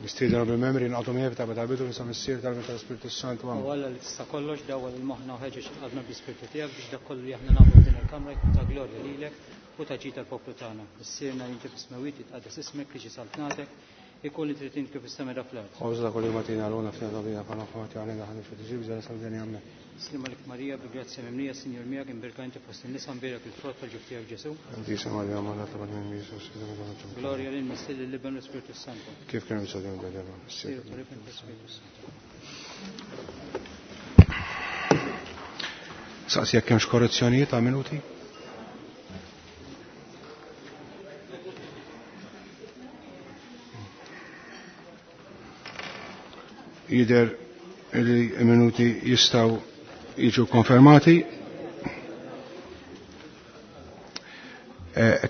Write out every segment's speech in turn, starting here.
Nistiednu bil-membri nqagħdu miegħi ta' tal-bidu nisa missier tal-Spiritu Santu. U Alla li tista' kollox dawwal il-moħħna u ħeġġeġ qalbna bl-Ispirtu tiegħek biex dak kollu li aħna nagħmlu f'din il-kamra jkun ta' glorja lilek u ta' ġid tal-poplu tagħna. Missierna li inti fis-smewwiet titqaddes ismek li ġi saltnatek, ikun li trid int kif is-sema fl-art. Ħobżna kull jum agħtina llum aħfir dnubietna bħalma aħna għalina aħna xi tiġi bżonn sal-deni amen. Sliem għalik Marija, bi grazzja mimlija, Sinjur miegħek, imbierka inti fost in-nisa, mbierek il-frott tal-ġuf tiegħek Ġesù. Qaddisa Marija, Omm Alla, itlob għalina Jesus, Glorja lil Missier lil Iben u l-Ispirtu Santu. Kif kien issa dejjem dejjem. Missier u l-Iben u l-Ispirtu Santu. Saqsi jekk hemmx korrezzjonijiet ta' minuti? Jider li minuti jistaw jiġu konfermati.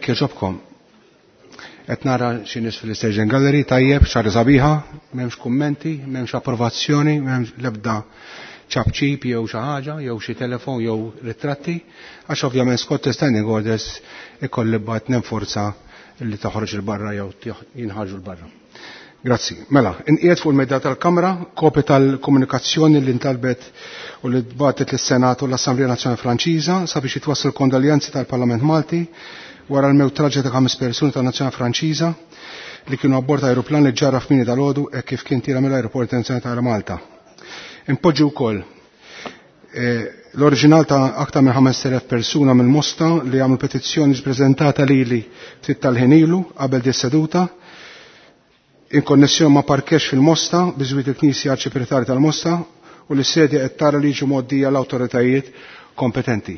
Kieġobkom. Qed nara xi nies fil-Station Gallery tajjeb, xar sabiħa, m'hemmx kummenti, m'hemmx approvazzjoni, m'hemmx l-ebda ċapċip jew xi ħaġa, jew xi telefon jew ritratti, għax ovvjament skont standing orders ikolli bad nenforza li toħroġ il-barra jew jinħarġu l-barra. Grazzi. Mela, inqiegħed fuq il-medda tal-Kamra kopja tal-komunikazzjoni li ntalbet u li tbatet lis-Senat u l-Assemblea Nazzjonali Franċiża sabiex jitwassal kondoljanzi tal-Parlament Malti wara l-mewt traġika ta' ħames persuni tan-Nazzjonali Franċiża li kienu abbord aeroplan li ġarra f'mini dal-għodu hekk kif kien tira mill-Aeroport Internazzjonali ta' Malta. Impoġġi wkoll l-oriġinal ta' aktar minn 5,000 persuna mill-Mosta li għamlu petizzjoni prezentata lili ftit tal-ħin ilu qabel di seduta in konnessjoni ma' parkex fil-Mosta biżwit il-Knisja Arċipretari tal-Mosta u li sedja qed tara li jiġu mgħoddija l-awtoritajiet kompetenti.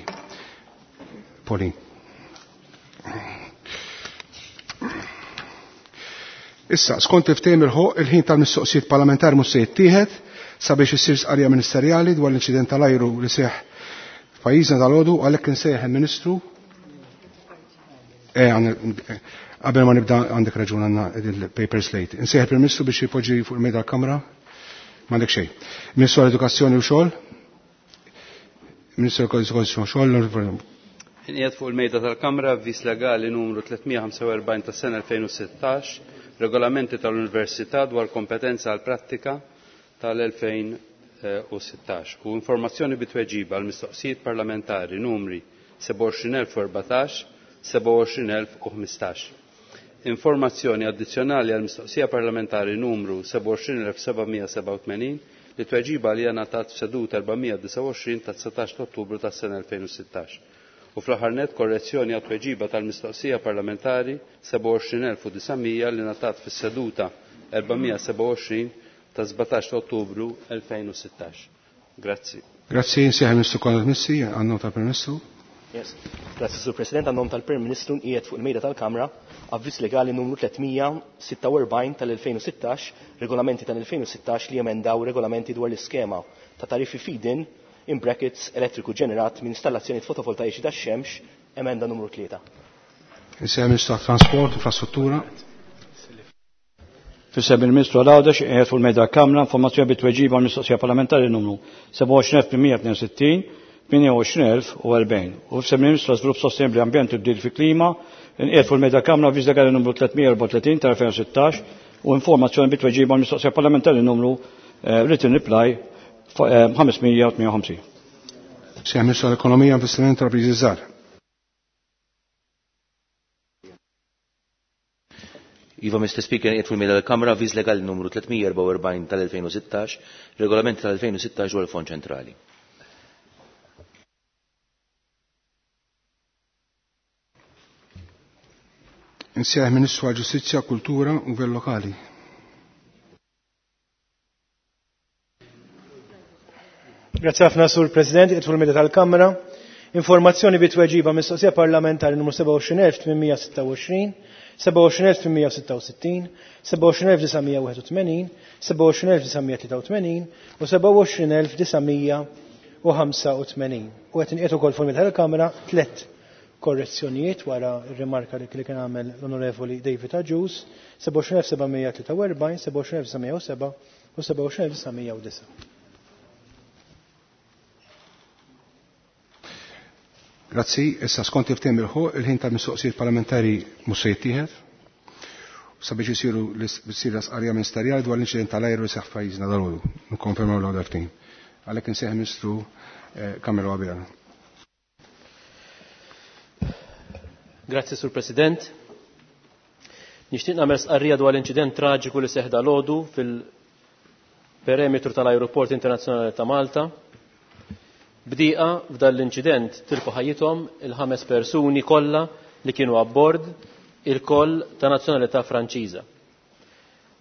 Pauline. Issa, skont il-ftehim il-ħoq, il-ħin tal-mistoqsijiet parlamentari mhux se jittieħed sabiex issir stqarrija ministerjali dwar l-inċident tal-ajru li seħħ f'pajjiżna dal-għodu, għalhekk insejjaħ il-Ministru. Qabel ma nibda għandek raġun għandna il-paper slate. Insejjaħ il-Prim Ministru biex jipoġġi fuq il-mejda tal-Kamra. M'għandek xejn. Ministru għall-Edukazzjoni u Xogħol. Ministru għall-Edukazzjoni u Xogħol. Inqiegħed fuq il-mejda tal-Kamra avviż legali numru 345 tas-sena 2016, regolamenti tal-Università dwar kompetenza għal prattika tal-2016 u informazzjoni bitweġiba għal mistoqsijiet parlamentari numri 27014, 27015. Informazzjoni addizzjonali għal mistoqsija parlamentari numru 27787 li tweġiba li ngħatat f'seduta 429 ta' 19 Ottubru tas-sena 2016. U fl-aħħar nett korrezzjoni għat tweġiba tal-mistoqsija parlamentari 27900 li ngħatat fis-seduta 427 ta' 17 Ottubru 2016. Grazzi. Grazzi, insejħ Ministru Konrad Mizzi, għan-nom tal-Prim Ministru. Yes. Grazzi, Sur President, għan-nom tal-Prim Ministru nqiegħed fuq il-mejda tal-Kamra avviż legali numru 346 tal-2016, regolamenti tal-2016 li jemendaw regolamenti dwar l-iskema ta' tariffi feed-in in brackets elettriku ġenerat minn installazzjoni fotovoltaiċi tax-xemx, emenda numru 3. Insejħ Ministru tat-Trasport, Infrastruttura. Fissem il-Ministru għal-Għawdex qiegħed fuq il-mejda Kamra informazzjoni bit-tweġiba għal mistoqsija parlamentari numru 27162, 28040. U fissem il-Ministru għal-Żvilupp Sostenibbli Ambjent u Tibdil fil-Klima inqiegħed fuq il-mejda Kamra avviż legali numru 334 tal-2016 u informazzjoni bit-tweġiba għal mistoqsija parlamentari numru written reply 558. Sejħ Ministru għall-Ekonomija, Investiment u Intrapriżi Żgħar. Iva, Mr. Speaker, qiegħed fuq il-mejda tal-Kamra avviż legali numru 344 tal-2016, regolament tal-2016 dwar il-Fond Ċentrali. Insejjaħ Ministru għall-Ġustizzja, Kultura u Gvern Lokali. Grazie ħafna, Sur President, qiegħed fuq il-mejda tal-Kamra. Informazzjoni bi tweġiba mistoqsija parlamentari numru 27826, 27866, 27981, 27983 u 27985. U qed inqiegħed ukoll fuq il-mejda tal-Kamra tliet korrezzjonijiet wara r-rimarka li kien għamel l-Onorevoli David Agius, 27743, 27907 u 27909. Grazzi, issa skont il-ftehim il-ħoq, il-ħin tal-mistoqsijiet parlamentari mhux se jittieħed. sabiex isiru l-sira sqarrija ministerjali dwar l-inċident tal-ajru li seħħ f'pajjiżna dalgħodu. Nikkonfermaw l ftehim. Għalhekk insejjaħ Ministru Carmelo Abela. Grazzi, Sur President. Nixtieq nagħmel stqarrija dwar l-inċident traġiku li seħħ dalgħodu fil-perimetru tal-Ajruport Internazzjonali ta' Malta. Bdieqa f'dan l-inċident tilfu ħajjithom il-5 persuni kollha li kienu abbord, il-koll ta' nazzjonalità Franċiża.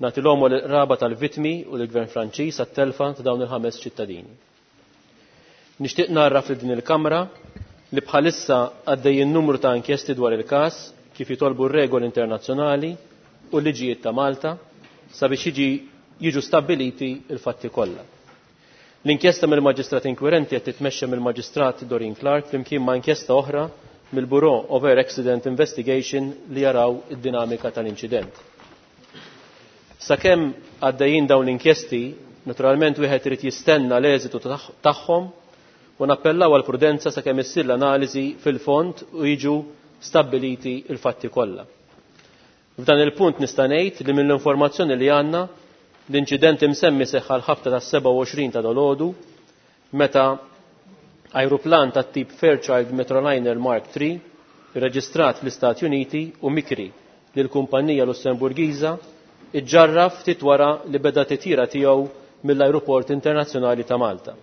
Nagħti l-omo l-raba tal-vittmi u l-Gvern Franċiż għat-telfa ta' dawn il-5 ċittadini. Nixtieq narraf li din il-Kamra li bħalissa għaddejjin numru ta' inkjesti dwar il-każ kif jitolbu r-regoli internazzjonali u l-liġijiet ta' Malta sabiex jiġu stabbiliti il-fatti kollha. L-inkjesta mill-Maġistrat Inkwirenti qed titmexxa mill-Maġistrat Doreen Clark flimkien ma' inkjesta oħra mill-Bureau of Air Accident Investigation li jaraw id-dinamika tal-inċident. Sakemm għaddejjin dawn l-inkjesti, naturalment wieħed irid jistenna l-eżitu tagħhom u nappellaw għal prudenza sakemm issir l-analiżi fil-fond u jiġu stabbiliti il-fatti kollha. F'dan il-punt nista' ngħid li mill-informazzjoni li għandna l-inċident imsemmi seħħ għal ħabta tas-27 ta' dolodu meta ajruplan tat-tip Fairchild Metroliner Mark III irreġistrat fl-Istati Uniti u mikri lil kumpanija Lussemburgiża iġġarraf ftit wara li beda titjira tiegħu mill-Ajruport Internazzjonali ta' Malta.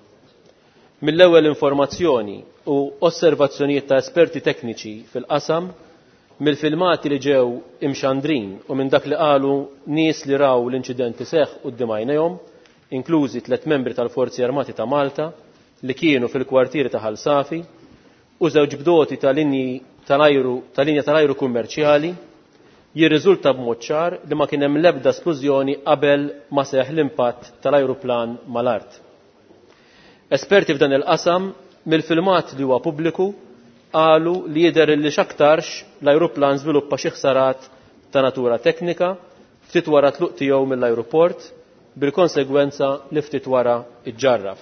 Mill-ewwel informazzjoni u osservazzjonijiet ta' esperti tekniċi fil-qasam, mill-filmati li ġew imxandrin u minn dak li qalu nies li raw l-inċident iseħħ quddiem għajnejhom, inklużi 3 membri tal-Forzi Armati ta' Malta li kienu fil-kwartieri ta' Ħal Safi u żewġ bdoti ta' linji tal-ajru ta' linja tal-ajru kummerċjali, jirriżulta b'mod ċar li ma kien hemm l-ebda splużjoni qabel ma seħħ l-impatt tal-ajruplan mal-art. Esperti f'dan il-qasam mill-filmat li huwa pubbliku qalu li jidher li x'aktarx l-ajruplan żviluppa xi ħsarat ta' natura teknika ftit wara tluq tiegħu mill-ajruport bil-konsegwenza li ftit wara iġġarraf.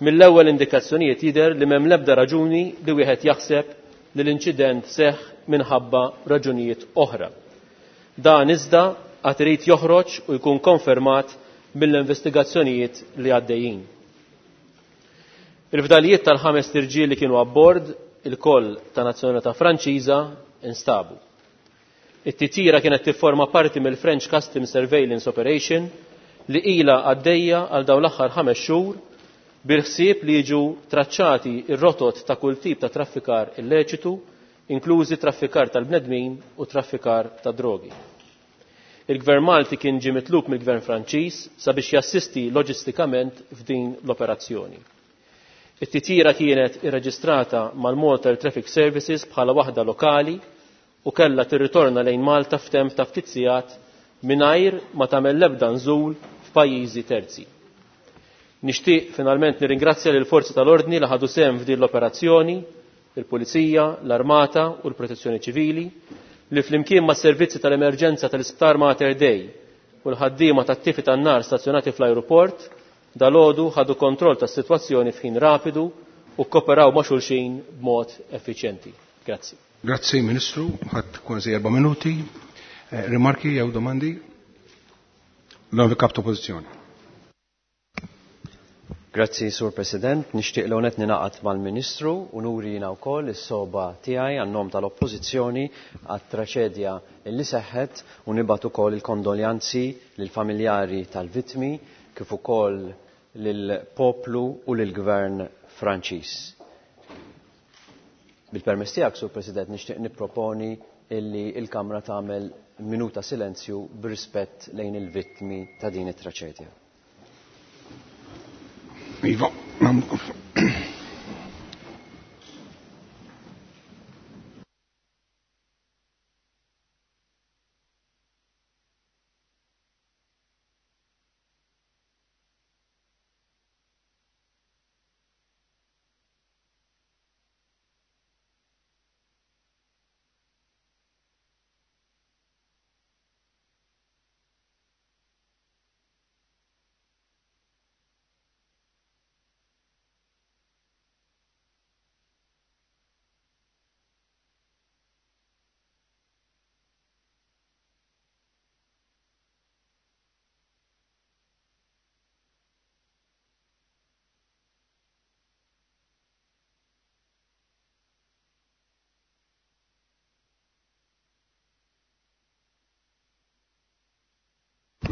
Mill-ewwel indikazzjonijiet jidher li m'hemm l-ebda raġuni li wieħed jaħseb li l-inċident seħħ minħabba raġunijiet oħra. Dan iżda għad irid joħroġ u jkun konfermat mill-investigazzjonijiet li għaddejjin. Il-fdalijiet tal-5 irġiel li kienu abbord, il-koll ta' nazzjonalità Franċiża, instabu. It-titjira kienet tifforma parti mill-French Customs Surveillance Operation li ilha għaddejja għal dawn l-aħħar 5 xhur bil-ħsieb li jiġu traċċati ir-rotot ta' kull tip ta' traffikar illeċitu, inklużi traffikar tal-bnedmin u traffikar ta' drogi. Il-Gvern Malti kien ġie mitlub mill-Gvern Franċiż sabiex jassisti loġistikament f'din l-operazzjoni. It-titjira kienet irreġistrata mal-Malta Air Traffic Services bħala waħda lokali u kellha tirritorna lejn Malta f'temp ta' ftit sigħat mingħajr ma tagħmel l-ebda nżul f'pajjiżi terzi. Nixtieq finalment nirringrazzja lill forzi tal-Ordni li ħadu sehem f'din l-operazzjoni, il-Pulizija, l-Armata u l-Protezzjoni Ċivili, li flimkien mas servizzi tal-emerġenza tal-Isptar Mater Dei u l-ħaddiema tat-tifi tan-nar stazzjonati fl-ajruport dalgħodu ħadu kontroll tas-sitwazzjoni f'ħin rapidu u kkoperaw ma' xulxin b'mod effiċjenti. Grazzi. Grazzi Ministru, ħadd kważi 4 minuti. Rimarki jew domandi? L-Onorevoli Kap ta' Oppożizzjoni. Grazzi, Sur President. Nixtieq l għonet ninaqat mal-Ministru u nuri jiena wkoll is-soba tiegħi għan-nom tal-Oppożizzjoni għat-traċedja li seħħet u nibgħat ukoll il-kondoljanzi lill-familjari tal-vittmi kif ukoll lill-poplu u lill-Gvern Franċiż. Bil-permess tiegħek, Sur President, nixtieq nipproponi illi il-Kamra tagħmel minuta silenzju b'rispett lejn il-vittmi ta' din it-traċedja. Iva,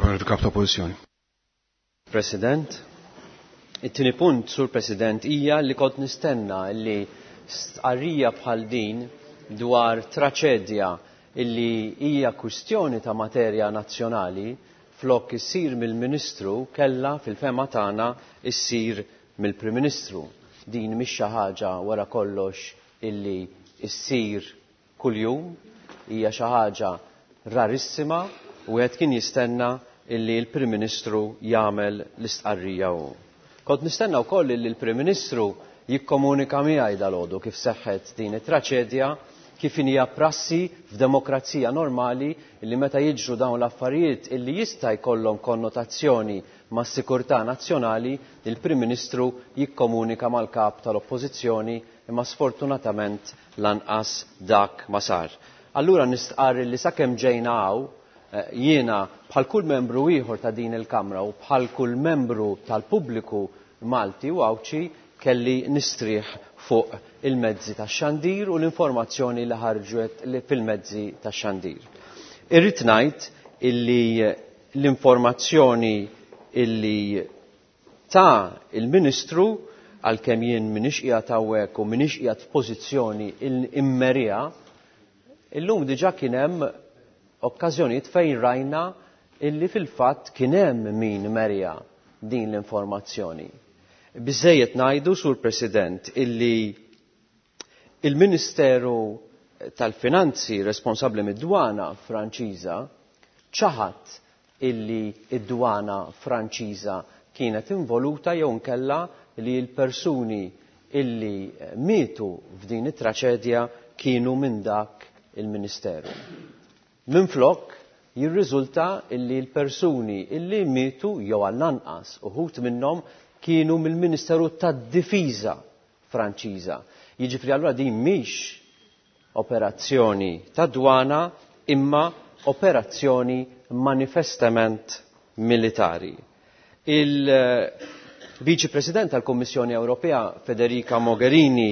Onorevoli Kap ta' Oppożizzjoni. President, it-tieni punt, Sur President, hija li kont nistenna li stqarrija bħal din dwar traċedja illi hija kwistjoni ta' materja nazzjonali flok issir mill-Ministru kellha fil-fehma tagħna issir mill-Prim Ministru. Din mhix xi ħaġa wara kollox illi issir kuljum, hija xi ħaġa rarissima u wieħed kien jistenna illi l-Prim Ministru jagħmel l-istqarrija hu. Kont nistenna wkoll illi l-Prim Ministru jikkomunika miegħi dalgħodu kif seħħet din it-traċedja, kif hija prassi f'demokrazija normali illi meta jiġru dawn l-affarijiet illi jista' jkollhom konnotazzjoni mas-sikurtà nazzjonali, il-Prim Ministru jikkomunika mal-kap tal-Oppożizzjoni, imma sfortunatament lanqas dak ma sar. Allura nistqarr li sakemm ġejna hawn, jiena bħal kull membru ieħor ta' din il-Kamra u bħal kull membru tal-pubbliku Malti u Għawdxi kelli nistrieħ fuq il-mezzi tax-xandir u l-informazzjoni li ħarġet fil-mezzi tax-xandir. Irrid ngħid illi l-informazzjoni illi ta' il-Ministru, għalkemm jien m'iniex qiegħed hawnhekk u m'iniex qiegħed f'pożizzjoni immerija, illum diġà kien hemm okkażjonijiet fejn rajna illi fil-fatt kien hemm min merja din l-informazzjoni. Biżżejjed ngħidu, Sur President, illi il-Ministeru tal-Finanzi responsabbli mid-dwana Franċiża ċaħad illi id-dwana Franċiża kienet involuta jew nkella li l-persuni illi mietu f'din it-traċedja kienu minn dak il-Ministeru. Minflok jirriżulta illi l-persuni illi mietu jew għall-anqas uħud minnhom kienu mill-Ministeru tad-Difiża Franċiża. Jiġifieri allura din mhix operazzjoni ta' dwana imma operazzjoni manifestament militari. Il-Viċi President tal-Kummissjoni Ewropea Federica Mogherini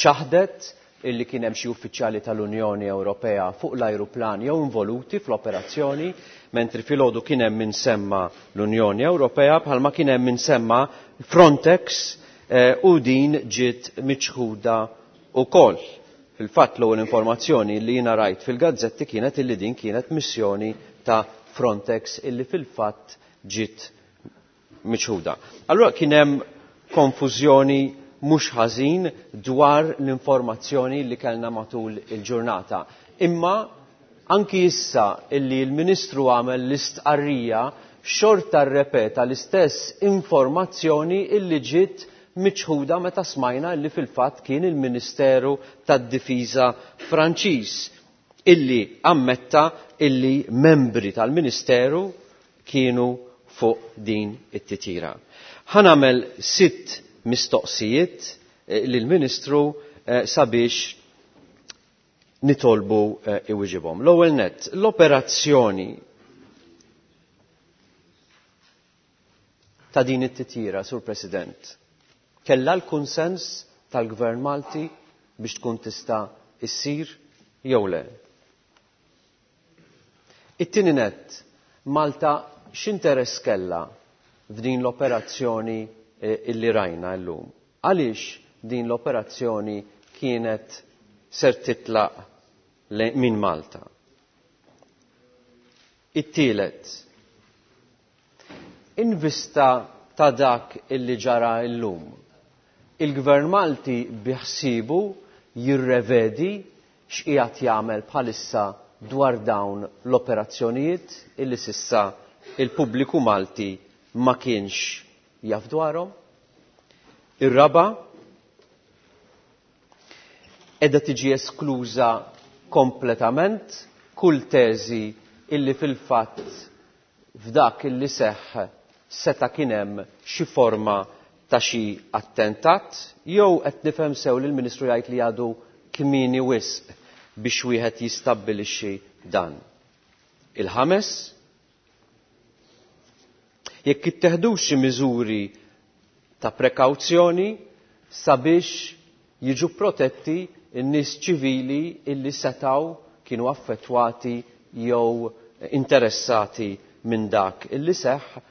ċaħdet illi kien hemm xi uffiċjali tal-Unjoni Ewropea fuq l-ajruplan jew involuti fl-operazzjoni, mentri filgħodu kien hemm min semma l-Unjoni Ewropea bħalma kien hemm min semma Frontex u din ġiet miċħuda wkoll. Fil-fatt l-ewwel informazzjoni li jiena rajt fil-gazzetti kienet illi din kienet missjoni ta' Frontex illi fil-fatt ġiet miċħuda. Allura kien hemm konfużjoni mhux ħażin dwar l-informazzjoni li kellna matul il-ġurnata. Imma anki issa illi l-Ministru għamel l-istqarrija xorta rrepeta l-istess informazzjoni illi ġiet miċħuda meta smajna illi fil-fatt kien il-Ministeru tad-Difiża Franċiż illi ammetta illi membri tal-Ministeru kienu fuq din it-titjira. Ħa nagħmel 6 mistoqsijiet lill-Ministru sabiex nitolbu iwiġibhom. L-ewwel nett, l-operazzjoni ta' din it-titjira, Sur President, kellha l-kunsens tal-Gvern Malti biex tkun tista' issir jew le. It-tieni nett, Malta x'interess kellha f'din l-operazzjoni illi rajna llum? Għaliex din l-operazzjoni kienet ser titlaq minn Malta? It-tielet, in vista ta' dak illi ġara llum, il-Gvern Malti biħsibu jirrevedi x'qiegħed jagħmel bħalissa dwar dawn l-operazzjonijiet illi sissa il-pubbliku Malti ma kienx jaf dwarhom. Ir-raba, qiegħda tiġi eskluża kompletament kull teżi illi fil-fatt f'dak illi seħħ seta' kien hemm xi forma ta' xi attentat, jew qed nifhem sew li l-Ministru jgħid li għadu kmieni wisq biex wieħed jistabbilixxi dan. Il-ħames, jekk itteħdux xi miżuri ta' prekawzjoni sabiex jiġu protetti n-nies ċivili illi setaw kienu affettwati jew interessati minn dak illi seħħ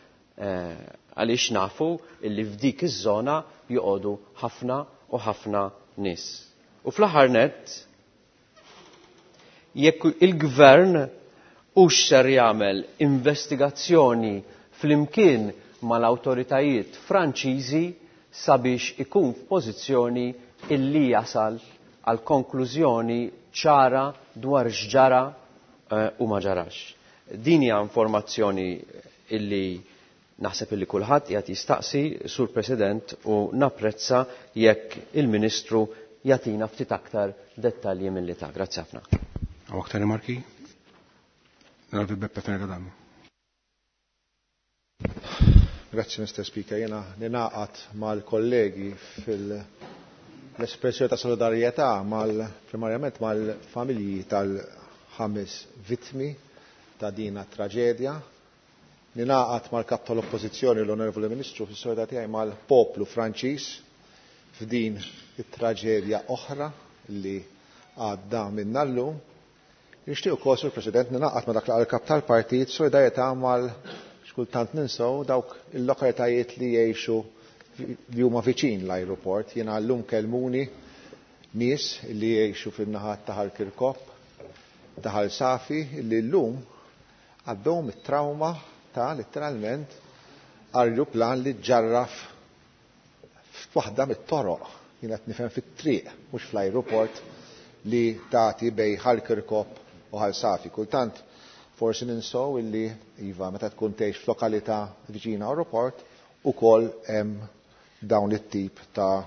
għaliex nafu illi f'dik iż-żona joqogħdu ħafna u ħafna nies. U fl-aħħar nett, jekk il-gvern hux ser jagħmel investigazzjoni flimkien mal-awtoritajiet Franċiżi sabiex ikun f'pożizzjoni illi jasal għal konklużjoni ċara dwar x'ġara u ma ġarax. Din hija informazzjoni illi naħseb illi kulħadd qiegħed jistaqsi, Sur President, u napprezza jekk il-Ministru jagħtina ftit aktar dettalji milli ta'. Grazzi ħafna. Hawn aktar rimarki? Naraw Beppe Fenech Adami. Grazzi Mr. Speaker, jena ninaqat mal-kollegi fil-espressjoni ta' solidarjetà mal primarjament mal-familji tal-5 vittmi ta' dina traġedja. Ninaqat mal-kap tal-Oppożizzjoni l-Onorevoli Ministru fis-solidarjetà tiegħi mal-poplu Franċiż f'din it-traġedja oħra li għadda minna llum. Nixtieq ukoll, Sur President, ninaqat ma' dak li qal il-kap tal-partit solidarjetà mal xkultant ninsew dawk il-lokalitajiet li jgħixu li huma viċin l-ajruport. Jiena llum kellmuni nies li jgħixu fin-naħat ta' Ħal Kirkop, ta' Ħal Safi, li llum għaddew mit-trauma ta' letteralment ajruplan li ġarraf f'waħda mit-toroq. Jiena qed nifhem fit-triq, mhux fl-ajruport li tagħti bej Ħal Kirkop u Ħal Safi. Kultant forsi ninsow illi iva meta tkun tgħix f'lokalità viċina aeroport ukoll hemm dawn it-tip ta'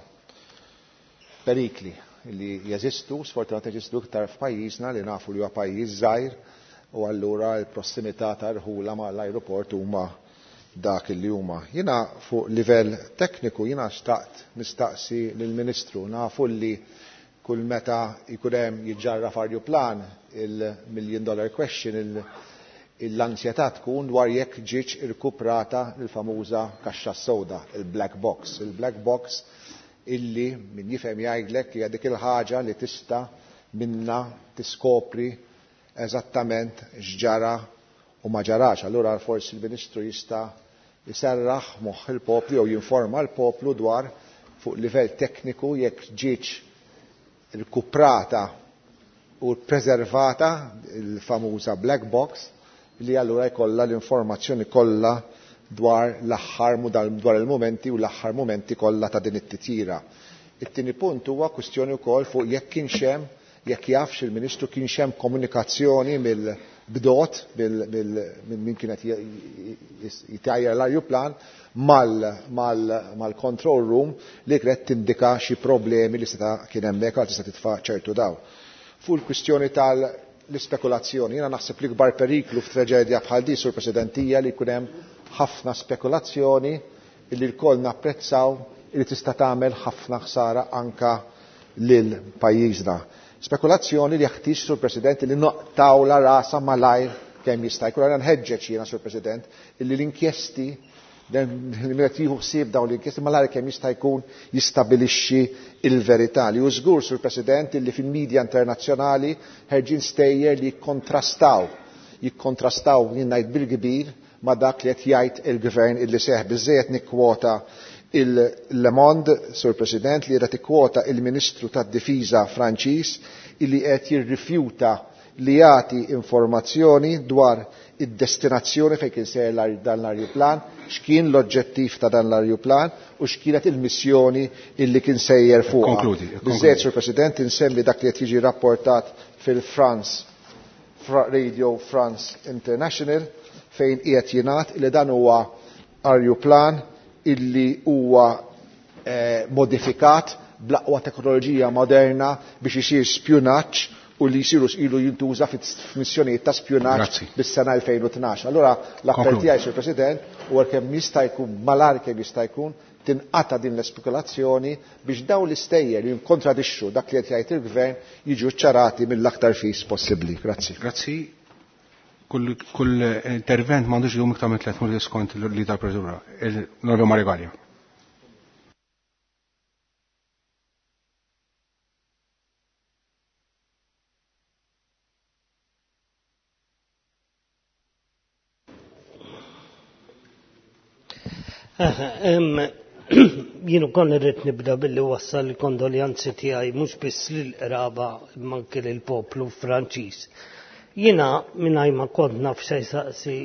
perikli li jeżistu, sfortunatament jeżistu iktar f'pajjiżna li nafu li huwa pajjiż żgħir u allura l-prossimità ta' rħula mal-ajruport huma dak li huma. Jiena fuq livell tekniku jiena xtaqt nistaqsi lill-Ministru, nafu li kull meta jkun hemm jiġġarraf ajruplan il-million dollar question, l-ansjetà tkun dwar jekk ġietx irkuprata l-famuża kaxxa sewda, il-black box. Il-black box illi min jifhem jgħidlek hija dik il-ħaġa li tista' minna tiskopri eżattament x'ġara u ma ġarax. Allura forsi l-Ministru jista' jserraħ moħħ il-poplu jew jinforma l-poplu dwar fuq livell tekniku jekk ġietx irkuprata u preservata il-famuża black box li allura jkollha l-informazzjoni kollha dwar l-aħħar dwar il-momenti u l-aħħar momenti kollha ta' din it-titjira. It-tieni punt huwa kwistjoni wkoll fuq jekk kienx hemm, jekk jafx il-Ministru kienx hemm komunikazzjoni mill-bdot minn min kienet jitajjar l-ajruplan mal-control room li kienet tindika xi problemi li seta' kien hemmhekk għal tista' titfa' ċertu daw. Fuq il-kwistjoni tal-ispekulazzjoni, jiena naħseb li kbar periklu f'traġedja bħal di, Sur President, hija li jkun hemm ħafna spekulazzjoni li lkoll napprezzaw li tista' tagħmel ħafna ħsara anka lil pajjiżna. Spekulazzjoni li jeħtieġ, Sur President, li noqtaw la rasa malajr kemm jista' jkun. Allura nħeġġeġ jiena, Sur President, illi l-inkjesti li qed jieħu ħsieb dawn l-inkjesti malajr kemm jista' jkun jistabilixxi il-verità. Li hu żgur, Sur President, illi fil-medja internazzjonali ħerġin stejjer li jikkontrastaw jien ngħid bil-kbir ma' dak li qed jgħid il-gvern illi seħ. Biżżejjed nikkwota il-Le Monde, Sur President, li qed ikkwota il-Ministru tad-Difiża Franċiż illi qed jirrifjuta li jagħti informazzjoni dwar id-destinazzjoni fejn kien sejjer dan l-ajruplan, x'kien l-oġġettiv ta' dan l-ajruplan u x'kienet il-missjoni illi kien sejjer fuqha. Konkludi, konkludi. Biżżejjed, Sur President, insemmi dak li qed jiġi rapportat fil-France Radio France International fejn qiegħed jingħad li dan huwa ajruplan illi huwa modifikat bl-aqwa teknoloġija moderna biex isir spjunaġġ u li jsiru ilu jintuża f'missjonijiet ta' spjunaġġ Grazzi. bis-sena 2012. Allura l-appell Konkludi. tiegħi, Sur President, huwa kemm jista' jkun malar kemm jista' jkun tinqata' din l-espekulazzjoni biex dawn l-istejjer li jinkontradixxu dak li qed jgħid il-gvern jiġu ċċarati mill-aktar fis possibbli. Grazzi. Grazzi. Kull intervent m'għandux idum iktar minn 3 minuti skont li tal-proċedura. Il-Onorevole Mario Galea. Jien ukoll irrid nibda billi wassal il-kondoljanzi tiegħi mhux biss lill-qraba imma anke lill-poplu Franċiż. Jiena mingħajr ma kont naf x'se jsaqsi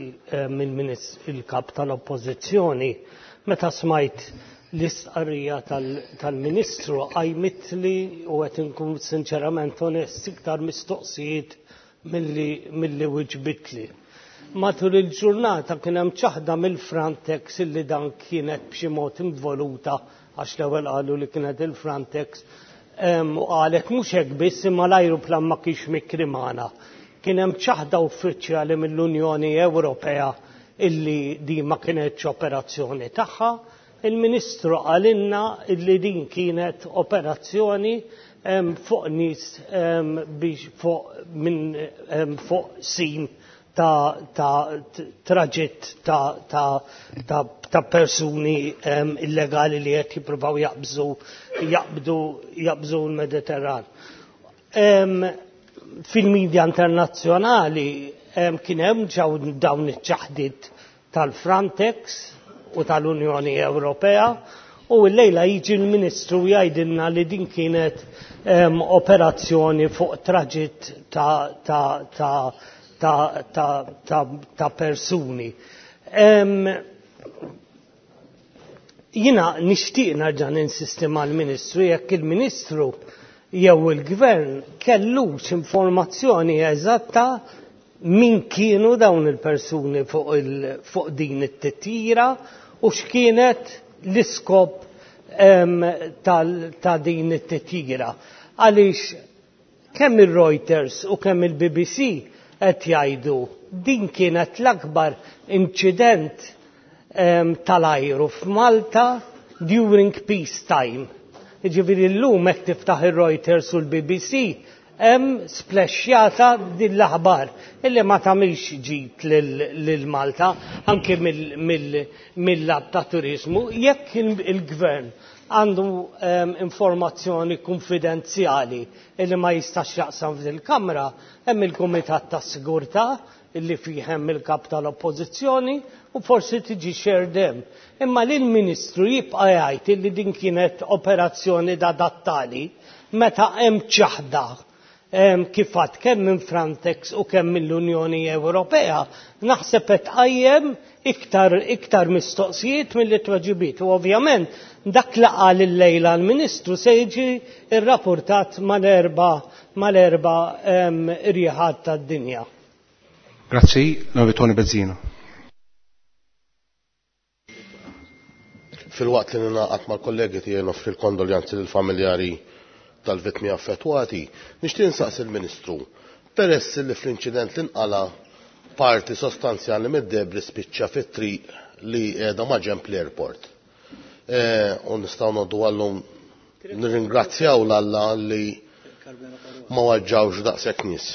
il-kap tal-Oppożizzjoni, meta smajt l-istqarrija tal-Ministru qajmitli u qed inkun sinċerament onest iktar mistoqsijiet milli wiġbitli. Matul il-ġurnata kien hemm ċaħda mill-Frontex illi dan kienet b'xi mod involuta għax l-ewwel qalu li kienet il-Frontex u qalet mhux hekk biss imma l-ajruplan ma kienx mikri magħna. Kien hemm ċaħda uffiċjali mill-Unjoni Ewropea illi din ma kienetx operazzjoni tagħha. Il-Ministru qalilna illi din kienet operazzjoni fuq nies biex fuq minn fuq sim ta' ta' traġitt ta' ta' ta' ta' persuni illegali li qed jippruvaw jaqbżu jaqbdu jaqbżu l-Mediterran. Fil-medja internazzjonali kien hemm dawn iċ-ċaħdiet tal-Frontex u tal-Unjoni Ewropea u llejla jiġi l-Ministru jgħidilna li din kienet operazzjoni fuq traġitt ta' ta' ta' ta' ta' ta' ta' persuni. Jina nixtieq nerġa' ninsisti mal-Ministru jekk il-Ministru jew il-Gvern kellux informazzjoni eżatta min kienu dawn il-persuni fuq il, fuq din it-titjira u x'kienet l-iskop ta' din it-titjira. Għaliex kemm il-Reuters u kemm il-BBC qed jgħidu din kienet l-akbar inċident tal-ajru f'Malta during peace time. Jiġifieri llum hekk tiftaħ ir-Reuters u l-BBC hemm splexxjata din l-aħbar illi ma tagħmilx ġid lil Malta anke mill-lat ta' turiżmu. Jekk il-gvern għandu informazzjoni konfidenzjali illi ma jistax jaqsam fil-Kamra, hemm il-Kumitat tas-Sigurtà illi fih hemm il-kap tal-Oppożizzjoni u forsi tiġi shared hemm. Imma li l-Ministru jibqa' jgħid illi din kienet operazzjoni da dattali meta hemm ċaħda kif għad kemm minn Frontex u kemm mill-Unjoni Ewropea, naħseb qed tqajjem iktar iktar mistoqsijiet milli tweġibiet. U ovvjament dak li qal illejla l-Ministru se jiġi rrapportat mal-erba' mal-erba' rieħat tad-dinja. Grazzi, l-Onorevoli Tony Bezzina. Filwaqt li ninaqat mal-kollegi tiegħi noffri l-kondoljanzi lill-familjari tal-vittmi affettwati, nixtieq insaqsi l-Ministru, peress li fl-inċident li nqala parti sostanzjali mid-debri spiċċa fit-triq li qiegħda ma' ġenb l-airport. U nistgħu ngħoddu għallum nirringrazzjaw l-Alla li ma waġġawx daqshekk nies.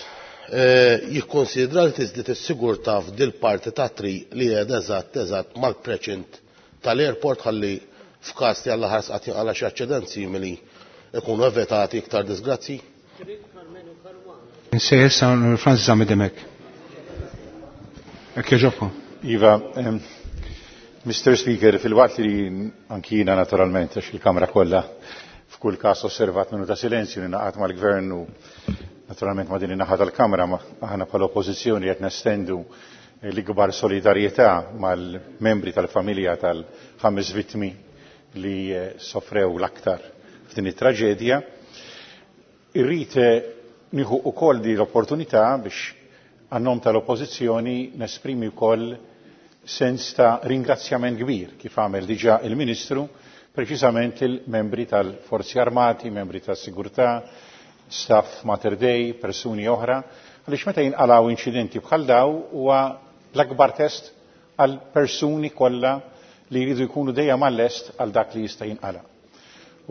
Jikkonsidra li tiżdied is-sigurtà f'dil parti ta' triq li qiegħda eżatt eżatt mal-preċint tal-airport ħalli f'każ li Alla ħares qatt jinqala xi aċċident simili ikunu evitati iktar disgrazzi? Insejjer sa Francis Zammit Dimech. Hekk jogħġobkom. Iva, Mr. Speaker, fil-waqt li anki jiena naturalment għax il-Kamra kollha f'kull każ osservat minuta silenzju ninaqat mal-Gvern u naturalment ma' din in-naħa tal-Kamra aħna bħala Oppożizzjoni qed nestendu l-ikbar solidarjetà mal-membri tal-familja tal-ħames vittmi li sofrew l-aktar f'din it-traġedja. Irrid nieħu wkoll di l-opportunità biex għan-nom tal-Oppożizzjoni nesprimi wkoll sens ta' ringrazzjament kbir kif għamel diġà il-Ministru preċiżament il-membri tal-Forzi Armati, membri tas-Sigurtà, staff Mater Dei, persuni oħra, għaliex meta jinqalgħu inċidenti bħal daw huwa l-akbar test għal persuni kollha li jridu jkunu dejjem għall-lest għal dak li jista' jinqala.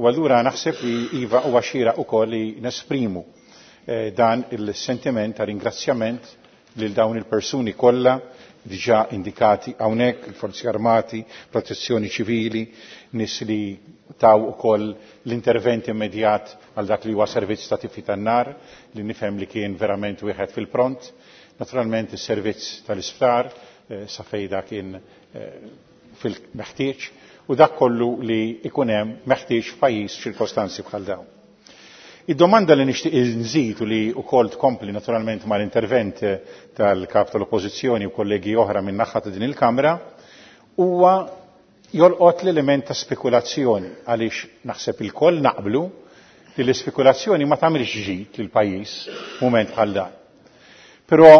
U allura naħseb li iva huwa xieraq ukoll li nesprimu dan il-sentiment ta' ringrazzjament lil dawn il-persuni kollha diġà indikati hawnhekk, il-Forzi Armati, Protezzjoni Ċivili, nies li taw ukoll l-intervent immedjat għal dak li huwa servizz ta' tifi tan-nar li nifhem li kien verament wieħed fil-pront. Naturalment is-servizz tal-isptar sa fejda kien fil-meħtieġ u dak kollu li ikun hemm meħtieġ f'pajjiż f'ċirkostanzi bħal dawn. Id-domanda li nixtieq nżid u li wkoll tkompli naturalment mal-intervent tal-kap tal-Oppożizzjoni u kollegi oħra minn naħa ta' din il-Kamra huwa jolqot l-element ta' spekulazzjoni għaliex naħseb ilkoll naqblu li l-ispekulazzjoni ma tagħmilx ġid lill-pajjiż f'mument bħal dan. Però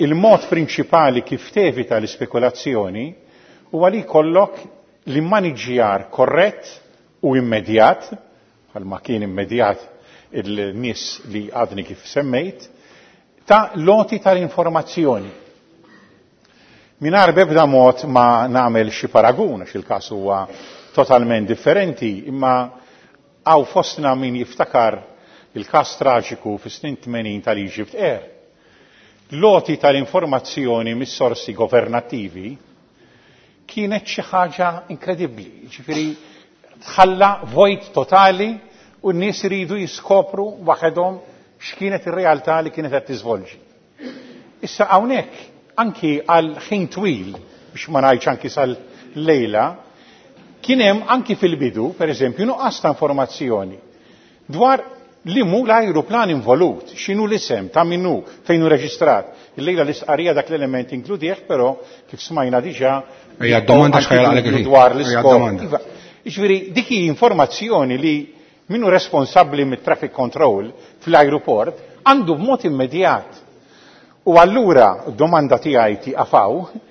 il-mod prinċipali kif tevita l-ispekulazzjoni huwa li jkollok l-immaniġġjar korrett u immedjat, bħalma kien immedjat il-nies li għadni kif semmejt, ta' loti tal-informazzjoni. Mingħajr b'ebda mod ma nagħmel xi paragun għax il-każ huwa totalment differenti, imma hawn fostna min jiftakar il-każ traġiku fis-snin 80 tal-Egypt Air. L-għoti tal-informazzjoni mis-sorsi governattivi kienet xi ħaġa inkredibbli, ġifieri tħalla vojt totali u n-nies iridu jiskopru waħedhom x'kienet ir-realtà li kienet qed tiżvolġi. Issa hawnhekk anki għal ħin twil, biex ma ngħidx anki sal-lejla, kien hemm anki fil-bidu, pereżempju, nuqqas ta' informazzjoni dwar li mu l-ajruplan involut, x'inhu l-isem, ta' min hu, fejn hu reġistrat. Illejla l-istqarrija dak l-element inkludih, però kif smajna diġà Ejja, d-domanda x'ħajja għalek il-ħin. dwar Ejja, l-iskop. d-domanda. Iva, jiġifieri dik hi informazzjoni li min hu responsabbli mit-traffic control fl-ajruport għandu b'mod immedjat. U allura d-domanda tiegħi tieqaf hawn,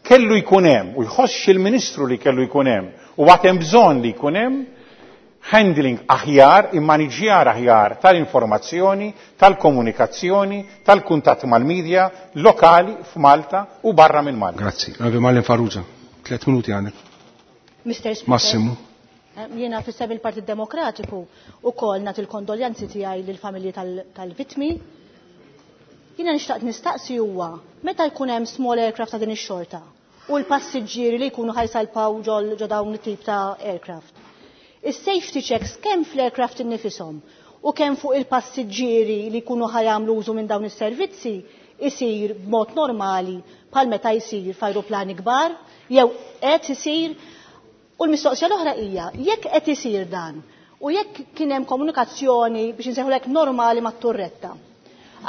kellu jkun hemm u jħossx il-Ministru li kellu jkun hemm u għad hemm bżonn li jkun hemm handling aħjar, immaniġjar aħjar tal-informazzjoni, tal-komunikazzjoni, tal-kuntatt mal-medja lokali f'Malta u barra minn Malta. Grazzi. Onorevoli Marlene Farrugia, 3 minuti għandek. Mister Speaker. Massimu. Jiena fissem il-Partit Demokratiku u kol nagħti l-kondoljanzi tiegħi lill-familji tal-vittmi. Jiena nixtaqt nistaqsi huwa meta jkun hemm small aircraft ta' din ix-xorta u l-passiġġieri li jkunu ħajsalpaw ġo dawn it-tip ta' aircraft. Is-safety checks kemm fl-aircraft innifisom u kemm fuq il-passiġġieri li jkunu ħajamlu użu minn dawn is-servizzi isir b'mod normali bħal meta jsir f'ajruplani kbar jew qed isir. U l-mistoqsija l-oħra hija jekk qed isir dan u jekk kien hemm komunikazzjoni biex insejħulek normali mat-turretta.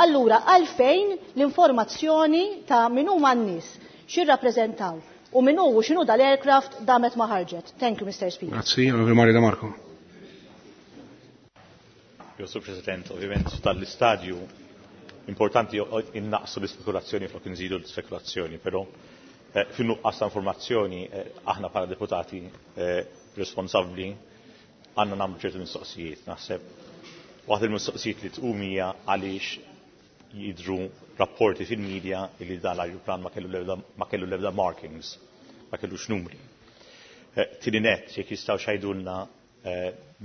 Allura għalfejn l-informazzjoni ta' min huma n-nies x'irrappreżentaw u min hu u x'inhu dal-aircraft damet ma ħarġet. Thank you, Mr. Speaker. Grazzi, Onorevoli Mario De Marco. Jo, Sur President, ovvjament tal-istadju importanti innaqsu l-ispekulazzjoni flok nżidu l-spekulazzjoni, però fin-nuqqas ta' informazzjoni aħna bħala deputati responsabbli għandna nagħmlu ċertu mistoqsijiet. Naħseb waħda il-mistoqsijiet li tqum hija għaliex jidhru rapporti fil-medja li dan l-ajruplan ma kellu l-ebda markings, ma kellux numri. Tieni nett, jekk jistgħu xajdulna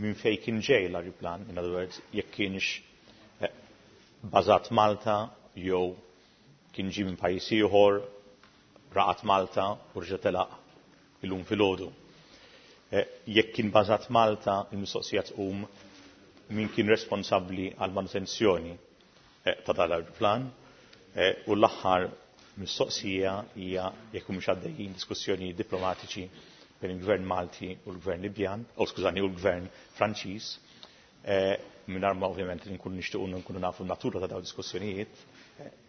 minn fejn kien ġej l-ajruplan, in other words, jekk kienx bażat Malta jew kien ġie minn pajjiż ieħor, raqat Malta u rġa' telaq illum filgħodu. Jekk kien bażat Malta, il-mistoqsija tqum min kien responsabbli għal manutenzjoni ta' dan l-ajruplan. U l-aħħar mistoqsija hija jekk humiex għaddejjin diskussjoni diplomatiċi bejn il-Gvern Malti u l-Gvern Libjan, u skużani, u l-Gvern Franċiż, mingħajr ma ovvjament li nkunu nixtiequ nkunu nafu n-natura ta' dawn diskussjonijiet,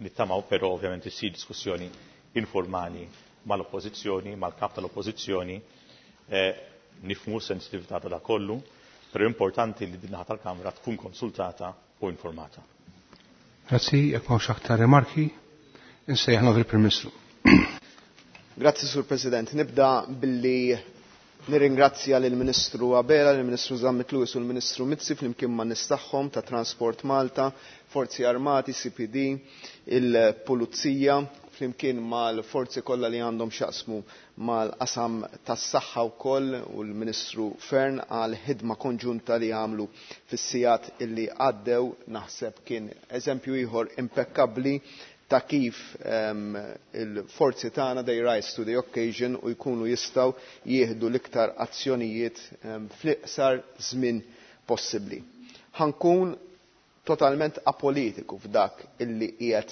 nittamaw però ovvjament issir diskussjoni informali mal-oppożizzjoni, mal-kap tal-oppożizzjoni, nifhmu s-sensitività ta' dak kollu, però importanti li din naħa tal-Kamra tkun konsultata u informata. Grazzi, jekk m'hawnx aktar rimarki, insejjaħ nagħti il-Prim Ministru. Grazzi, Sur President. Nibda billi nirringrazzja lill-Ministru Abela, lill-Ministru Zammit Lewis u l-Ministru Mizzi flimkien ma' nies tagħhom ta' Transport Malta, Forzi Armati, CPD, il-Pulizija, flimkien mal-forzi kollha li għandhom x'jaqsmu mal-qasam tas-saħħa wkoll u l-Ministru Fearne għal ħidma konġunta li għamlu fis-sigħat illi għaddew. Naħseb kien eżempju ieħor impekkabbli ta' kif il-forzi tagħna they rise to the occasion u jkunu jistgħu jieħdu l-iktar azzjonijiet fl-iqsar żmien possibbli. Ħankun totalment apolitiku f'dak illi qiegħed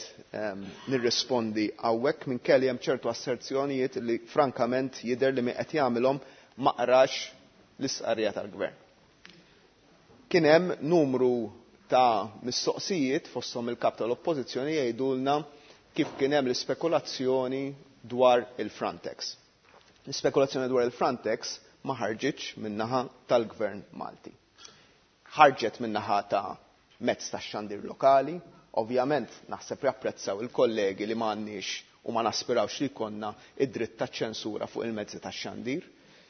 nirrispondi hawnhekk, minkejja hemm ċertu asserzjonijiet li frankament jidher li min qed jagħmilhom ma qrax l-istqarrija tal-Gvern. Kien hemm numru ta' mistoqsijiet fosthom il-kap tal-Oppożizzjoni jgħidulna kif kien hemm l-ispekulazzjoni dwar il-Frontex. L-ispekulazzjoni dwar il-Frontex ma ħarġitx min-naħa tal-Gvern Malti. Ħarġet min-naħa ta' mezz tax-xandir lokali, ovvjament naħseb japprezzaw il-kollegi li m'għandniex u ma naspirawx li jkollna id-dritt taċ-ċensura fuq il-mezzi tax-xandir.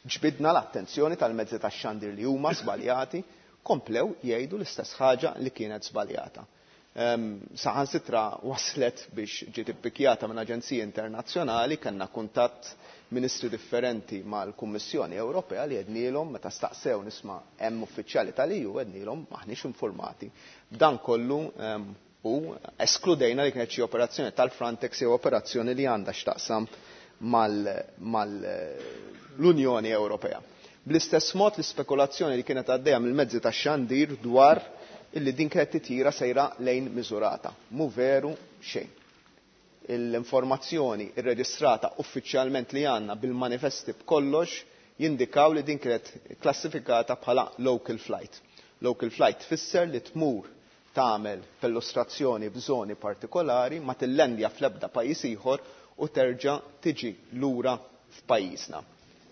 Ġbidna l-attenzjoni tal-mezzi tax-xandir li huma żbaljati, komplew jgħidu l-istess ħaġa li kienet żbaljata. Saħansitra waslet biex ġiet ippikjata minn aġenziji internazzjonali, kellna kuntatt ministri differenti mal-Kummissjoni Ewropea li għednielhom meta staqsew nisma' hemm uffiċjali tal-EU, għednielhom maħniex informati. B'dan kollu u eskludejna li kienet xi operazzjoni tal-Frontex jew operazzjoni li għandha x'taqsam mal-Unjoni Ewropea. Bl-istess mod l-ispekulazzjoni li kienet għaddejja mill-mezzi tax-xandir dwar illi din kienet titjira sejra lejn Misurata. Mu veru xejn. L-informazzjoni irreġistrata uffiċjalment li għandna bil-manifesti b'kollox jindikaw li din kienet klassifikata bħala local flight. Local flight tfisser li tmur tagħmel perlustrazzjoni b'żoni partikolari, ma tillendja fl-ebda pajjiż ieħor u terġa' tiġi lura f'pajjiżna.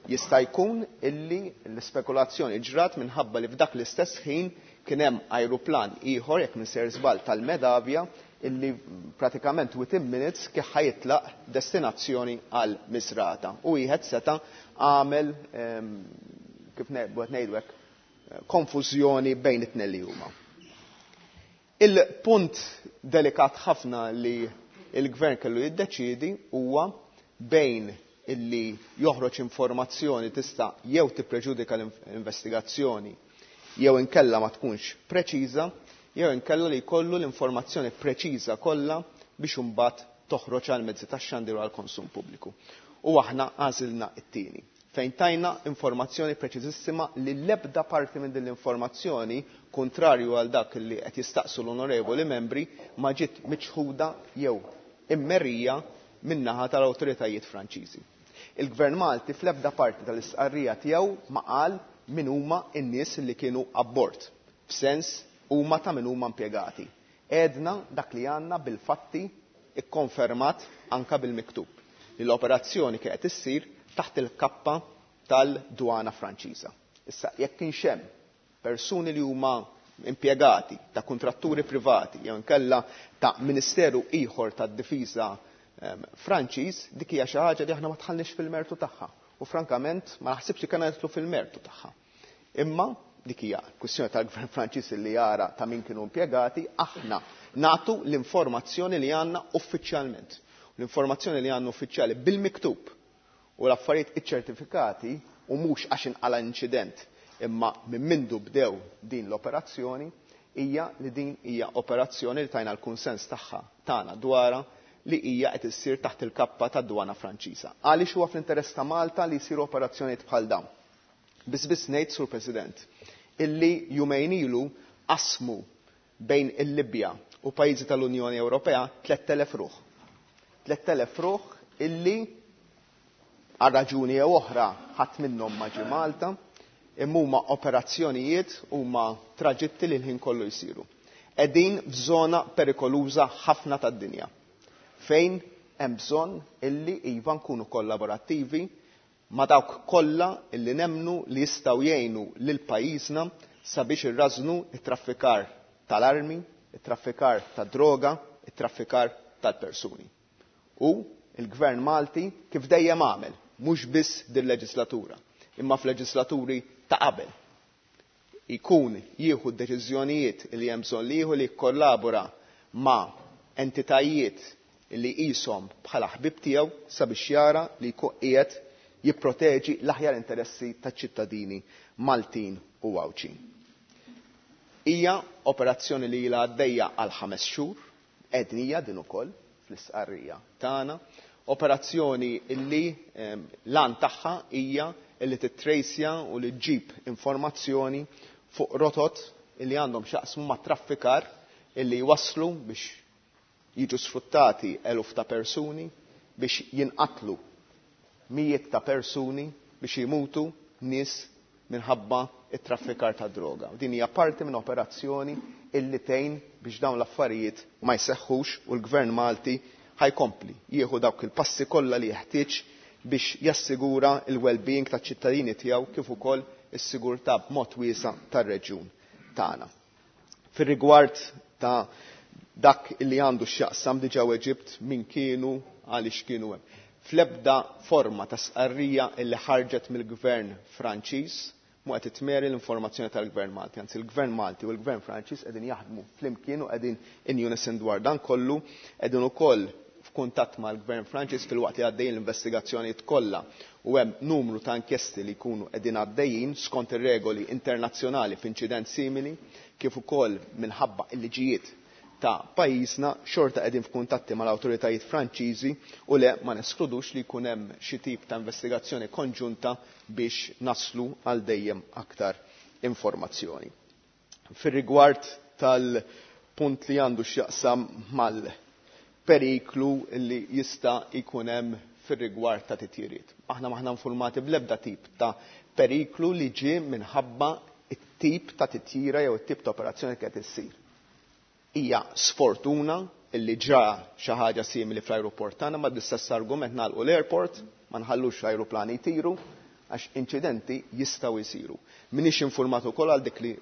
Jista' jkun illi l-ispekulazzjoni ġrat minħabba li f'dak l-istess ħin kien hemm ajruplan ieħor, jekk minn ser żball tal-Medavia, illi pratikament within minutes kif ħajitlaq destinazzjoni għal Misrata. U wieħed seta' għamel, kif qed ngħidu hekk, konfużjoni bejn it-tnejn li huma. Il-punt delikat ħafna li il-gvern kellu jiddeċiedi huwa bejn illi joħroġ informazzjoni tista' jew tippreġudika l-investigazzjoni jew inkella ma tkunx preċiża, jew inkella li jkollu l-informazzjoni preċiża kollha biex imbagħad toħroġ għal mezzi tax-xandir u għall konsum pubbliku. U aħna għażilna t-tieni, fejn tajna informazzjoni preċiżissima li l-ebda parti minn din l-informazzjoni, kontrarju għal dak li qed jistaqsu l-onorevoli membri, ma ġiet miċħuda jew immerija min-naħa tal-awtoritajiet Franċiżi. Il-Gvern Malti fl-ebda parti tal-istqarrija tiegħu ma qal min huma n-nies li kienu abbord, f'sens huma ta' min huma impjegati. Għedna dak li għandna bil-fatti ikkonfermat anka bil-miktub li l-operazzjoni kienet issir taħt il-kappa tal-dwana Franċiża. Issa, jekk kienx hemm persuni li huma impjegati ta' kontratturi privati jew inkella ta' ministeru ieħor tad-difiża Franċiż, dik hija xi ħaġa li aħna ma tħallniex fil-mertu tagħha. U frankament ma naħsibx li kellna nidħlu fil-mertu tagħha. Imma dik hija kwistjoni tal-Gvern Franċiż li jara ta' min kienu impjegati, aħna nagħtu l-informazzjoni li għandna uffiċjalment. L-informazzjoni li għandna uffiċjali bil-miktub u l-affarijiet iċċertifikati u mhux għax inqala inċident imma minn mindu bdew din l-operazzjoni hija li din hija operazzjoni li tajna l-kunsens tagħha tagħna dwarha li hija qed issir taħt il-kappa tad-dwana Franċiża. Għaliex huwa fl-interess ta' Malta li jsiru operazzjonijiet bħal dawn? Biss biss ngħid, Sur President, illi jumejn ilu qasmu bejn il-Libja u pajjiżi tal-Unjoni Ewropea 3000 ruħ. 3000 ruħ illi għal raġuni jew oħra ħadd minnhom ma ġie Malta, imma huma operazzjonijiet huma traġitti li l-ħin kollu jsiru. Qegħdin f'żona perikoluża ħafna tad-dinja, fejn hemm bżonn illi iva nkunu kollaborattivi ma' dawk kollha illi nemnu li jistgħu jgħinu lil pajjiżna sabiex irrażnu it-traffikar tal-armi, it-traffikar tad-droga, it-traffikar tal-persuni. U il-Gvern Malti kif dejjem għamel, mhux biss din-leġislatura, imma f'leġislaturi ta' qabel, ikun jieħu d-deċiżjonijiet li hemm bżonn li jieħu li jikkollabora ma' entitajiet li qishom bħala ħbib tiegħu sabiex jara li jkun qiegħed jipproteġi l-aħjar interessi taċ-ċittadini Maltin u Għawdxin. Hija operazzjoni li ilha għaddejja għal 5 xhur, għednija din ukoll fl-istqarrija tagħna, operazzjoni illi l-għan tagħha hija illi tittrejsja u li ġġib informazzjoni fuq rotot illi għandhom x'jaqsmu ma' traffikar illi jwasslu biex jiġu sfruttati eluf ta' persuni, biex jinqatlu mijiet ta' persuni, biex jimutu nies minħabba it-traffikar ta' droga. Din hija parti minn operazzjoni illi tgħin biex dawn l-affarijiet ma jseħħux u l-Gvern Malti ħa jkompli jieħu dawk il-passi kollha li jeħtieġ biex jassigura il-well-being taċ-ċittadini tiegħu kif ukoll is-sigurtà b'mod wiesa' tar-reġjun tagħna. Fir-rigward ta' dak li għandu x'jaqsam diġà weġibt min kienu għaliex kienu hemm. Fl-ebda forma ta' stqarrija illi ħarġet mill-Gvern Franċiż mhu qed titmeri l-informazzjoni tal-Gvern Malti. Anzi, il-Gvern Malti u l-Gvern Franċiż qegħdin jaħdmu flimkien u qegħdin in unison dwar dan kollu, qegħdin ukoll f'kuntatt mal-Gvern Franċiż filwaqt li għaddejjin l-investigazzjonijiet kollha u hemm numru ta' inkjesti li jkunu qegħdin għaddejjin skont ir-regoli internazzjonali f'inċident simili kif ukoll minħabba l-liġijiet ta' pajjiżna, xorta qegħdin f'kuntatti mal-awtoritajiet Franċiżi u le ma neskludux li jkun hemm xi tip ta' investigazzjoni konġunta biex naslu għal dejjem aktar informazzjoni. Fir-rigward tal-punt li għandu x'jaqsam mal-periklu li jista' jkun hemm fir-rigward ta' titjiriet. Aħna m'aħna informati bl-ebda tip ta' periklu li ġie minħabba it-tip ta' titjira jew it-tip ta' operazzjoni qed issir. Hija sfortuna illi ġa xi ħaġa simili fl-ajruport tagħna, ma bl-istess argument nagħlqu l-airport, ma nħallux l-ajruplani jtiru għax inċidenti jistgħu jsiru. M'iniex informat ukoll għal dik li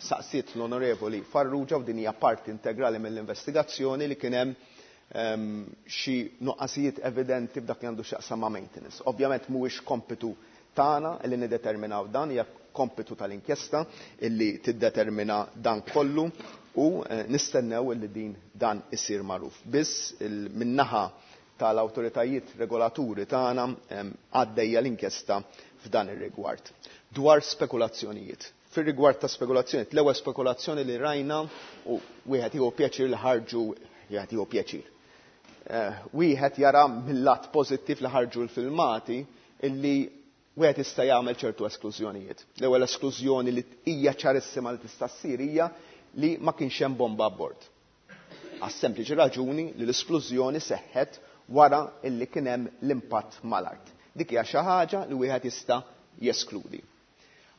saqsiet l-Onorevoli Farrugia u din hija parti integrali mill-investigazzjoni li kien hemm xi nuqqasijiet evidenti b'dak li għandu x'jaqsam ma' maintenance. Ovvjament mhuwiex kompitu tagħna li niddeterminaw dan, hija kompitu tal-inkjesta illi tiddetermina dan kollu u nistennew illi din dan isir magħruf. Biss min-naħa tal-awtoritajiet regolaturi tagħna għaddejja l-inkjesta f'dan ir-rigward. Dwar spekulazzjonijiet. Fir-rigward ta' spekulazzjonijiet, l-ewwel spekulazzjoni li rajna u wieħed jieħu pjaċir li ħarġu, wieħed jieħu pjaċir. Wieħed jara mill-lat pożittiv li ħarġu l-filmati illi wieħed jista' jagħmel ċertu esklużjonijiet. L-ewwel esklużjoni li hija ċarissima li tista' ssir hija li ma kienx hemm bomba abbord. Għas-sempliċi raġuni li l-isplużjoni seħħet wara illi kien hemm l-impatt mal-art. Dik hija xi ħaġa li wieħed jista' jeskludi.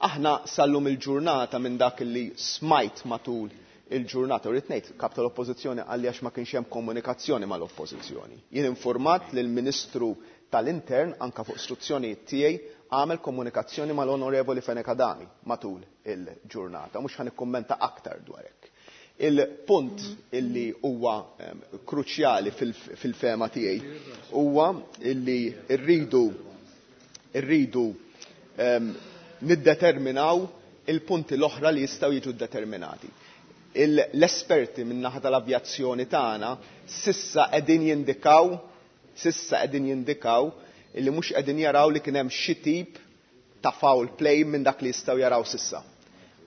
Aħna sallum il-ġurnata minn dak li smajt matul il-ġurnata, u rrid ngħid, kap tal-Oppożizzjoni qalli għax ma kienx hemm komunikazzjoni mal-Oppożizzjoni. Jien informat li l-Ministru tal-Intern anka fuq istruzzjonijiet tiegħi għamel komunikazzjoni mal-Onorevoli Fenech Adami matul il-ġurnata, mhux ħa nikkummenta aktar dwar hekk. Il-punt illi huwa kruċjali fil-fema tiegħi huwa illi rridu niddeterminaw il-punti l-oħra li jistgħu jiġu ddeterminati. L-esperti min-naħa tal-avjazzjoni tagħna sissa qegħdin jindikaw, sissa qegħdin jindikaw illi mhux qegħdin jaraw li kien hemm xi tip ta' foul play minn dak li jistgħu jaraw sissa.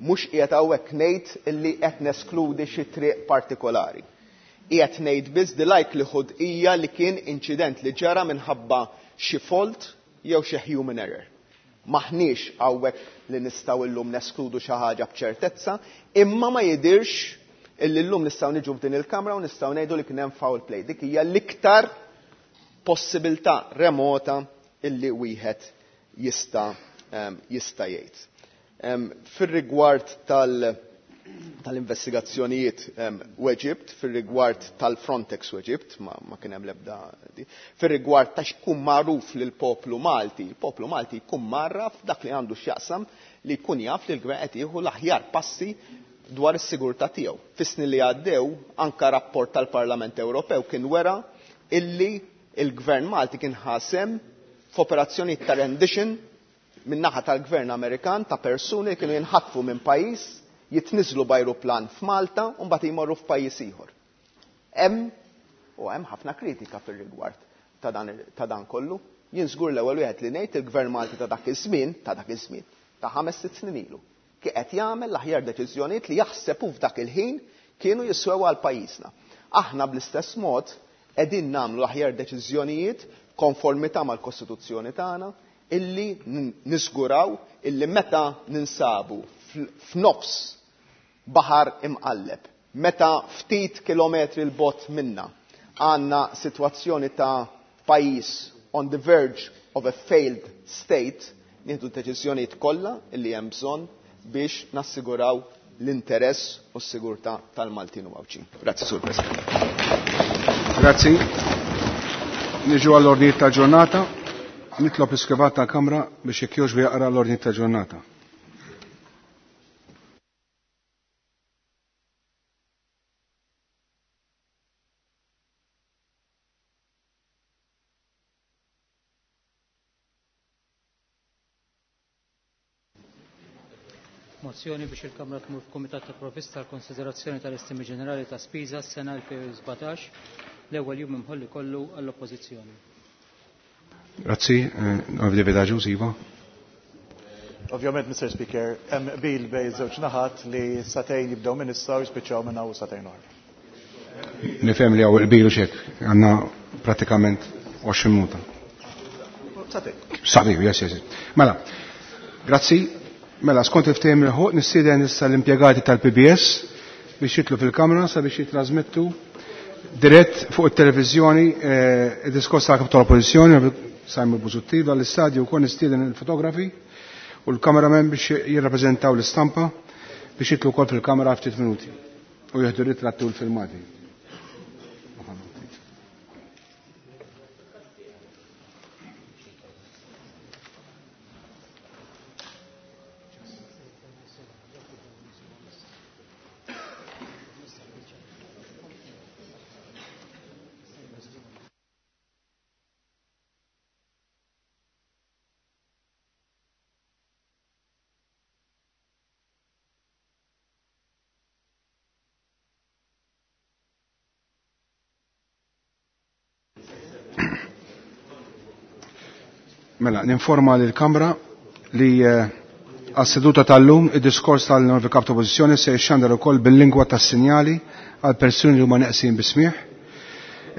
Mhux qiegħed hawnhekk ngħid illi qed neskludi xi triq partikolari. Qiegħed ngħid biss the likelihood hija li kien inċident li ġara minħabba xi fault jew xi human error. Maħniex hawnhekk li nistgħu llum neskludu xi ħaġa b'ċertezza, imma ma jidirx illi llum nistgħu niġu f'din il-kamra u nistgħu ngħidu li kien hemm foul play. Dik hija l-iktar possibilità remota illi wieħed jista' jgħid. Fir-rigward tal-investigazzjonijiet u Eġibt, fir-rigward tal-Frontex u Eġibt, ma kien hemm l-ebda di. Fir-rigward ta' x'kun magħruf lill-poplu Malti, il-poplu Malti jkun marraf dak li għandu x'jaqsam li jkun jaf li l-gvern qed jieħu l-aħjar passi dwar is-sigurtà tiegħu. Fis-snin li għaddew, anka rapport tal-Parlament Ewropew kien wera illi il-Gvern Malti kien ħasem f'operazzjonijiet ta' rendition min-naħa tal-Gvern Amerikan ta' persuni li kienu jinħatfu minn pajjiż, jitniżlu b'ajruplan f'Malta u mbagħad jmorru f'pajjiż ieħor. Hemm u hemm ħafna kritika fir-rigward ta' dan kollu. Jien żgur l-ewwel wieħed li ngħid il-Gvern Malti ta' dak iż-żmien, ta' dak iż-żmien, ta' 5-6 snin ilu, kien qed jagħmel l-aħjar deċiżjonijiet li jaħseb hu f'dak il-ħin kienu jiswew għal pajjiżna. Aħna bl-istess mod qegħdin nagħmlu l-aħjar deċiżjonijiet konformità mal-Kostituzzjoni tagħna illi niżguraw illi meta ninsabu f'nofs baħar imqalleb. Meta ftit kilometri 'l bogħod minna għandna sitwazzjoni ta' pajjiż on the verge of a failed state, nieħdu d-deċiżjonijiet kollha li hemm bżonn biex nassiguraw l-interess u s-sigurtà tal-Maltin u Għawdxin. Grazzi, Sur President. Grazzi. Niġu għall-ordnijiet tal-ġurnata. Nitlob l-iskrivat tal-Kamra biex jekk jogħġbu jaqra l-ordnijiet tal-ġurnata. Mozzjoni biex il-Kamra tmur f'Kumitat ta' Provvista għal konsiderazzjoni tal-Estimi Ġenerali ta' Spiża s-sena 2017, l-ewwel jum imħolli kollu għall-Oppożizzjoni. Grazzi, David Agius, Iva. Ovvjament, Mr. Speaker, hemm qbil bejn żewġ naħat li satejn jibdew minn issa u jispiċċaw minn hawn satejn oħra. Nifhem li hawn qbil u xek, għandna pratikament 20 minuta. Satejn. Satejn, yes, yes. Mela, grazzi. Mela, skont il-ftehim il-ħuq, nistieden issa l-impjegati tal-PBS biex jitlu fil-kamra sabiex jitrasmettu dirett fuq it-televiżjoni id-diskors tal-kap tal-Oppożizzjoni Simon Busuttil dal-istadju wkoll nistieden il-fotografi u l-kameramen biex jirrappreżentaw l-istampa biex jitlu wkoll fil-kamera ftit minuti u jieħdu ritratti u l-filmati. Mela, ninforma lill-Kamra li għas-seduta tal-lum id-diskors tal-Onorevoli Kap ta' Oppożizzjoni se jixxandar ukoll bil-lingwa tas-sinjali għal persuni li huma neqsin bis-smigħ.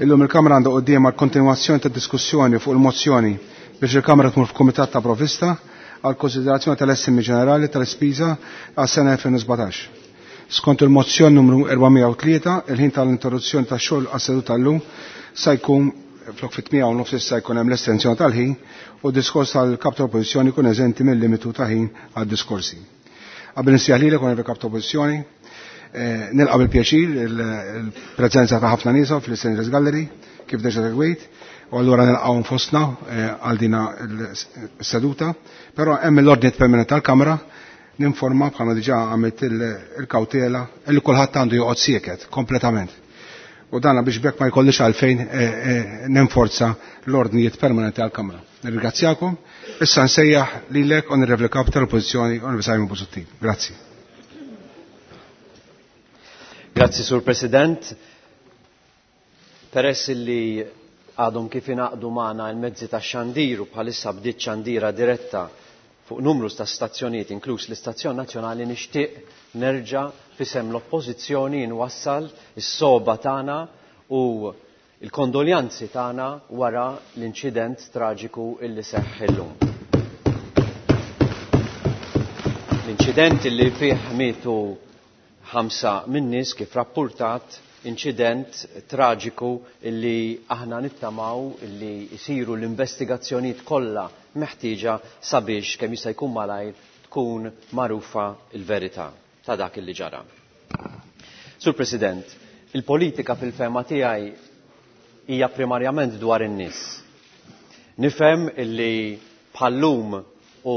Illum il-Kamra għandha quddiemha l-kontinwazzjoni tad-diskussjoni fuq il-mozzjoni biex il-Kamra tmur f'Kumitat ta' Provvista għal konsiderazzjoni tal-estimi ġenerali tal-ispiża għas-sena 2017. Skont il-mozzjoni numru 403, il-ħin tal-interruzzjoni tax-xogħol għas-seduta tal-lum sa jkun flok fit-8:30 issa jkun hemm l-estensjoni tal-ħin u d-diskors tal-kap tal-Oppożizzjoni jkun eżenti mill-limitu ta' ħin għad-diskorsi. Qabel insejjaħ lilek onorevoli kap tal-Oppożizzjoni, nilqa' bil-pjaċir il-preżenza ta' ħafna nies fl-Istandard Gallery kif deġa segwejt, u allura nilqgħu fostna għal dina s-seduta, però hemm l-ordni permanenti tal-Kamra ninforma bħalma diġà għamilt il-kawtela li kulħadd għandu joqgħod sieket kompletament. U dana biex bekk ma jkollix għalfejn ninforza l-ordnijiet permanenti għal-Kamra. Nirringrazzjakom. Issa nsejjaħ lilek Onorevoli Kap tal-Oppożizzjoni Onorevoli Simon Busuttil. Grazzi. Grazzi, Sur President. Peress li għadhom kif ingħaqdu magħna l-mezzi tax-xandir u bħalissa bdiet xandira diretta fuq numru ta' stazzjonijiet inkluż l-Istazzjon Nazzjonali, nixtieq nerġa' fisem l-Oppożizzjoni nwassal is-soba tagħna u l-kondoljanzi tagħna wara l-inċident traġiku illi seħħ illum. L-inċident illi fih mietu 5 min-nies kif rappurtat, inċident traġiku illi aħna nittamaw illi jsiru l-investigazzjonijiet kollha meħtieġa sabiex kemm jista' jkun malajr tkun magħrufa l-verità ta' dak illi ġara. Sur President, il-politika fil-fema tiegħi hija primarjament dwar in-nies. Nifhem illi bħallum u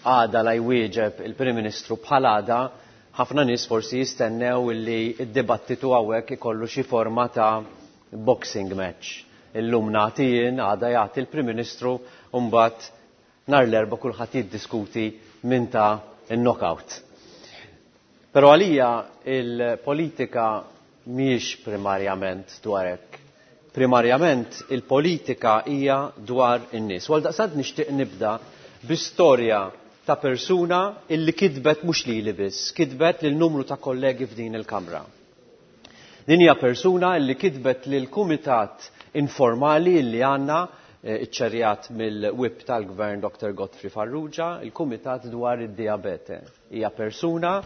għada la jwieġeb il-Prim Ministru bħal għada, ħafna nies forsi jistennew illi d-dibattitu hawnhekk ikollu xi forma ta' boxing match. Illum nagħti jien, għada jagħti l-Prim Ministru, u mbagħad nhar l-Erbgħa kulħadd jiddiskuti min ta' in-knockout. Però għalija il-politika mhijiex primarjament dwar hekk. Primarjament il-politika hija dwar in-nies. U għaldaqstant nixtieq nibda bi storja ta' persuna illi kitbet mhux lili biss, kitbet lil numru ta' kollegi f'din il-Kamra. Din hija persuna illi kitbet lil kumitat informali illi għandna iċċerjat mill-whip tal-Gvern Dr. Godfrey Farrugia, il-Kumitat dwar id-diabete. Hija persuna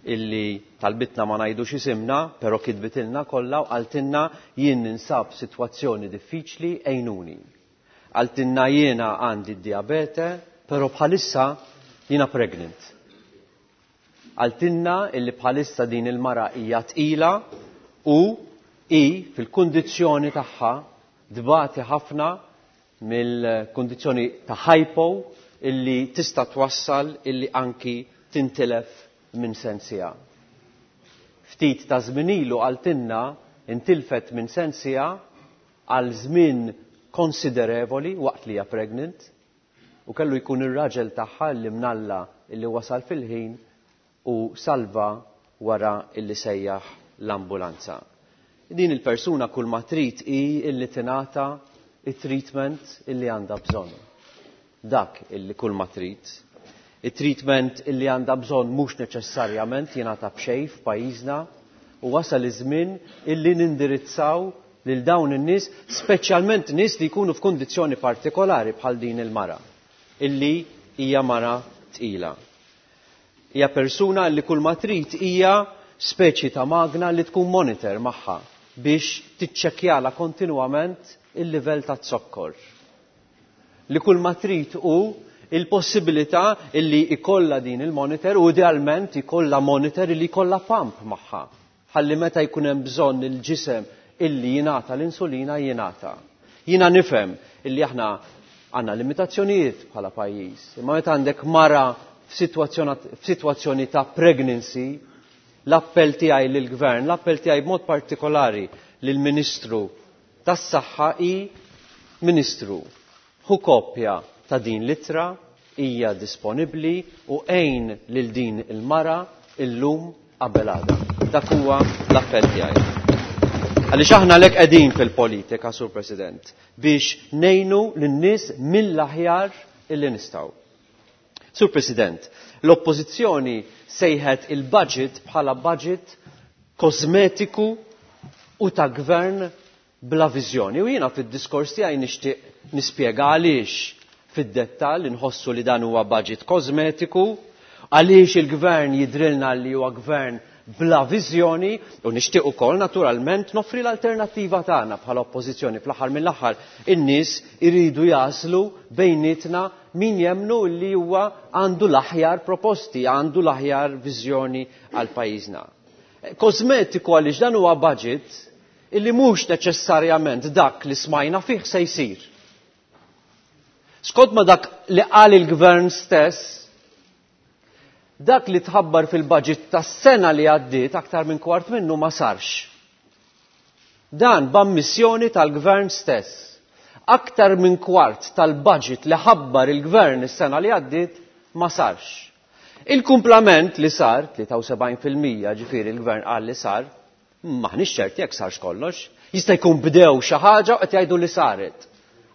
illi talbitna ma ngħidux isimna, però kitbitilna kollha u qaltilna jien ninsab sitwazzjoni diffiċli għinuni. Qaltilna jiena għandi d-diabete, però bħalissa jiena pregnant. Qaltilna illi bħalissa din il-mara hija tqila u hi fil-kundizzjoni tagħha tbati ħafna mill-kundizzjoni ta' hypo illi tista' twassal illi anki tintilef minn sensiha. Ftit ta' żmien ilu qaltilna intilfet minn sensiha għal żmien konsiderevoli waqt li hija pregnant u kellu jkun ir-raġel tagħha li mnalla illi wasal fil-ħin u salva wara illi sejjaħ l-ambulanza. Din il-persuna kull ma trid hi illi tingħata it-treatment illi għandha bżonn. Dak illi kull ma trid. It-treatment illi għandha bżonn mhux neċessarjament jingħata b'xejn f'pajjiżna u wasal iż-żmien illi nindirizzaw lil dawn in-nies, speċjalment nies li jkunu f'kundizzjoni partikolari bħal din il-mara, illi hija mara tqila. Hija persuna li kull ma trid hija speċi ta' magna li tkun monitor magħha biex tiċċekkjala kontinwament il-livell ta' zokkor. Li kull ma trid hu il-possibilità illi ikolla din il-monitor u idealment ikolla monitor illi jkollha pump magħha. Ħalli meta jkun hemm bżonn il-ġisem illi jingħata l-insulina jingħata. Jiena nifhem illi aħna għandna limitazzjonijiet bħala pajjiż, imma meta għandek mara f'sitwazzjoni ta' pregnancy, l-appell tiegħi lill-Gvern, l-appell tiegħi b'mod partikolari lill-Ministru tas-Saħħa hi Ministru, ħu kopja ta' din l-ittra, hija disponibbli u għin lil din il-mara illum qabel għada. Dak huwa l-appell tiegħi. Għaliex aħna lek qegħdin fil-politika, Sur President, biex ngħinu lin-nies mill-aħjar illi nistgħu. Sur President, l-Oppożizzjoni sejħet il-budget bħala budget kosmetiku u ta' gvern bla viżjoni. U jiena fid-diskors tiegħi nixtieq nispjega għaliex fid-dettall inħossu li dan huwa budget kosmetiku, għaliex il-gvern jidrilna li huwa gvern bla viżjoni u nixtieq ukoll naturalment noffri l-alternattiva tagħna bħala oppożizzjoni. Fl-aħħar mill-aħħar in-nies iridu jaslu bejnietna min jemnu li huwa għandu l-aħjar proposti, għandu l-aħjar viżjoni għal pajjiżna. Kosmetiku għaliex dan huwa budget illi mhux neċessarjament dak li smajna fih se jsir. Skont ma dak li qal il-gvern stess, dak li tħabbar fil-budget tas-sena li għaddiet aktar minn kwart minnu ma sarx. Dan b'ammissjoni tal-gvern stess. Aktar minn kwart tal-budget li ħabbar il-gvern is-sena li għaddiet ma sarx. Il-kumplament li sar, 73% ġifieri il-gvern qal li sar, maħniex ċerti jekk sarx kollox. Jista' jkun bdew xi ħaġa u qed jgħidu li saret.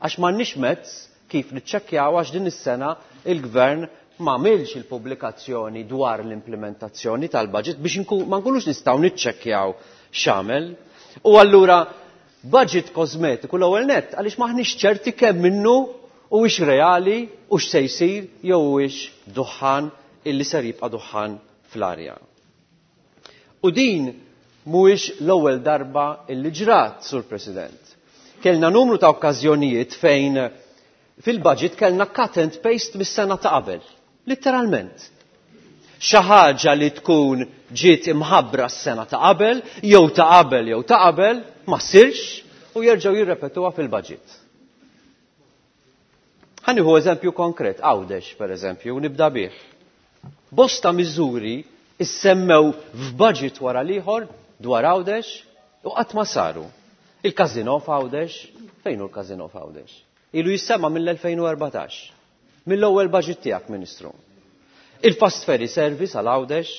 Għax m'għandniex mezz kif niċċekkjaw għax din is-sena il-gvern ma għamilx il-pubblikazzjoni dwar l-implementazzjoni tal-budget biex ma nkunux nistgħu niċċekkjaw x'għamel. U allura budget kosmetiku l-ewwel nett għaliex m'aħniex ċerti kemm minnu huwiex reali u x'se jsir jew huwiex duħħan illi ser jibqa' duħħan fl-arja. U din mhuwiex l-ewwel darba illi ġrat, Sur President. Kellna numru ta' okkażjonijiet fejn fil-budget kellna cut and paste mis-sena ta' qabel. Literalment. Xi ħaġa li tkun ġiet imħabbra s-sena ta' qabel, jew ta' qabel, jew ta' qabel, ma ssirx u jerġgħu jirrepetuha fil-budget. Ħa nieħu eżempju konkret, Għawdex per eżempju, u nibda bih. Bosta miżuri issemmew f'budget wara l-ieħor dwar Għawdex u qatt ma saru. Il-Casino f'Għawdex, fejn hu l-Casino f'Għawdex? Ilu jissemma mill-2014. Mill-ewwel budget tiegħek, Ministru. Il-fast ferry service għal Għawdex,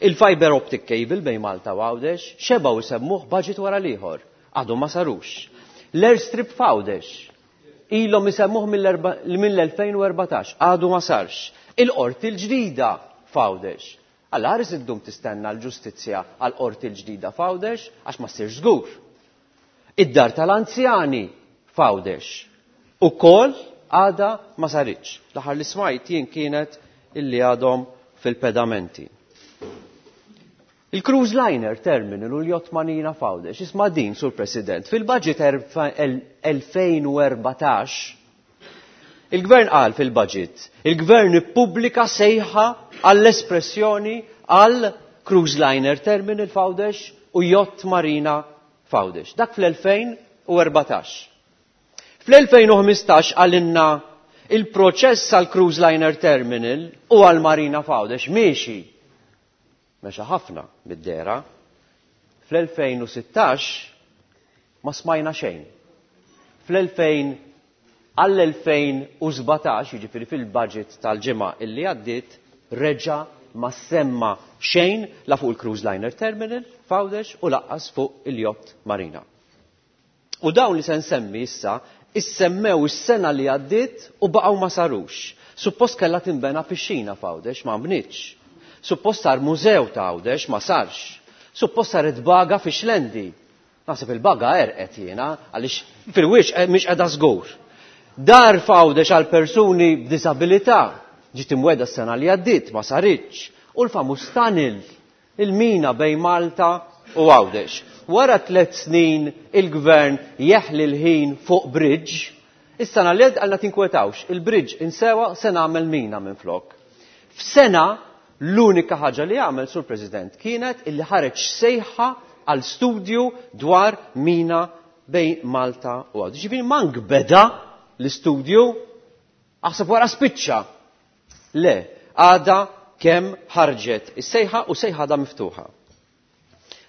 il-fiber optic cable bejn Malta u Għawdex, xebgħu jsemmuh budget wara l-ieħor. Għadhom ma sarux. L-airstrip f'Għawdex, ilhom isemmuh mill-2014, għadu ma sarx. Il-qorti l-ġdida f'Għawdex. Alla ħares iddum tistenna l-ġustizzja għal-qorti l-ġdida f'Għawdex għax ma ssirx żgur. Id-dar tal-anzjani f'Għawdex. Ukoll għada ma saritx. L-aħħar li smajt jien kienet illi għadhom fil-pedamenti. Il-cruise liner terminal u l-yacht marina f'Għawdex, isma' din, Sur President, fil-budget 2014, il-Gvern qal fil-budget, il-Gvern ippubblika sejħa għall-espressjoni għal cruise liner terminal f'Għawdex u yacht marina f'Għawdex. Dak fl-2014. Fl-2015 qalilna il-proċess għal cruise liner terminal u għal marina f'Għawdex miexi. Mexa ħafna mid-dehra. Fl-2016 ma smajna xejn. Fl-2000 għall-2017, jiġifieri fil-budget tal-ġimgħa illi għaddiet, reġa' ma semma xejn la fuq il-Cruise Liner Terminal f'Għawdex u laqqas fuq il-Yacht Marina. U dawn li se nsemmi issa issemmew is-sena li għaddiet u baqgħu ma sarux. Suppost kellha tinbena pixxina f'Għawdex ma nbnietx. Suppost sar mużew ta' Għawdex ma sarx. Suppost saret baga fi Xlendi. Naħseb il-baga għerqet jiena għaliex fil-wiċċ mhix qiegħda żgur. Dar f'Għawdex għal persuni b'diżabilità ġiet imwegħda s-sena li għaddiet ma saritx. U l-famuż tunnel, il-mina bejn Malta u Għawdex. Wara 3 snin il-gvern jeħli l-ħin fuq bridge. Is-sena li għaddiet qalna tinkwetawx, il-bridge insewa se nagħmel mina minflok. F'sena l-unika ħaġa li għamel Sur President kienet illi ħareġ sejħa għal studju dwar mina bejn Malta u Għawdex. Ġifieri mank beda l-istudju, aħseb wara spiċċa. Le, għada kemm ħarġet is-sejħa u sejħa għadha miftuħa.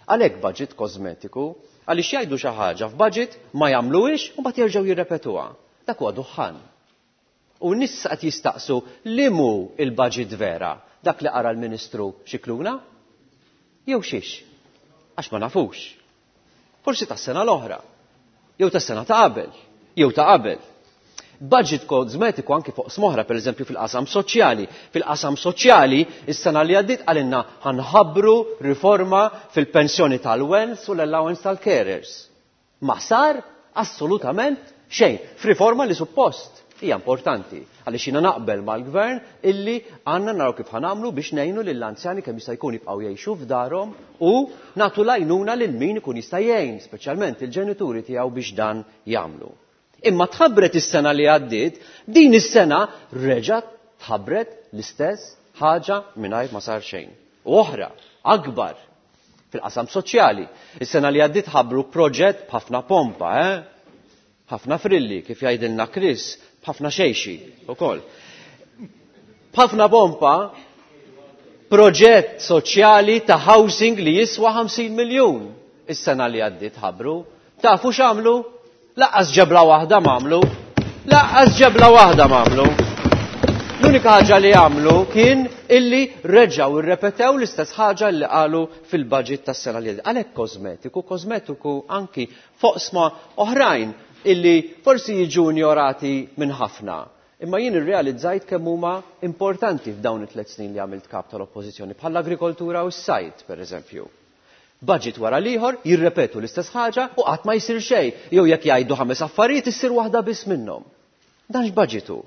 Għalhekk budget kosmetiku, għaliex jgħidu xi ħaġa f'budget ma jagħmluhiex u mbagħad jerġgħu jirrepetuha. Dak huwa duħħan. U n-nies qed jistaqsu li mhu il-budget vera, dak li qara l-Ministru Scicluna? Jew xiex? Għax ma nafux. Forsi tas-sena l-oħra, jew tas-sena ta' qabel, jew ta' qabel. Budget kosmetiku anki fuq smoħra, per eżempju fil-qasam soċjali. Fil-qasam soċjali, is-sena li għaddiet qalilna ħanħabbru riforma fil-pensjoni tal-wens u l-allowance tal-carers. Ma sar assolutament xejn. F'riforma li suppost hija importanti, għaliex jiena naqbel mal-gvern illi għandna naraw kif ħanamlu biex ngħinu lill-anzjani kemm jista' jkun jibqgħu jgħixu f'darhom u nagħtu l-għajnuna lil min ikun jista' jgħin, speċjalment il-ġenituri tiegħu biex dan jagħmlu. Imma tħabbret is-sena li għaddiet, din is-sena reġgħet tħabbret l-istess ħaġa mingħajr ma sar xejn. U oħra, akbar, fil-qasam soċjali. Is-sena li għaddiet ħabbru proġett b'ħafna pompa, Ħafna frilli, kif jgħidilna Chris, b'ħafna xejxi ukoll. B'ħafna pompa, proġett soċjali ta' housing li jiswa 50 miljun. Is-sena li għaddiet ħabbru. Tafu x'għamlu? Laqqas ġebla waħda m'għamlu. Laqqas ġebla waħda m'għamlu. L-unika ħaġa li għamlu kien illi reġgħu rrepetew l-istess ħaġa li qalu fil-budget tas-sena li għaddiet. Għalhekk kosmetiku, kosmetiku anki foqsma oħrajn illi forsi jiġu injorati minn ħafna. Imma jien irrealizzajt kemm huma importanti f'dawn it-tliet snin li għamilt kap tal-Oppożizzjoni, bħall-agrikoltura u s-sajd, per eżempju. Budget wara l-ieħor jirrepetu l-istess ħaġa u qatt ma jsir xejn, jew jekk jgħidu 5 affarijiet issir waħda biss minnhom. Dan x'budget hu?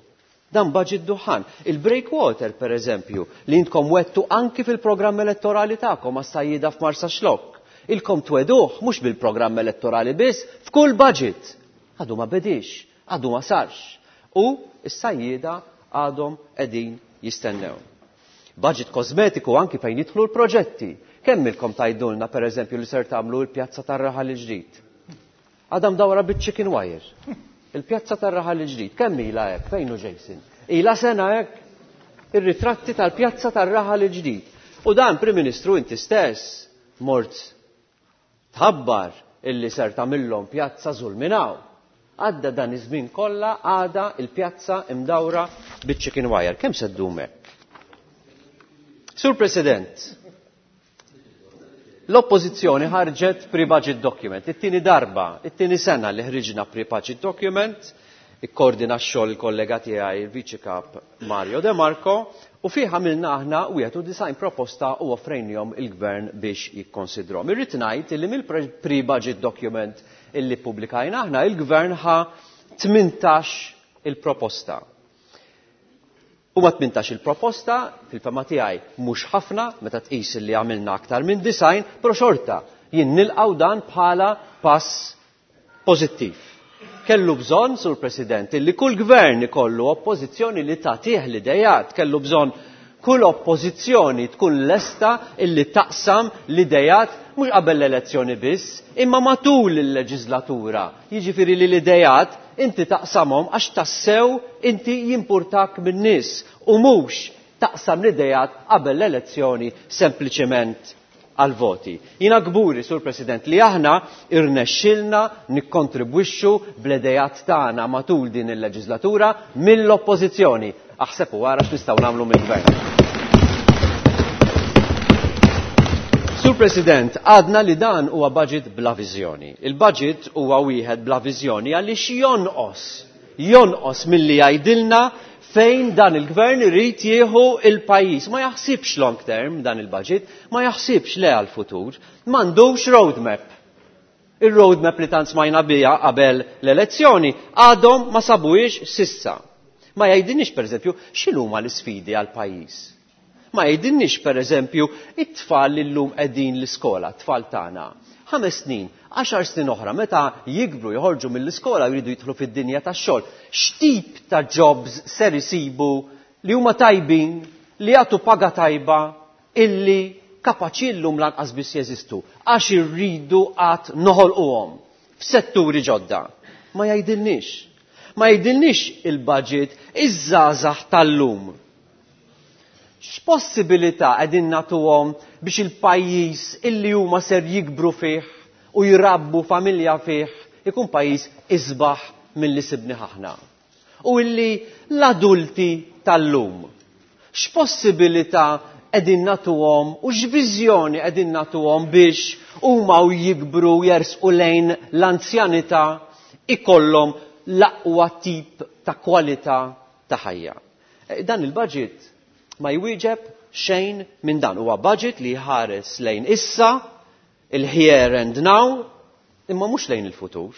Dan budget duħan. Il-breakwater, per eżempju, li intkom wettu anki fil-programm elettorali tagħkom għas-sajjieda f'Marsaxlokk. Ilkom tweduh mhux bil-programm elettorali biss, f'kull budget. Għadu ma bedix, għadu ma sarx. U s-sajjieda għadhom qegħdin jistennew. Budget kosmetiku anki fejn jidħlu l-proġetti. Kemm ilkom tgħidulna, per eżempju, li ser tagħmlu l-pjazza tar-Raħal il-Ġdid? Għadha mdawra biċ-chicken wire. Il-pjazza tar-Raħal il-Ġdid, kemm ilha hekk? Fejn hu Jason? Ilha sena hekk? Ir-ritratti tal-pjazza tar-Raħal il-Ġdid. U dan, Prim Ministru, inti stess mort tħabbar illi ser tagħmilhom pjazza żulminaw. Għadda dan iż-żmien kollha għada il-pjazza imdawra biċ-chicken wire. Kemm se ddum hekk? Sur President, l-Oppożizzjoni ħarġet pre-budget document. It-tieni darba, it-tieni sena li ħriġna pre-budget document, ikkoordina x-xogħol il-kollega tiegħi il-Viċi Kap Mario De Marco, u fih għamilna aħna wieħed u design proposta u offrejnihom il-Gvern biex jikkonsidrhom. Irrid ngħid illi mill-pre-budget document illi ppubblikajna aħna il-Gvern ħa 18 il-proposta. Huma 18 il-proposta, fil-fema tiegħi mhux ħafna meta tqis li għamilna aktar minn design, però xorta jien nilqgħu dan bħala pass pożittiv. Kellu bżonn, Sur President, li kull gvern ikollu oppożizzjoni li tagħtih l-idejat, kellu bżonn kull oppożizzjoni tkun lesta illi taqsam l-idejat mhux qabel l-elezzjoni biss, imma matul il-leġislatura. Jiġifieri li l-idejat inti taqsamhom għax tassew inti jimpurtak min-nies u mhux taqsam l-idejat qabel l-elezzjoni sempliċement għal-voti. Jina kburi, Sur President, li aħna irnexxilna nikkontribwixxu bl-idejat tagħna matul din il-leġislatura mill-oppożizzjoni. Aħseb u ara x'nistgħu nagħmlu mill-gvern. Sur President, għadna li dan huwa budget bla viżjoni. Il-budget huwa wieħed bla viżjoni għaliex jonqos, jonqos milli jgħidilna fejn dan il-gvern irid jieħu il-pajjiż. Ma jaħsibx long term dan il-budget, ma jaħsibx le għal-futur, m'għandux roadmap. Il-roadmap li tant smajna biha qabel l-elezzjoni għadhom ma sabuhiex s'issa. Ma jgħidilniex pereżempju x'inhuma l-isfidi għall-pajjiż. Ma jgħidilniex pereżempju it-tfal li llum qegħdin l-iskola, t-tfal tagħna. 5 snin, 10 snin oħra, meta jikbru joħorġu mill-iskola u jridu jidħlu fid-dinja tax-xogħol, x'tip ta' jobs ser isibu li huma tajbin, li jagħtu paga tajba, illi kapaċi llum lanqas biss jeżistu, għax irridu qatt noħolquhom f'setturi ġodda. Ma jgħidilniex. Ma jgħidilniex il-budget iż-żgħażagħ tal-lum. X'possibilità qegħdin nagħtuhom biex il-pajjiż illi huma ser jikbru fih u jrabbu familja fih ikun pajjiż isbaħ milli sibni aħna. U illi l-adulti tal-lum x'possibilità qegħdin nagħtuhom u x'viżjoni qegħdin nagħtuhom biex huma u jikbru jersqu lejn l-anzjanità ikollhom l-aqwa tip ta' kwalità ta' ħajja. Dan il-budget ma jwieġeb xejn minn dan. Huwa budget li jħares lejn issa, il-here and now, imma mhux lejn il-futur.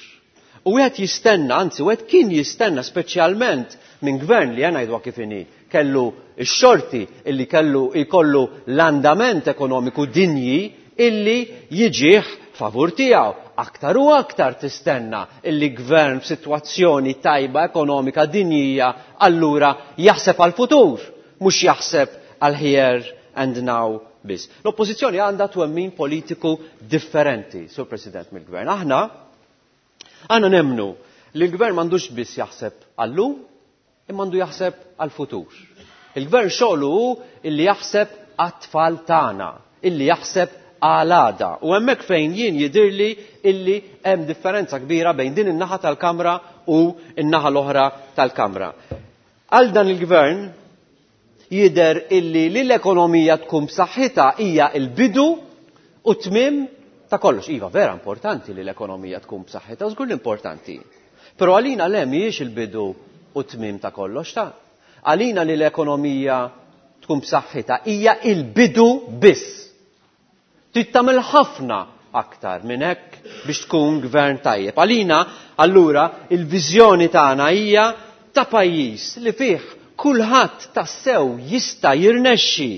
U wieħed jistenna, anzi wieħed kien jistenna speċjalment minn gvern li ngħidu kif inhi, kellu x-xorti illi kellu jkollu l-andament ekonomiku dinji illi jiġih favur tiegħu. Aktar u aktar tistenna illi gvern f'sitwazzjoni tajba ekonomika dinjija allura jaħseb għal-futur, mhux jaħseb għal here and now biss. L-oppożizzjoni għandha twemmin politiku differenti, Sur President, mill-gvern. Aħna nemmnu li l-gvern m'għandux biss jaħseb għallum, imma għandu jaħseb għal-futur. Il-gvern xogħlu hu illi jaħseb għat-tfal tagħna, illi jaħseb għal-għada. U hemmhekk fejn jien jidirli illi hemm differenza kbira bejn din in-naħa tal-Kamra u n-naħa l-oħra tal-Kamra. Għal dan il-gvern jidher illi li l-ekonomija tkun b'saħħitha hija l-bidu u tmiem ta' kollox. Iva, vera importanti li l-ekonomija tkun b'saħħitha, żgur l-importanti. Però għalina le mhijiex il-bidu u tmiem ta' kollox ta' Għalina li l-ekonomija tkun b'saħħitha hija il-bidu biss. Trid tagħmel ħafna aktar minn hekk biex tkun gvern tajjeb. Għalina, allura, il-viżjoni tagħna hija ta' pajjiż li fih kulħadd tassew jista' jirnexxi,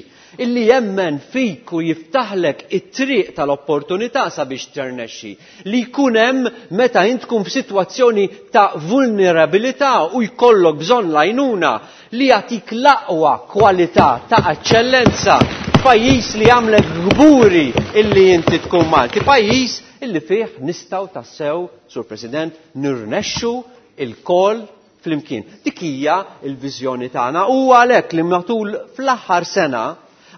illi jemmen fik u jiftaħlek it-triq tal-opportunità sabiex tirnexxi, li jkun hemm meta int tkun f'sitwazzjoni ta' vulnerabilità u jkollok bżonn l-għajnuna, li jagħtik l-aqwa kwalità ta' eċċellenza, pajjiż li jagħmlek kburi illi inti tkun Malti, pajjiż illi fih nistgħu tassew, Sur President, nirnexxu il-kol flimkien. Dik hija l-viżjoni tagħna u għalhekk li matul fl-aħħar sena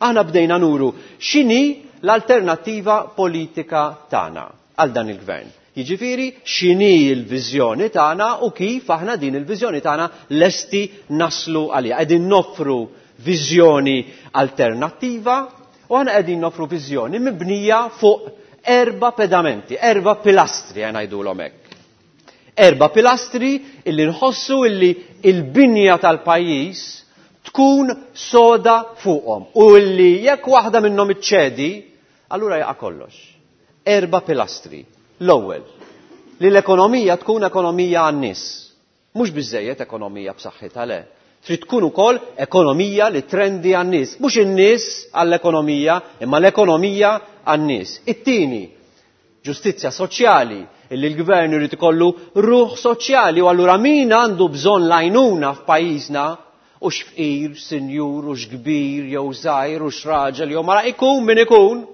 aħna bdejna nuru x'inhi l-alternattiva politika tagħna għal dan il-gvern. Jiġifieri x'inhi l-viżjoni tagħna u kif aħna din il-viżjoni tagħna lesti naslu għaliha. Qegħdin noffru viżjoni alternattiva u aħna qegħdin noffru viżjoni mibnija fuq 4 pedamenti, 4 pilastri ngħidulhom hekk. 4 pilastri illi nħossu illi il-binja tal-pajjiż tkun soda fuqhom u illi jekk waħda minnhom iċċedi, allura jaqa' kollox. 4 pilastri. L-ewwel, li l-ekonomija tkun ekonomija għan-nies. Mhux biżejjed ekonomija b'saħħitha le. Trid tkun ukoll ekonomija li trendi għan-nies. Mhux in-nies għall-ekonomija, imma l-ekonomija għan-nies. It-tieni, ġustizzja soċjali, illi l-gvern irid ikollu ruħ soċjali u allura min għandu bżonn l-għajnuna f'pajjiżna u x'fqir, sinjur, u x'kbir, jew żgħir, u x'raġel, jew mara, ikun min ikun,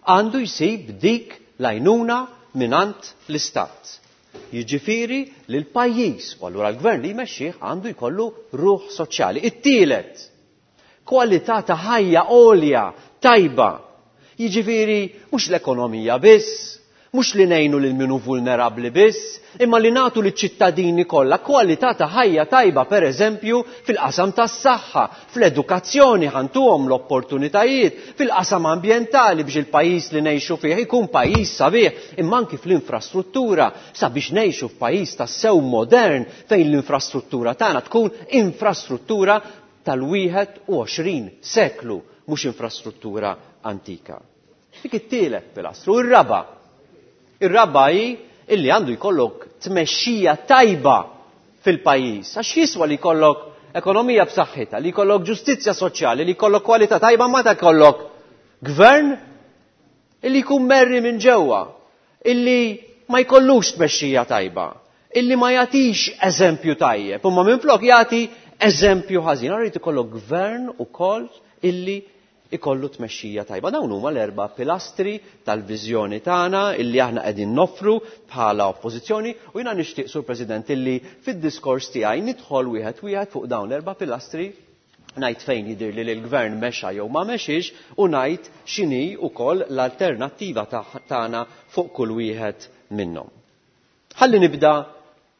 għandu jsib dik l-għajnuna mingħand l-istat. Jiġifieri li l-pajjiż, u allura l-gvern li jmexxih għandu jkollu ruħ soċjali. It-tielet, kwalità ta' ħajja għolja, tajba. Jiġifieri mhux l-ekonomija biss, mhux li ngħinu lil min hu vulnerabbli biss, imma li nagħtu liċ-ċittadini kollha kwalità ta' ħajja tajba pereżempju fil-qasam tas-saħħa, fl-edukazzjoni ħa ntuhom l-opportunitajiet, fil-qasam ambjentali biex il-pajjiż li ngħixu fih ikun pajjiż sabiħ, imma anki fl-infrastruttura sabiex ngħixu f'pajjiż tassew modern fejn l-infrastruttura tagħna tkun infrastruttura tal-21 seklu, mhux infrastruttura antika. Dik it-tielet pilastru. Ir-raba'. Ir-raba' hi illi għandu jkollok tmexxija tajba fil-pajjiż. Għax jiswa li jkollok ekonomija b'saħħitha, li jkollok ġustizzja soċjali, li jkollok kwalità tajba, ma ta' jkollok gvern illi jkun merri minn ġewwa, illi ma jkollux tmexxija tajba, illi ma jagħtix eżempju tajjeb, imma minflok jagħti eżempju ħażin. Allura jrid ikollok gvern ukoll illi ikollu tmexxija tajba. Dawn huma l-erba' pilastri tal-viżjoni tagħna illi aħna qegħdin noffru bħala oppożizzjoni u jiena nixtieq, Sur President, illi fid-diskors tiegħi nidħol wieħed wieħed fuq dawn l-erba' pilastri, ngħid fejn jidhirli li l-gvern mexa jew ma mexiex u ngħid x'inhi wkoll l-alternattiva tagħna fuq kull wieħed minnhom. Ħalli nibda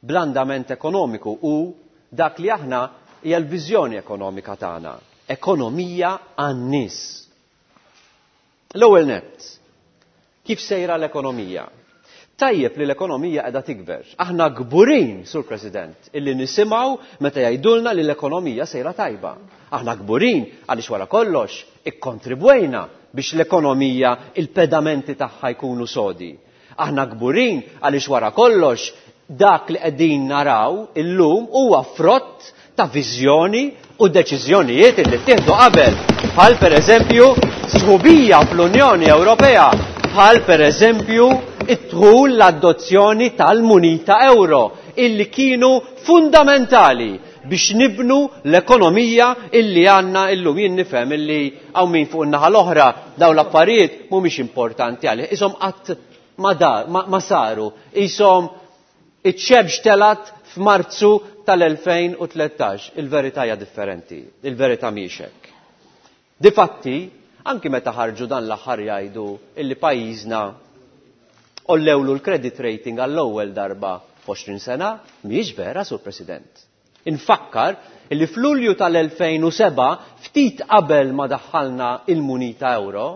bl-andament ekonomiku u dak li aħna hija l-viżjoni ekonomika tagħna, ekonomija għan-nies. L-ewwel nett, kif sejra l-ekonomija? Tajjeb li l-ekonomija qiegħda tikber. Aħna kburin, Sur President, illi nisimgħu meta jgħidulna li l-ekonomija sejra tajba. Aħna kburin għaliex wara kollox ikkontribwejna biex l-ekonomija il-pedamenti tagħha jkunu sodi. Aħna kburin għaliex wara kollox dak li qegħdin naraw illum huwa frott ta' viżjoni u deċiżjonijiet li ttieħdu qabel, bħal pereżempju sħubija fl-Unjoni Ewropea, bħal pereżempju id-dħul l-adozzjoni tal-munita euro, illi kienu fundamentali biex nibnu l-ekonomija illi għandna illum. Jien nifhem illi hawn min fuq in-naħa l-oħra dawn l-affarijiet mhumiex importanti għalih, ishom qatt ma dar, ma, ma saru, ishom iċ-xebx telat f'Marzu tal-2013. Il-verità hija differenti, il-verità mhijiex hekk. Difatti, anki meta ħarġu dan l-aħħar jgħidu illi pajjiżna għollewlu l-credit rating għall-ewwel darba f'għoxrin sena, mhijiex vera, Sur President. Infakkar illi f'Lulju tal-2007, ftit qabel ma daħħalna il-munita euro,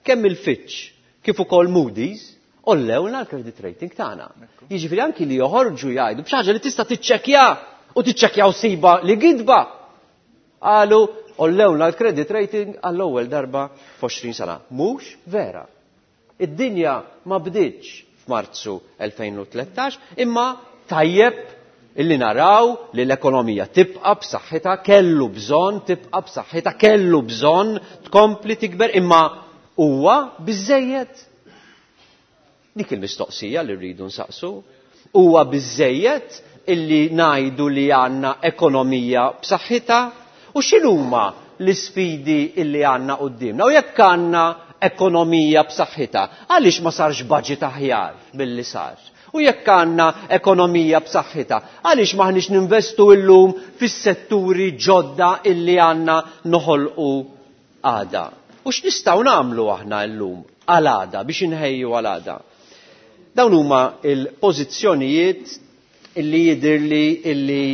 kemm il-Fitch kif ukoll Moody's għollewlna l-credit rating tagħna. Jiġifieri anki li joħorġu jgħidu b'xi ħaġa li tista' tiċċekkja u tiċċekkja u siba li gidba. Qalu għollewlna l-credit rating għall-ewwel darba f'għoxrin sena. Mhux vera. Id-dinja ma bdietx f'Marzu 2013, imma tajjeb illi naraw li l-ekonomija tibqa' b'saħħitha, kellu bżonn tibqa' b'saħħitha, kellu bżonn tkompli tikber, imma huwa biżejjed? Dik il-mistoqsija li rridu nsaqsu. Huwa biżejjed illi ngħidu li għandna ekonomija b'saħħitha? U x'inhuma l-isfidi illi għandna quddiemna? U jekk għandna ekonomija b'saħħitha, għaliex ma sarx budget aħjar milli sar? U jekk għandna ekonomija b'saħħitha, għaliex m'aħniex ninvestu illum fis-setturi ġodda illi għandna noħolqu għada? U x'nistgħu nagħmlu aħna llum għal għada biex inħejju għal għada? Dawn huma l-pożizzjonijiet illi jidhirli illi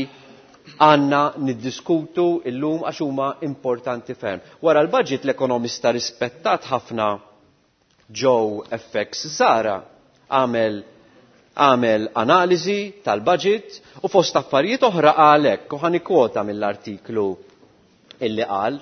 għandna niddiskutu illum għax huma importanti ferm. Wara l-budget l-ekonomista rispettat ħafna Joe FX Zahra għamel analiżi tal-budget u fost affarijiet oħra qal hekk, u ħanikwota mill-artiklu illi qal.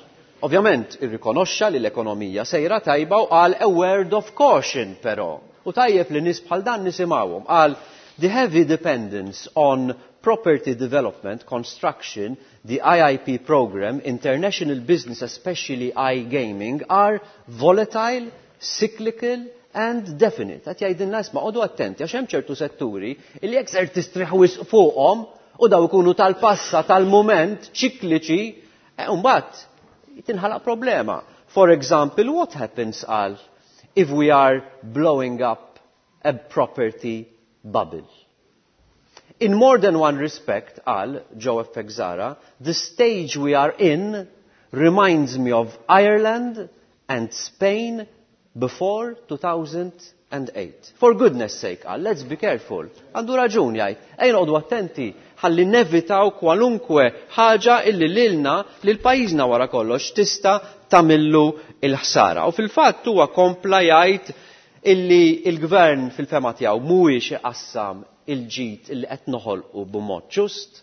Ovvjament irrikonoxxa li l-ekonomija sejra tajba u qal a word of caution però. U tajjeb li nies bħal dan nisimgħuhom. Qal the heavy dependence on Property development, construction, the IIP program, international business, especially iGaming, are volatile, cyclical and definite. Qed jgħidilna isma' qogħdu attenti għax hemm ċertu setturi li jekk ser tistrieħ wisq fuqhom u daw ikunu tal-passa tal-mument ċikliċi, mbagħad tinħalaq problema. For example, what happens qal if we are blowing up a property bubble? In more than one respect, qal Joe F. Zara, the stage we are in reminds me of Ireland and Spain before 2008. For goodness sake, qal, let's be careful. Għandu raġun jgħid, ejja noqogħdu attenti ħalli nevitaw kwalunkwe ħaġa illi lilna lil pajjiżna wara kollox tista' tagħmillu l-ħsara. U fil-fatt huwa kompla jgħid illi il-gvern fil-fema tiegħu mhuwiex iqassam il-ġid illi qed noħolqu b'mod ġust,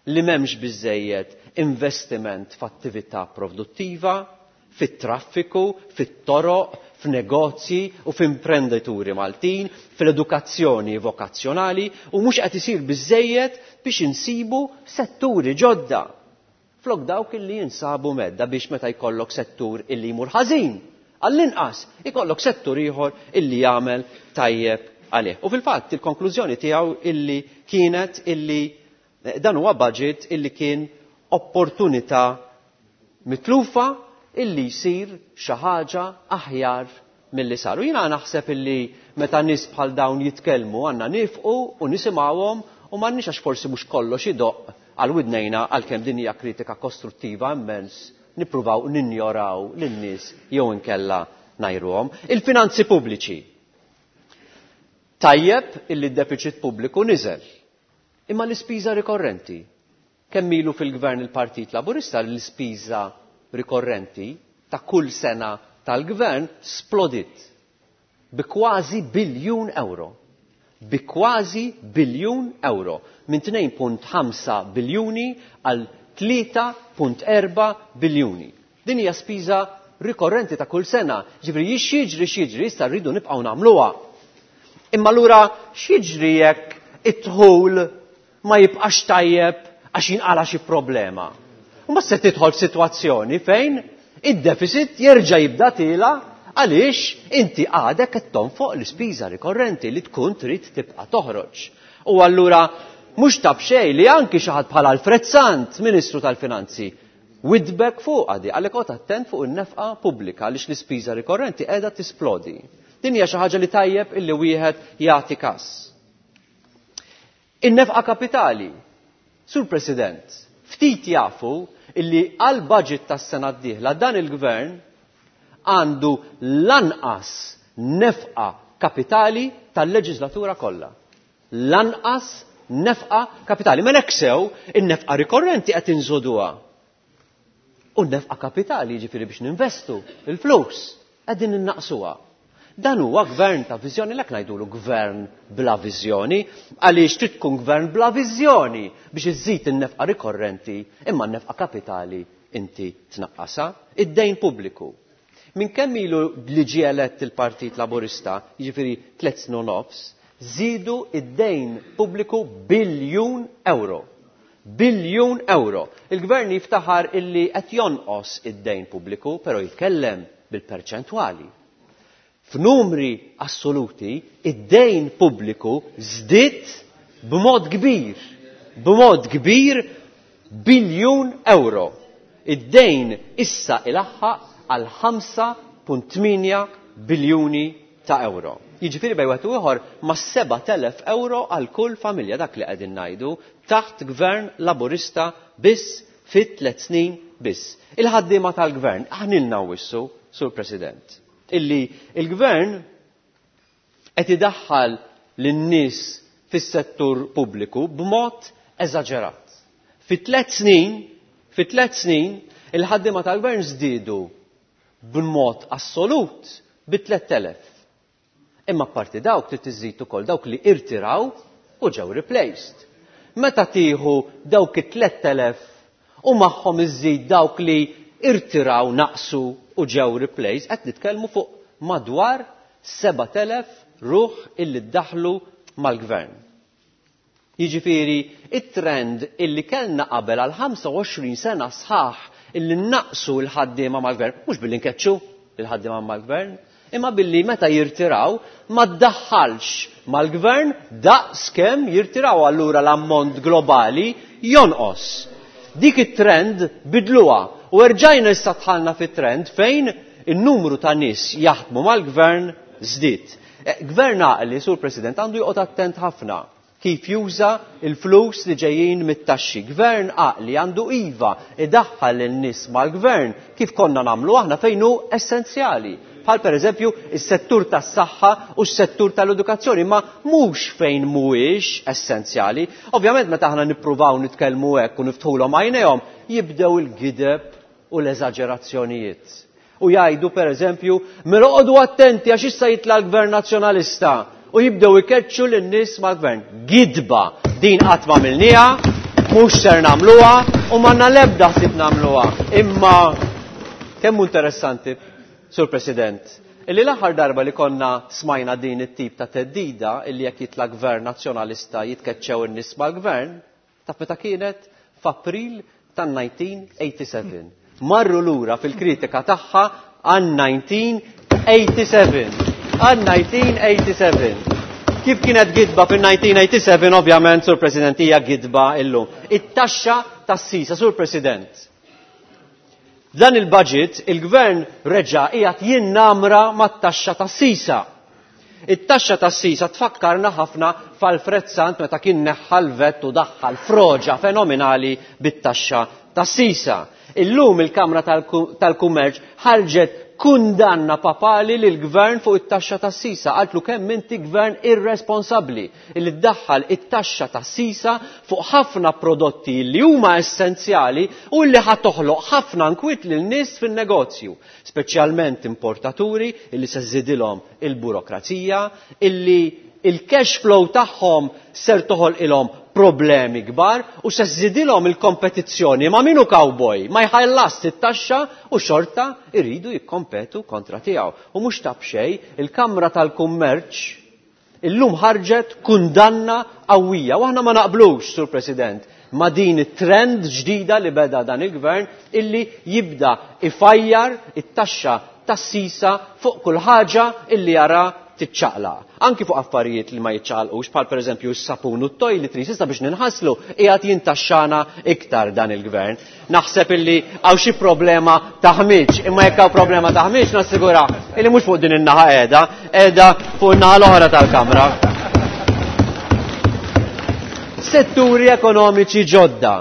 li m'hemmx biżejjed investiment f'attività produttiva, fit-traffiku, fit-toroq, f'negozji u f'imprenditori Maltin, fil-edukazzjoni vokazzjonali u mhux qed isir biżejjed biex insibu setturi ġodda. Flok dawk illi jinsabu medda biex meta jkollok settur illi jmur ħażin, għall-inqas ikollok settur ieħor illi jagħmel tajjeb għalih. U fil-fatt il-konklużjoni tiegħu illi kienet illi dan huwa budget illi kien opportunità mitlufa illi jsir xi ħaġa aħjar milli sar. U jiena naħseb illi meta nies bħal dawn jitkellmu għandna nifqu u nisimgħuhom u m'għandniex għax forsi mhux kollox idoqq għal widnejna għalkemm din hija kritika kostruttiva immens nippruvaw ninjoraw lin-nies jew inkella ngħajruhom. Il-finanzi pubbliċi. Tajjeb illi d-deficit pubbliku niżel. Imma l-ispiża rikorrenti. Kemm ilu fil-gvern il-Partit Laburista l-ispiża rikorrenti ta' kull sena tal-gvern splodit bi kważi biljun euro. Bi kważi biljun euro. Minn 2.5 biljuni għal 3.4 biljuni. Din hija spiża rikorrenti ta' kull sena. Ġifieri x'jiġri x'jiġri issa rridu nibqgħu nagħmluha. Imma allura x'jiġri jekk id-dħul ma jibqax tajjeb għax jinqala xi problema? U ma se tidħol f'sitwazzjoni fejn id-deficit jerġa' jibda tiela għaliex inti għadek qed tonfoq l-ispiża rikorrenti li tkun trid tibqa' toħroġ. U allura mhux ta' b'xejn li anki xi ħadd bħal Alfred Sant, Ministru tal-Finanzi, widbek fuq għadi, għalhekk oqgħod attent fuq in-nefqa pubblika għaliex l-ispiża rikorrenti qiegħda tisplodi. Din hija xi ħaġa li tajjeb illi wieħed jagħti każ. In-nefqa kapitali. Sur President, ftit jafu illi għal budget tas-sena d-dieħla dan il-gvern għandu l-anqas nefqa kapitali tal-leġislatura kollha. L-anqas nefqa kapitali. Mela hekk sew, in-nefqa rikorrenti qed inżoduha. U n-nefqa kapitali, jiġifieri biex ninvestu il-flus, qegħdin innaqsuha. Dan huwa gvern ta' viżjoni, lek ngħidulu gvern bla viżjoni, għaliex trid tkun gvern bla viżjoni biex iżżid in-nefqa rikorrenti imma n-nefqa kapitali inti tnaqqasha. Id-dejn pubbliku. Minn kemm ilu li ġie elett il-Partit Laburista, jiġifieri 3 snin u nofs, żiedu id-dejn pubbliku biljun euro. Biljun euro. Il-gvern jiftaħar illi qed jonqos id-dejn pubbliku, però jitkellem bil-perċentwali. F'numri assoluti, id-dejn pubbliku żdied b'mod kbir, b'mod kbir biljun euro. Id-dejn issa ilaħħaq għal 5.8 biljuni ta' euro. Jiġifieri bejn wieħed u ieħor ma' 7,000 euro għal kull familja, dak li qegħdin ngħidu taħt gvern Laburista biss fit 3 snin biss. Il-ħaddiema tal-gvern, aħnilna wissu, Sur President, illi il-gvern qed idaħħal lin-nies fis-settur pubbliku b'mod eżaġerat. Fi 3 snin, fi 3 snin, il-ħaddiema tal-gvern żdiedu b'mod assolut bi 3,000. Imma apparti dawk trid iżid ukoll dawk li irtiraw u ġew replaced. Meta tieħu dawk it-3,000 u magħhom iżid dawk li irtiraw naqsu u ġew replaced, qed nitkellmu fuq madwar 7,000 ruħ illi ddaħlu mal-gvern. Jiġifieri it-trend illi kellna qabel għal 25 sena sħaħ illi naqsu l-ħaddiema mal-gvern, mhux billi nkeċċu l-ħaddiema mal-gvern, imma billi meta jirtiraw ma ddaħħalx mal-gvern daqs kemm jirtiraw allura l-ammont globali jonqos. Dik it-trend bidluha u erġajna issa dħalna fit-trend fejn in-numru ta' nies jaħdmu mal-gvern żdied. Gvern għaqli, Sur President, għandu joqgħod attent ħafna kif juża il-flus li ġejjin mit-taxxi. Gvern għaqli għandu iva idaħħal lin-nies mal-gvern kif konna nagħmlu aħna fejn hu essenzjali. Bħal pereżempju is-settur tas-saħħa u s-settur tal-edukazzjoni, ma mhux fejn mhuwiex essenzjali. Ovvjament meta aħna nippruvaw nitkellmu hekk u niftħulhom għajnejhom, jibdew il-gideb u l-eżaġerazzjonijiet. U jgħidu pereżempju, mela oqogħdu attenti għax issa jitla' l-Gvern Nazzjonalista u jibdew ikeċċu lin-nies mal-gvern. Gidba din qatt ma għamilniha, mhux ser nagħmluha u m'għandna l-ebda ħsieb nagħmluha. Imma kemm hu interessanti, Sur President, illi l-aħħar darba li konna smajna din it-tip ta' theddida illi jekk jitla' gvern Nazzjonalista jitkeċċew in-nies mal-gvern, taf meta kienet? F'April tan-1987. Marru lura fil-kritika tagħha għan-1987. Għan-1987. Kif kienet gidba fil-1987, ovvjament, Sur President, hija gidba illum. It-taxxa tas-sisa, Sur President. Dan il-budget, il-gvern reġa' qiegħed jinnamra mat-taxxa tas-sisa. It-taxxa tas-sisa tfakkarna ħafna f'Alfred Sant meta kien neħħa l-vett u daħħal froġa fenomenali bit-taxxa tas-sisa. Illum il-Kamra tal-Kummerċ ħarġet kundanna papali lill-gvern fuq it-taxxa tas-sisa. Qaltlu kemm inti gvern irresponsabbli illi ddaħħal it-taxxa tas-sisa fuq ħafna prodotti li huma essenzjali u li ħa toħloq ħafna nkwiet lil nies fin-negozju, speċjalment importaturi illi se żżidilhom il-burokrazija, illi il-cash flow tagħhom ser toħolqilhom problemi kbar u se żżidilhom il-kompetizzjoni ma' min hu cowboy ma jħallas it-taxxa u xorta jridu jikkompetu kontra tiegħu. U mhux ta' b'xejn il-Kamra tal-Kummerċ illum ħarġet kundanna qawwija u aħna ma naqblux, Sur President, ma' din it-trend ġdida li beda dan il-gvern illi jibda ifajjar it-taxxa tas-sisa fuq kull ħaġa illi jara tiċċaqlaq. Anki fuq affarijiet li ma jiċċaqalqux, bħal pereżempju s-sapun u t-toiletries, issa biex ninħaslu qiegħed jintaxxana iktar dan il-gvern. Naħseb illi hawn xi problema ta' ħmiġ, imma jekk hawn problema ta' ħmiġ nassigura illi mhux fuq din in-naħa qiegħda, qiegħda fuq in-naħa l-oħra tal-kamra. Setturi ekonomiċi ġodda.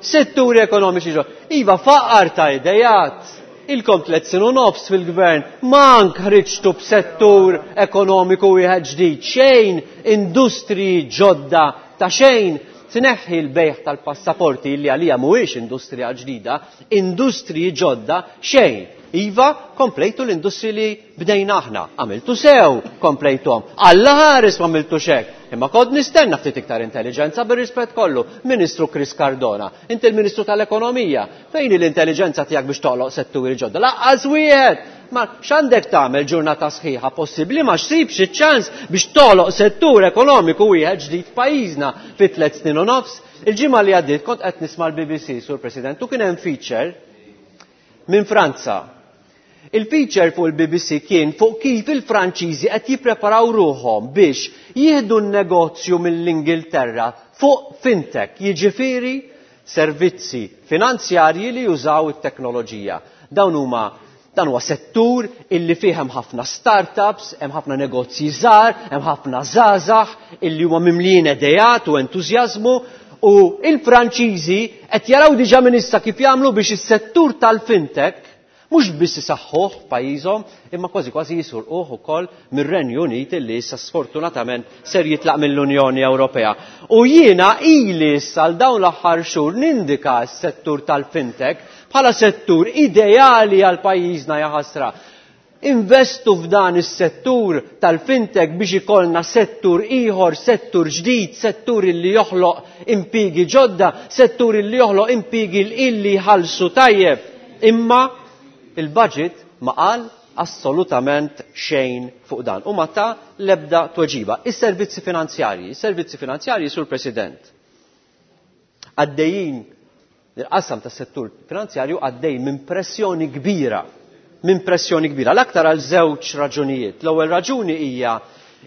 Setturi ekonomiċi ġodda. Iva, faqar ta' idejat. Ilkom 3 snin u nofs fil-gvern, mank ħriġtu b'settur ekonomiku wieħed ġdid, xejn industriji ġodda ta' xejn. Tneħħi l-bejħ tal-passaporti li għalija mhuwiex industrija ġdida, industriji ġodda xejn. Iva, komplejtu l-industriji li bdejna aħna, għamiltu sew, komplejtuhom. Alla ħares ma għamiltu xek. Imma kont nistenna ftit iktar intelligenza bir-rispett kollu. Ministru Chris Cardona, inti l-Ministru tal-Ekonomija, fejn hi l-intelligenza tiegħek biex toħloq setturi ġodda? Laqqas wieħed! Ma x'għandek tagħmel ġurnata sħiħa possibbli ma xsibx iċ-ċans biex toħloq settur ekonomiku wieħed ġdid f'pajjiżna fi 3 snin u nofs? Il-ġimgħa li għaddiet kont qed nisma' l-BBC, Sur President, u kien hemm feature minn Franza. Il-feature fuq il-BBC kien fuq kif il-Franċiżi qed jippreparaw ruħhom biex jieħdu n-negozju mill-Ingilterra fuq fintech, jiġifieri servizzi finanzjarji li jużaw it-teknoloġija. Dawn huma dan huwa settur illi fih hemm ħafna startups, hemm ħafna negozji żgħar, hemm ħafna żgħażagħ illi huma mimlijin idejat u entużjażmu, u il-Franċiżi qed jaraw diġà minn issa kif jagħmlu biex is-settur tal-fintech mhux biss isaħħuh f'pajjiżhom, imma kważi kważi jisurquh ukoll mir-Renju Unit illi issa sfortunatament ser jitlaq mill-Unjoni Ewropea. U jiena ili issa għal dawn l-aħħar xhur nindika s-settur tal-fintech bħala settur ideali għal pajjiżna jaħasra. Investu f'dan is-settur tal-fintech biex ikollna settur ieħor, settur ġdid, settur illi joħloq impjiegi ġodda, settur illi joħloq impjiegi illi jħallsu tajjeb. Imma il-budget ma qal assolutament xejn fuq dan u ma ta l-ebda tweġiba. Is-servizzi finanzjarji, is-servizzi finanzjarji, Sur President, għaddejjin il-qasam tas-settur finanzjarju għaddej minn pressjoni kbira, minn pressjoni kbira, l-aktar għal żewġ raġunijiet. L-ewwel raġuni hija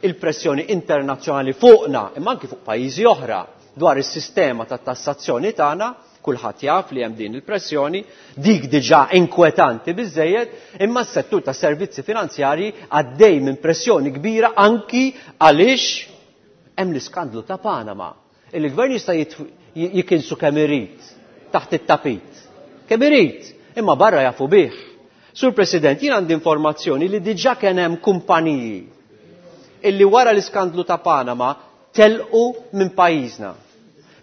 il-pressjoni internazzjonali fuqna, imma anki fuq pajjiżi oħra dwar is-sistema ta' tassazzjoni tagħna, kulħadd jaf li hemm din il-pressjoni, dik diġà inkwetanti biżejjed, imma s-settur ta' servizzi finanzjarji għaddej minn pressjoni kbira anki għaliex hemm l-iskandlu ta' Panama. Il-gvern jista' jikinsu kemm irid taħt it-tapit. Kemm irid, imma barra jafu bih. Sur President, jien għandi informazzjoni li diġà kien hemm kumpaniji illi wara l-iskandlu ta' Panama telqu minn pajjiżna.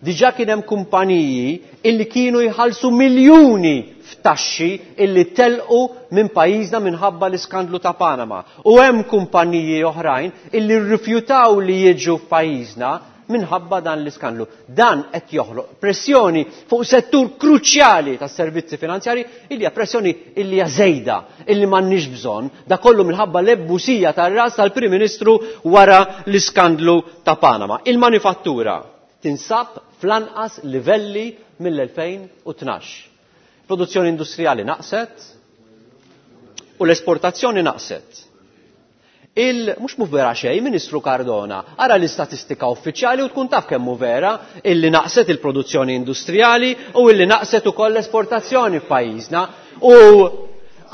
Diġà kien hemm kumpaniji illi kienu jħallsu miljuni f'taxxi illi telqu minn pajjiżna minħabba l-iskandlu ta' Panama. U hemm kumpaniji oħrajn illi rrifjutaw li jiġu f'pajjiżna minħabba dan l-iskandlu. Dan qed joħloq pressjoni fuq settur kruċjali tas-servizzi finanzjari illi hija pressjoni illi hija żejda, illi m'għandniex bżonn, da kollu minħabba l-ebbusija tar-ras tal-Prim Ministru wara l-iskandlu ta' Panama. Il-manifattura tinsab fl-anqas livelli mill-2012. Produzzjoni industrijali naqset u l-esportazzjoni naqset. Il mhux mhu vera xejn, Ministru Cardona, ara l-istatistika uffiċjali u tkun taf kemm hu vera illi naqset il-produzzjoni industrijali u illi naqset ukoll l-esportazzjoni f'pajjiżna. U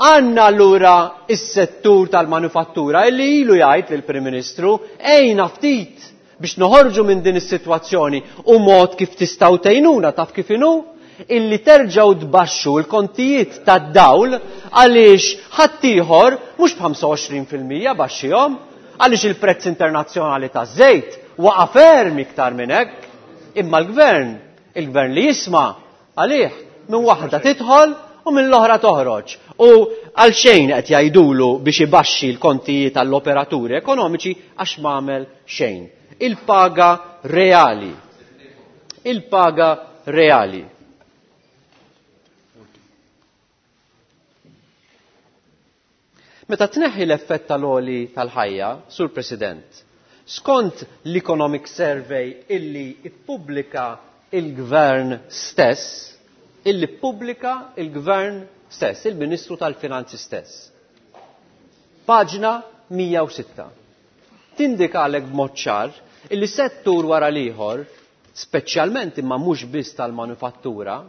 għandna allura is-settur tal-manufattura illi ilu jgħid lill-Prim Ministru ejna ftit biex noħorġu minn din is-sitwazzjoni u mod kif tistgħu tgħinuna taf kif inhu illi terġgħu tbaxxu l-kontijiet tad-dawl għaliex ħaddieħor mhux b'25% baxxihom għaliex il-prezz internazzjonali taż-żejt waqa' ferm iktar minn hekk. Imma l-gvern, il-gvern li jisma' għalih minn waħda tidħol u minn l-oħra toħroġ. U għal xejn qed jgħidulu biex ibaxxi l-kontijiet għall-operaturi ekonomiċi għax m'għamel xejn. Il-paga reali. Il-paga reali. Meta tneħħi l-effett tal-għoli tal-ħajja, Sur President, skont l-Economic Survey illi ippubblika il-Gvern stess, illi ppubblika il-Gvern stess, il-Ministru tal-Finanzi stess. Paġna 106. Tindikalek b'mod ċar illi settur wara l-ieħor, speċjalment imma mhux biss tal-manufattura,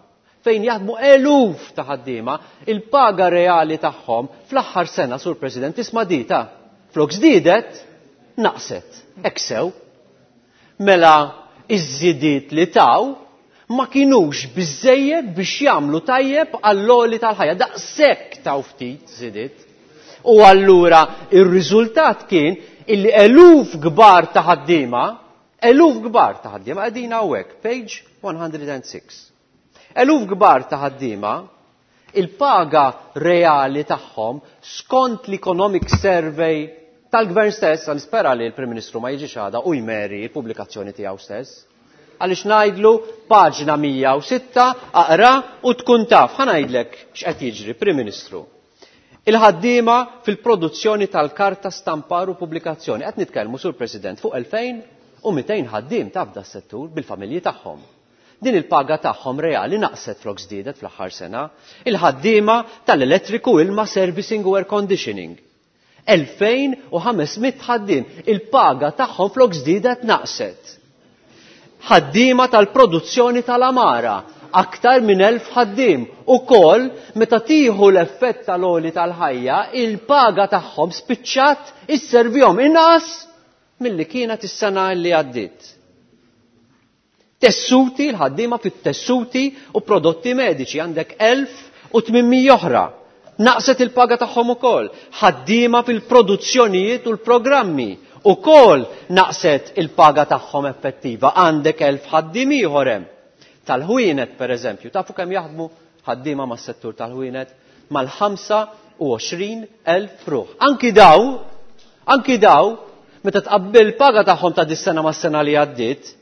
fejn jaħdmu eluf ta' ħaddiema, il-paga reali tagħhom fl-aħħar sena, Sur President, isma' dita, flok żdiedet, naqset. Hekk sew. Mela iż-żidiet li taw ma kinux biżejjed biex jagħmlu tajjeb għall-għoli tal-ħajja. Daqshekk taw ftit żidiet. U allura ir-riżultat kien illi eluf kbar ta' ħaddiema, eluf kbar ta' ħaddiema qegħdin hawnhekk, page 106. Eluf kbar ta' ħaddiema, il-paga reali tagħhom skont l-Economic Survey tal-Gvern stess, nispera li l-Prim Ministru ma jiġix għada u jmeri l-pubblikazzjoni tiegħu stess. Għaliex ngħidlu paġna 106 aqra u tkun taf. Ħa ngħidlek x'qed jiġri, Prim Ministru. Il-ħaddiema fil-produzzjoni tal-karta stampar u pubblikazzjoni. Qed nitkellmu, Sur President, fuq 2200 ħaddiem taf da settur bil-familji tagħhom. Din il-paga tagħhom reali naqset flok żdiedet fl-aħħar sena. Il-ħaddiema tal-elettriku, ilma, servicing u air conditioning. 2500 ħaddiem. Il-paga tagħhom flok żdiedet naqset. Ħaddiema tal-produzzjoni tal-amara, aktar minn 1000 ħaddiem. Ukoll meta tieħu l-effett tal-għoli tal-ħajja, il-paga tagħhom spiċċat isservihom inqas milli kienet is-sena li għaddiet. Tessuti, l-ħaddiema fit-tessuti u prodotti mediċi, għandek 1800 oħra. Naqset il-paga tagħhom ukoll. Ħaddiema fil-produzzjonijiet u l-programmi ukoll naqset il-paga tagħhom effettiva. Għandek 1000 ħaddiem ieħor hemm. Tal-ħwienet, per eżempju, tafu kemm jaħdmu ħaddiema mas-settur tal-ħwienet? Mal-ħamsa u għoxrin elf ruħ. Anki daw, meta tqabbil paga tagħhom ta' dis-sena mas-sena li għaddiet,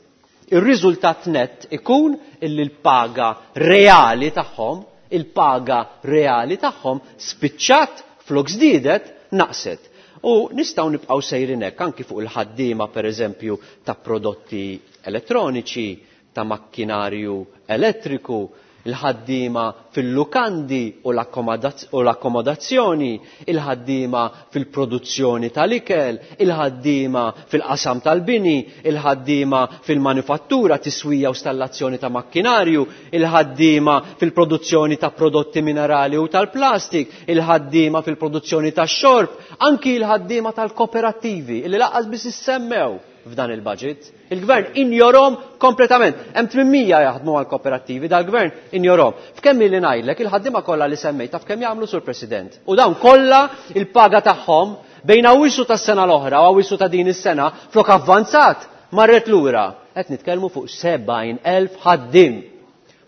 ir-riżultat net ikun illi l-paga reali tagħhom, il-paga reali tagħhom spiċċat Flok żdiedet, naqset. U nistgħu nibqgħu sejrin hekk anki fuq il-ħaddiema pereżempju ta' prodotti elettroniċi, ta' makkinarju elettriku, il-ħaddiema fil-lukandi u l-akkomodazzjoni, il-ħaddiema fil-produzzjoni tal-ikel, il-ħaddiema fil-qasam tal-bini, il-ħaddiema fil-manifattura, tiswija u stallazzjoni ta' makkinarju, il-ħaddiema fil-produzzjoni ta' prodotti minerali u tal-plastik, il-ħaddiema fil-produzzjoni ta' xorb, anki il-ħaddiema tal-kooperattivi, illi laqqas biss issemmew f'dan il-budget. Il-gvern injorom kompletament. Hemm 800 jaħdmu għal kooperattivi, dal-gvern injorom. F'kemm li ngħidlek il-ħaddiema kollha li semmejt taf kemm jagħmlu sur President. U dawn kollha il-paga tagħhom bejn Awwissu tas-sena l-oħra u Awwissu ta' din is-sena flok avvanzat marret lura. Qed nitkellmu fuq 70,000 ħaddiem.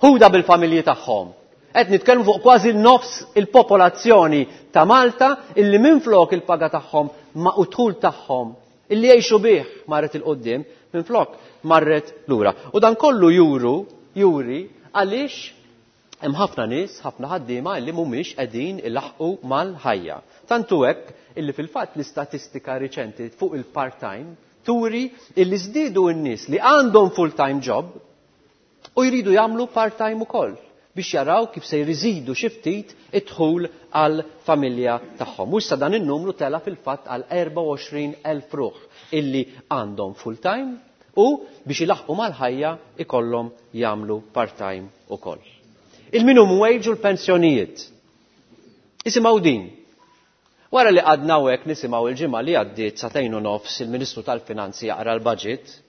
Ħuda bil-familji tagħhom. Qed nitkellmu fuq kważi nofs il-popolazzjoni ta' Malta illi minflok il-paga tagħhom ma' u dħul tagħhom illi jgħixu bih marret il-qoddim, minflok marret lura. U dan kollu juru, juri, għaliex hemm ħafna nies, ħafna ħaddiema illi mhumiex qegħdin ilaħqu mal-ħajja. Tantu hekk illi fil-fatt l-istatistika riċenti fuq il-part-time turi illi żdiedu n-nies li għandhom full-time job u jridu jagħmlu part-time ukoll biex jaraw kif se jriżidu xi ftit id-dħul għal familja tagħhom. U issa dan in-numru tela fil-fatt għal 24,000 ruħ illi għandhom full-time u biex ilaħqu mal-ħajja ikollhom jagħmlu part-time ukoll. Il-minimum wage u l-pensjonijiet. Isimgħu din. Wara li għadna hekk nisimgħu il-ġimgħa li għaddiet sagħtejn u nofs il-Ministru tal-Finanzi jaqra l-budget,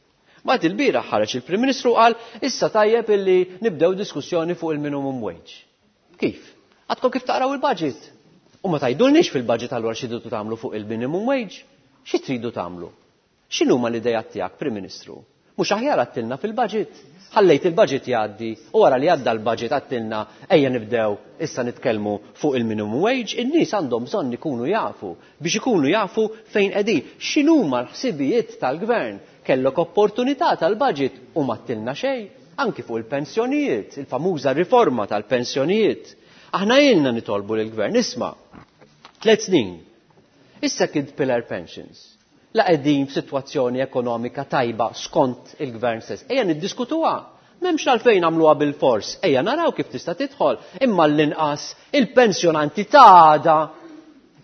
Mbagħad il-bieraħ ħareġ il-Prim Ministru qal issa tajjeb illi nibdew diskussjoni fuq il-minimum wage. Kif? Għadkom kif taqraw il-budget? U ma tgħidulniex fil-budget allura xi tridu tagħmlu fuq il-minimum wage? Xi tridu tagħmlu? X'inhuma l-idejat tiegħek, Prim Ministru? Mhux aħjar għattilna fil-budget? Ħallejt il-budget jgħaddi u wara li għadda l-budget għattilna ejja nibdew issa nitkellmu fuq il-minimum wage, in-nies għandhom bżonn ikunu jafu biex ikunu jafu fejn qegħdin. X'inhuma l-ħsibijiet tal-gvern? Kellok opportunità tal-budget u ma għattilna xejn, anki fuq il-pensjonijiet, il-famuża riforma tal-pensjonijiet. Aħna ilna nitolbu lill-gvern, isma' 3 snin. Is-second pillar pensions. La qegħdin f'sitwazzjoni ekonomika tajba skont il-gvern stess. Ejja niddiskutuha. M'hemmx għalfejn nagħmluha bil-fors. Ejja naraw kif tista' tidħol. Imma l-inqas il-pensjonanti ta' għada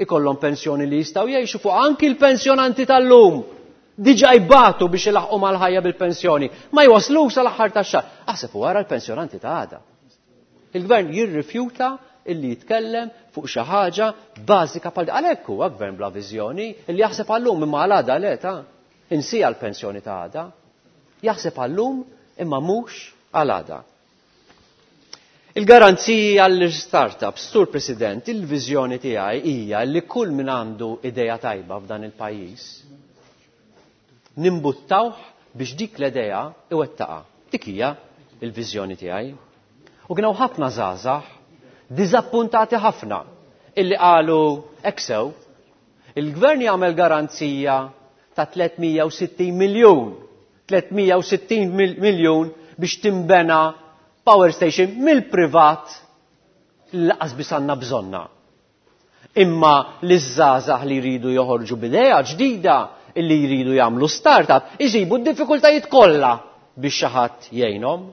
ikollhom pensjoni li jistgħu jgħixu fuq anki l-pensjonanti tal-lum. Diġà jbatu biex ilaħqu mal-ħajja bil-pensjoni. Ma jwaslux sal-aħħar tax-xahar. Aħseb u wara l-pensjonanti ta' għada. Il-gvern jirrifjuta illi jitkellem fuq xi ħaġa bażika bħal għalhekk huwa gvern bla viżjoni illi jaħseb għallum imma għal għada le ta' insija l-pensjoni ta' għada. Jaħseb għallum imma mhux għal għada. Il-garanziji għall-startups, Sur President, il-viżjoni tiegħi hija li kull min għandu idea tajba f'dan il-pajjiż nimbuttawh biex dik l-idea iwettaqa. Dik hija il-viżjoni tiegħi. U kien hawn ħafna żgħażagħ diżappuntati ħafna illi qalu hekk sew, il-gvern jagħmel garanzija ta' 360 miljun, 360 miljun biex timbena power station mill-privat li laqas biss għandna bżonna. Imma l-żgħażagħ li jridu joħorġu b'idea ġdida illi jridu jagħmlu startup iġibu d-diffikultajiet kollha biex xi ħadd jgħinhom.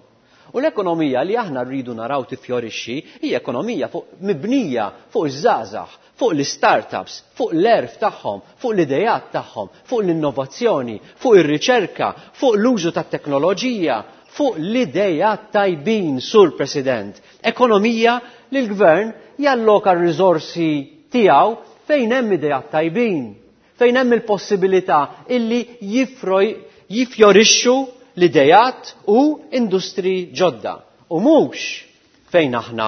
U l-ekonomija li aħna rridu naraw tifjorixxi hija ekonomija mibnija fuq iż-żgħażagħ, fuq l-startups, fuq l-għerf tagħhom, fuq l-idejat tagħhom, fuq l-innovazzjoni, fuq ir-riċerka, fuq l-użu tat-teknoloġija, fuq l-idejat tajbin, Sur President. Ekonomija li l-gvern jalloka r-riżorsi tiegħu fejn hemm idejat tajbin, fejn hemm il-possibilità illi jifjorixxu l-idejat u industri ġodda. U mhux fejn aħna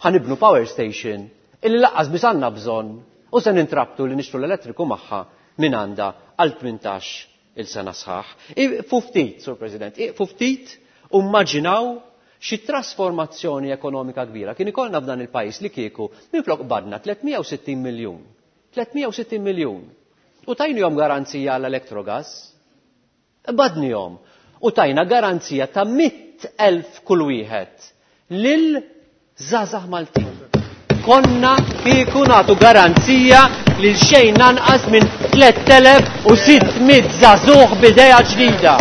ħanibnu power station illi laqqas biss għandna bżonn u se nintrabtu li nixtru l-elettriku magħha minn għandha għal 18 il-sena sħaħ. Iqfu ftit, Sur President, iqfu ftit u immaġinaw xi trasformazzjoni ekonomika kbira kien ikollna f'dan il-pajjiż li kieku minflok qbadna 360 miljun. 360 miljun. U tajnihom garanzija għall-Electrogas. Qbadnihom u tajna garanzija ta' 100,000 kull wieħed lil żgħażagħ Maltin. konna kieku nagħtu garanzija lil xejn anqas minn 3600 żagħżugħ b'idea ġdida.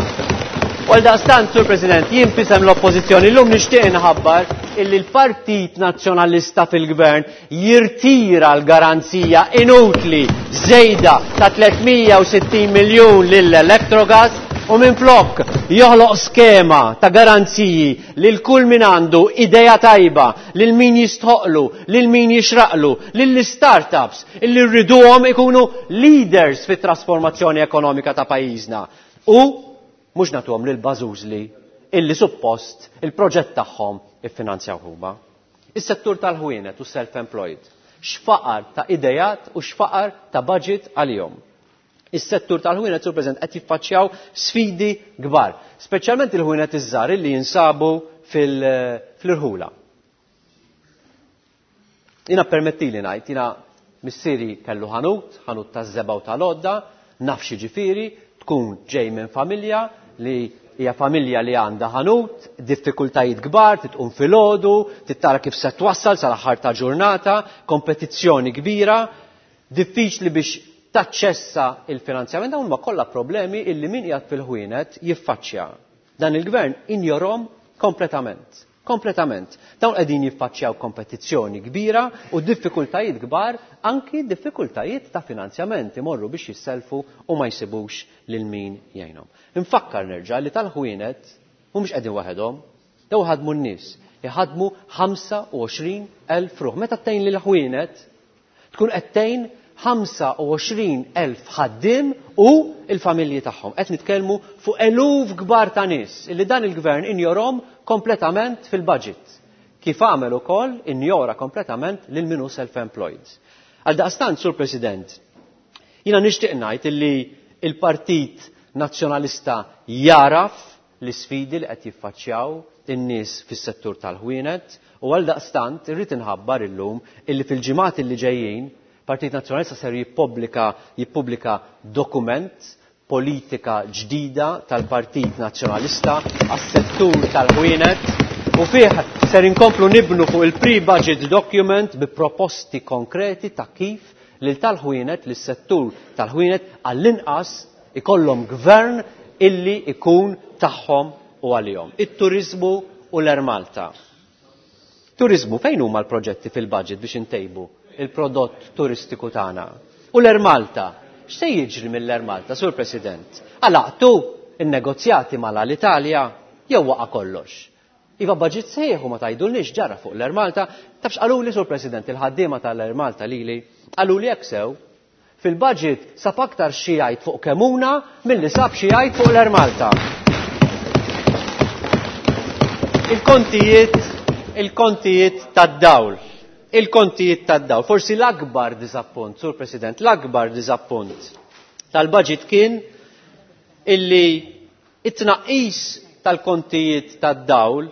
U għaldaqstant, Sur President, jien f'isem l-Oppożizzjoni llum nixtieq inħabbar illi l-Partit Nazzjonalista fil-Gvern jirtira l-garanzija inutli żejda ta' 360 miljun lill-Electrogas u minflok joħloq skema ta' garanziji lil kull min għandu idea tajba, lil min jistħoqlu, lil min jixraqlu, lill-startups illi rriduhom ikunu leaders fit-trasformazzjoni ekonomika ta' pajjiżna. U mhux nagħtuhom lil bażużli illi suppost il-proġett tagħhom iffinanzjaw huma. Is-settur tal-ħwienet u self-employed. X'faqar ta' idejat u x'faqar ta' budget għalihom. Is-settur tal-ħwienet, Sur President, qed jiffaċċjaw sfidi kbar, speċjalment il-ħwienet iż-żgħar illi jinsabu fil-irħula. Jiena permettili ngħid, jiena missieri kellu ħanut, ħanut taż-żebgħa u tal-għodda, naf x'jiġifieri tkun ġej minn familja li hija familja li għandha ħanut, diffikultajiet kbar, titqum filgħodu, tittara kif se twassal sal-aħħar ta' ġurnata, kompetizzjoni kbira, diffiċli biex taċċessa il-finanzjament, dawn huma kollha problemi illi min qiegħed fil-ħwienet jiffaċċja. Dan il-gvern injorhom kompletament. Kompletament. Dawn qegħdin jiffaċċjaw kompetizzjoni kbira u diffikultajiet kbar, anki diffikultajiet ta' finanzjament, imorru biex jisselfu u ma jsibux lil min jgħinhom. Infakkar nerġa' li tal-ħwienet mhumiex qegħdin waħedhom, daw ħadmu n-nies, iħadmu 25,000 ruħ. Meta tgħin lil ħwienet tkun qed tgħin 25,000 ħaddiem u l-familji tagħhom. Qed nitkellmu fuq eluf kbar ta' nies illi dan il-gvern injorhom kompletament fil-budget. Kif għamel ukoll injora kompletament lil min hu self-employed. Għaldaqstant, Sur President, jiena nixtieq ngħid illi il-Partit Nazzjonalista jaraf l-isfidi li qed jiffaċċjaw in-nies fis-settur tal-ħwienet u għaldaqstant irrid inħabbar illum illi fil-ġimgħat illi ġejjin Partit Nazzjonalista ser jippubblika dokument politika ġdida tal-Partit Nazzjonalista għas-settur tal-ħwienet u fih ser inkomplu nibnu fuq il-pre-budget document bi proposti konkreti ta' kif lil tal-ħwienet, lis-settur tal-ħwienet għall-inqas ikollhom gvern illi ikun tagħhom u għalihom. It-turiżmu u l-Air Malta. Turiżmu, fejn huma l-proġetti fil-budget biex intejbu il-prodott turistiku tagħna? U l-Air Malta, x'se jiġri mill-Air Malta, Sur President? Għalaqtu in-negozjati mal-Alitalia jew waqa' kollox? Iva budget sejħu ma tgħidulniex ġara fuq l-Air Malta. Tafx qaluli, Sur President, il-ħaddiema tal-Air Malta lili, qaluli hekk sew, fil-budget sab aktar xi jgħid fuq Kemuna milli sab xi jgħid fuq l-Air Malta. Il-kontijiet, il-kontijiet tad-dawl. Il-kontijiet tad-dawl. Forsi l-akbar diżappunt, Sur President, l-akbar diżappunt tal-budget kien illi it-tnaqqis tal-kontijiet tad-dawl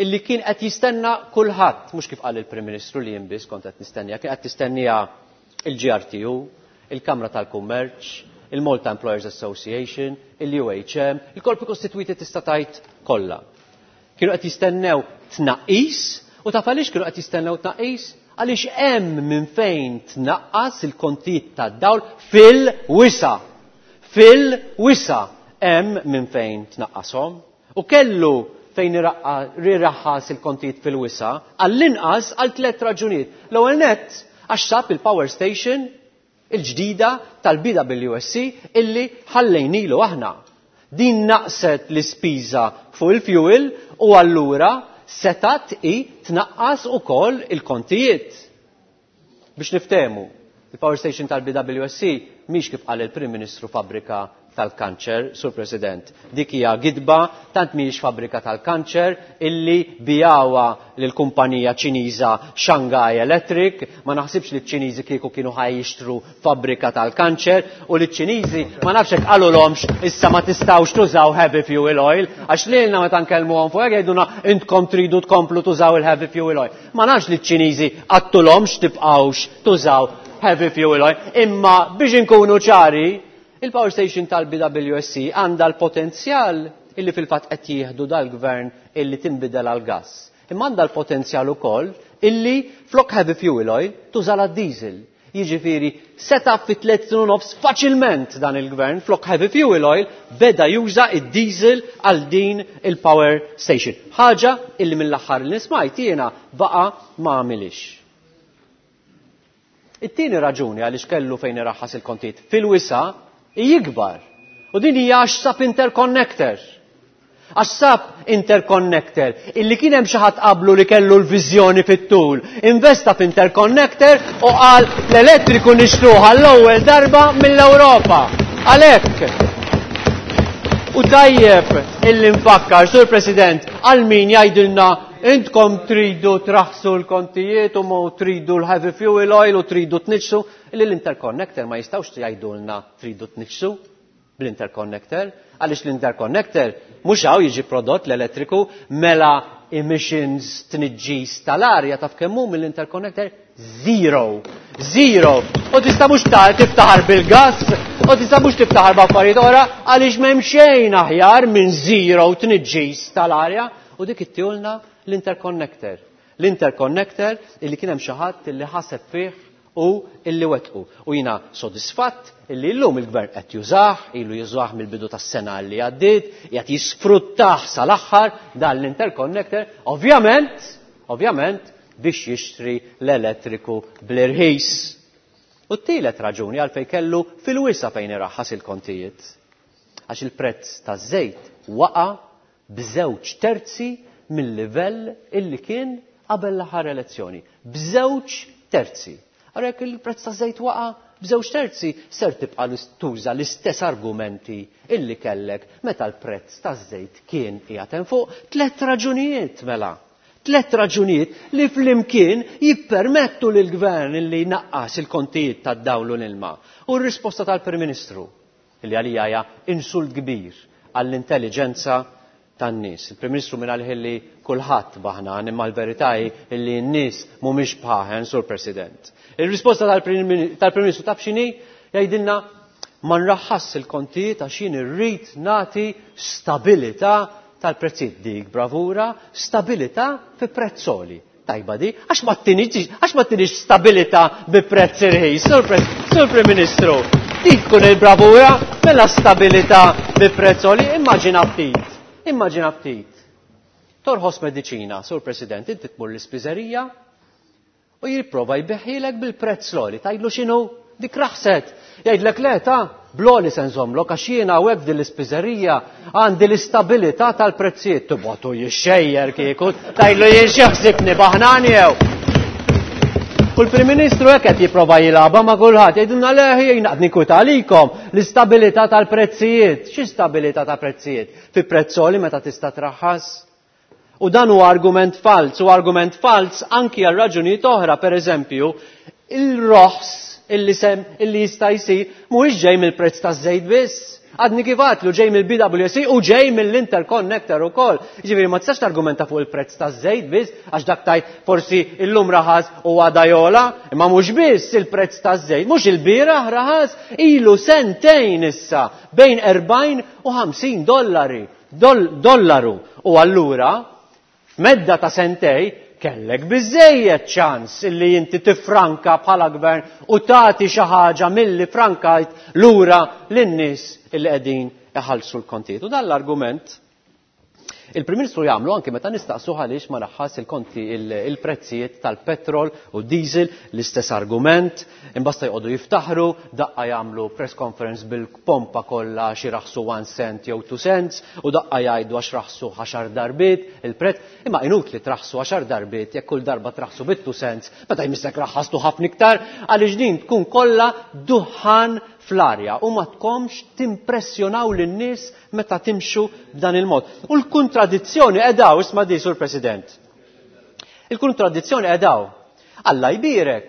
illi kien qed jistenna kulħadd, mhux kif qal il-Prim Ministru li jien biss kont qed nistennija, kien qed tistennija il-GRTU, il-Kamra tal-Kummerċ, il-Malta Employers Association, il-UHM, il-korpi kostitwiti tista' tgħid kollha. Kienu qed jistennew tnaqqis, u taf għaliex kienu qed jistennew tnaqqis? Għaliex hemm minn fejn tnaqqas il-kontijiet tad-dawl fil-wisa. Fil-wisa hemm minn fejn tnaqqashom. U kellu fejn iraħħas il-kontijiet fil-wisa, għall-inqas għal tliet raġunijiet. L-ewwel nett għax sab il-power station il-ġdida tal-BWSC illi ħallejnilu aħna. Din naqset l-ispiża fuq il-fuel u allura setat i tnaqqas ukoll il-kontijiet. Biex niftehmu, il-power station tal-BWSC mhix kif qal il-Prim Ministru fabbrika tal-kanċer, Sur President. Dik hija gidba, tant mhijiex fabbrika tal-kanċer illi bijawa lill-kumpanija Ċiniża Shanghai Electric. Ma naħsibx li ċ-Ċiniżi kieku kienu ħaj jixtru fabbrika tal-kanċer u li ċ-Ċiniżi ma nafx hekk qalulhomx issa ma tistgħux tużaw heavy fuel oil, għax lilna meta nkellmuhom fuq hekk jgħidulna intkom tridu tkomplu tużaw il-heavy fuel oil. Ma nafx li ċ-Ċiniżi qattulhomx tibqgħux tużaw heavy fuel oil, imma biex inkunu ċari, il-power station tal-BWSC għandha l-potenzjal illi fil-fatt qed jieħdu dal-gvern illi tinbidel għal gas. Imma għandha l-potenzjal ukoll illi flok heavy fuel oil tuża diesel. Jiġifieri seta' fi 3.5 faċilment dan il-gvern flok heavy fuel oil beda juża id-diesel għal din il-power station. Ħaġa illi mill-aħħar li nismajt jiena baqa' ma għamilix. It-tieni raġuni għaliex kellu fejn iraħħas il-kontijiet fil-wisa' jikbar. U din hija għax sab interconnector. Għax sab interconnector illi kien hemm xi ħadd qablu li kellu l-viżjoni fit-tul. Investa f'interconnector u qal l-elettriku nixtruh għall-ewwel darba mill-Ewropa. Għalhekk. U tajjeb illi nfakkar, Sur President, għal min jgħidilna intkom tridu traħsu l-kontijiet u mo tridu l-heavy fuel oil u tridu tniġsu, illi l-interconnector ma jistgħux jgħidulna tridu tniġsu bl-interconnector, għaliex l-interconnector mhux hawn jiġi prodott l-elettriku mela emissions tniġġis tal-arja taf kemm hu mill-interconnector zero. Zero. U tista' mhux tiftaħar bil-gas, u tista' mhux tiftaħar b'affarijiet oħra għaliex m'hemm xejn aħjar minn zero tniġġis tal-arja u dik ittihulna l-interconnector. L-interconnector illi kien hemm xi ħadd illi ħaseb fih u illi wetqu. U jiena sodisfatt illi llum il-gvern qed jużah, ilu jużah mill-bidu tas-sena li għaddiet, qiegħed jisfruttah sal-aħħar dan l-interconnector, ovvjament, ovvjament biex jixtri l-elettriku bl-irħis. U t-tielet raġuni għalfejn kellu fil-wisa fejn iraħħas il-kontijiet. Għax il-prezz taż-żejt waqa' b'żewġ terzi mill-livell illi kien qabel l-aħħar elezzjoni. B'żewġ terzi. Ara jekk il-prezz taż-żejt waqa' b'żewġ terzi, ser tibqa' tuża l-istess argumenti illi kellek meta l-prezz taż-żejt kien qiegħed hemm fuq. Tliet raġunijiet mela. Tliet raġunijiet li flimkien jippermettu lill-gvern illi jnaqqas il-kontijiet tad-dawl u l-ilma. U r-risposta tal-Prim Ministru, illi għalija hija insult kbir għall-intelliġenza tan-nies. Il-Prim Ministru minn għalih illi kulħadd baħnan, imma l-verità hi illi n-nies mhumiex bħaħen, Sur President. Il-risposta tal-Prim Ministru taf x'inhi? Jgħidilna ma nraħħas il-kontijiet għax jien irrid nagħti stabilità tal-prezzijiet. Dik bravura, stabilità fi prezz għoli. Tajba di, għax ma tinix, għax ma tinix stabilità bi prezz irħis, Sur Prim Ministru. Dik tkun il-bravura, mela stabilità bi prezz għoli, immaġina ftit. Immaġina ftit. Torħos mediċina, Sur President, inti tmur l-ispiżerija u jipprova jbeħħilek bil-prezz l-għoli. Tgħidlu x'inhu? Dik raħset. Jgħidlek le ta' bl-għoli se nżommlok għax jiena hawnhekk f'din l-ispiżerija għandi l-istabilità tal-prezzijiet. Tibgħatu jixxejjer kieku, tgħidlu jien xi ħsibni baħnan jew. U l-Prim Ministru hekk qed jipprova jilgħabha ma' kulħadd, jgħidulna le jien qed ninkwita għalikom l-istabilità tal-prezzijiet. Xi stabilità ta' prezzijiet? Fi prezz għoli meta tista' traħħas? U dan huwa argument falz, u argument falz anki għal raġunijiet oħra, per eżempju, il-roħs illi sem illi jista' jsir mhuwiex ġej mill-prezz taż-żejt biss. Għadni kif għadtlu ġej mill-BWSC u ġej mill-interconnector ukoll. Jiġifieri ma tistax targumenta fuq il-prezz taż-żejt biss għax dak tajt forsi illum raħas u għada jola, imma mhux biss il-prezz taż-żejt, mhux il-bieraħ raħas, ilu sentejn issa bejn 40 u 50 dollari. Dollaru. U allura, f'medda ta' sentej, kellek biżżejjed ċans illi inti tifranka bħala gvern u tagħti xi ħaġa milli frankajt lura lin-nies illi qegħdin iħallsu l-kontijiet. U dan l-argument il-Prim Ministru jagħmlu anke meta nistaqsuh għaliex ma raħħas il-konti il-prezzijiet tal-petrol u diesel, l-istess argument, imbasta jqogħdu jiftaħru, daqqa jagħmlu press conference bil-pompa kollha xi raħsu 1 cent jew 2 cents u daqqa jgħidu għax raħsu 10 darbiet il-prezz, imma inutli traħsu 10 darbiet jekk kull darba traħsu bit 2 cents, meta jmissek raħħastu ħafna iktar għaliex din tkun kollha duħħan fl-arja u ma tkomx timpressjonaw lin-nies meta timxu b'dan il-mod. U l-kontradizzjoni qedaw, isma' di, Sur President. Il-kontradizzjoni qedaw. Alla jbierek,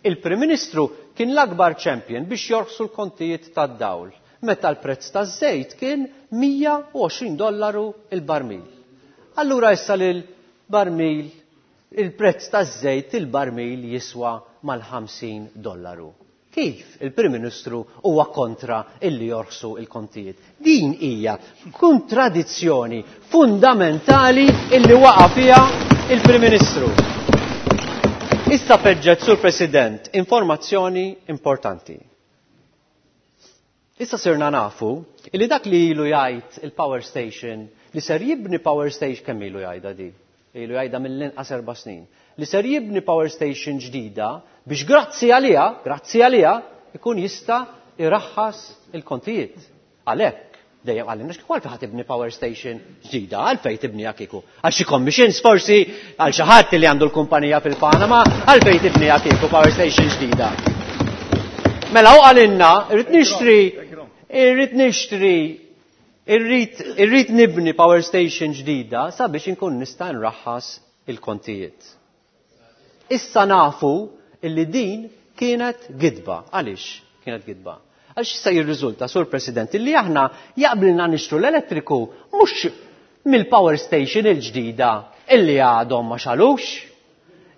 il-Prim Ministru kien l-akbar champion biex jorħsu l-kontijiet tad-dawl meta l-prezz taż-żejt kien mija u għoxrin dollaru il-barmil. Allura issa lil barmil il-prezz taż-żejt il-barmil jiswa mal-ħamsin dollaru. Kif il-Prim Ministru huwa kontra illi jorħsu il-kontijiet? Din hija kontradizzjoni fundamentali illi waqa' fiha il-Prim Ministru. Issa feġġet, Sur President, informazzjoni importanti. Issa sirna nafu illi dak li ilu jgħid il-power station, li ser jibni power station, kemm ilu jgħidha di? Ilu jgħidha mill-inqas 4 snin. Li ser jibni power station ġdida biex grazzi għaliha, grazzi għaliha, ikun jista' iraħħas il-kontijiet. Għalhekk, dejjem għallimna x'kieku għalfejn ħa tibni power station ġdida, għalfejn tibniha kieku. Għal xi commissions forsi, għal xi ħadd li għandu l-kumpanija fil-Panama, għalfejn tibniha kieku power station ġdida. Mela hu qalilna, irrid nixtri, irrid nixtri, irrid, irrid nibni power station ġdida sabiex inkun nista' nraħħas il-kontijiet. Issa nafu illi din kienet gidba. Għaliex kienet gidba? Għaliex issa jirriżulta, Sur President, illi aħna jaqblilna nixtru l-elettriku mhux mill-power station il-ġdida illi għadhom ma xalux.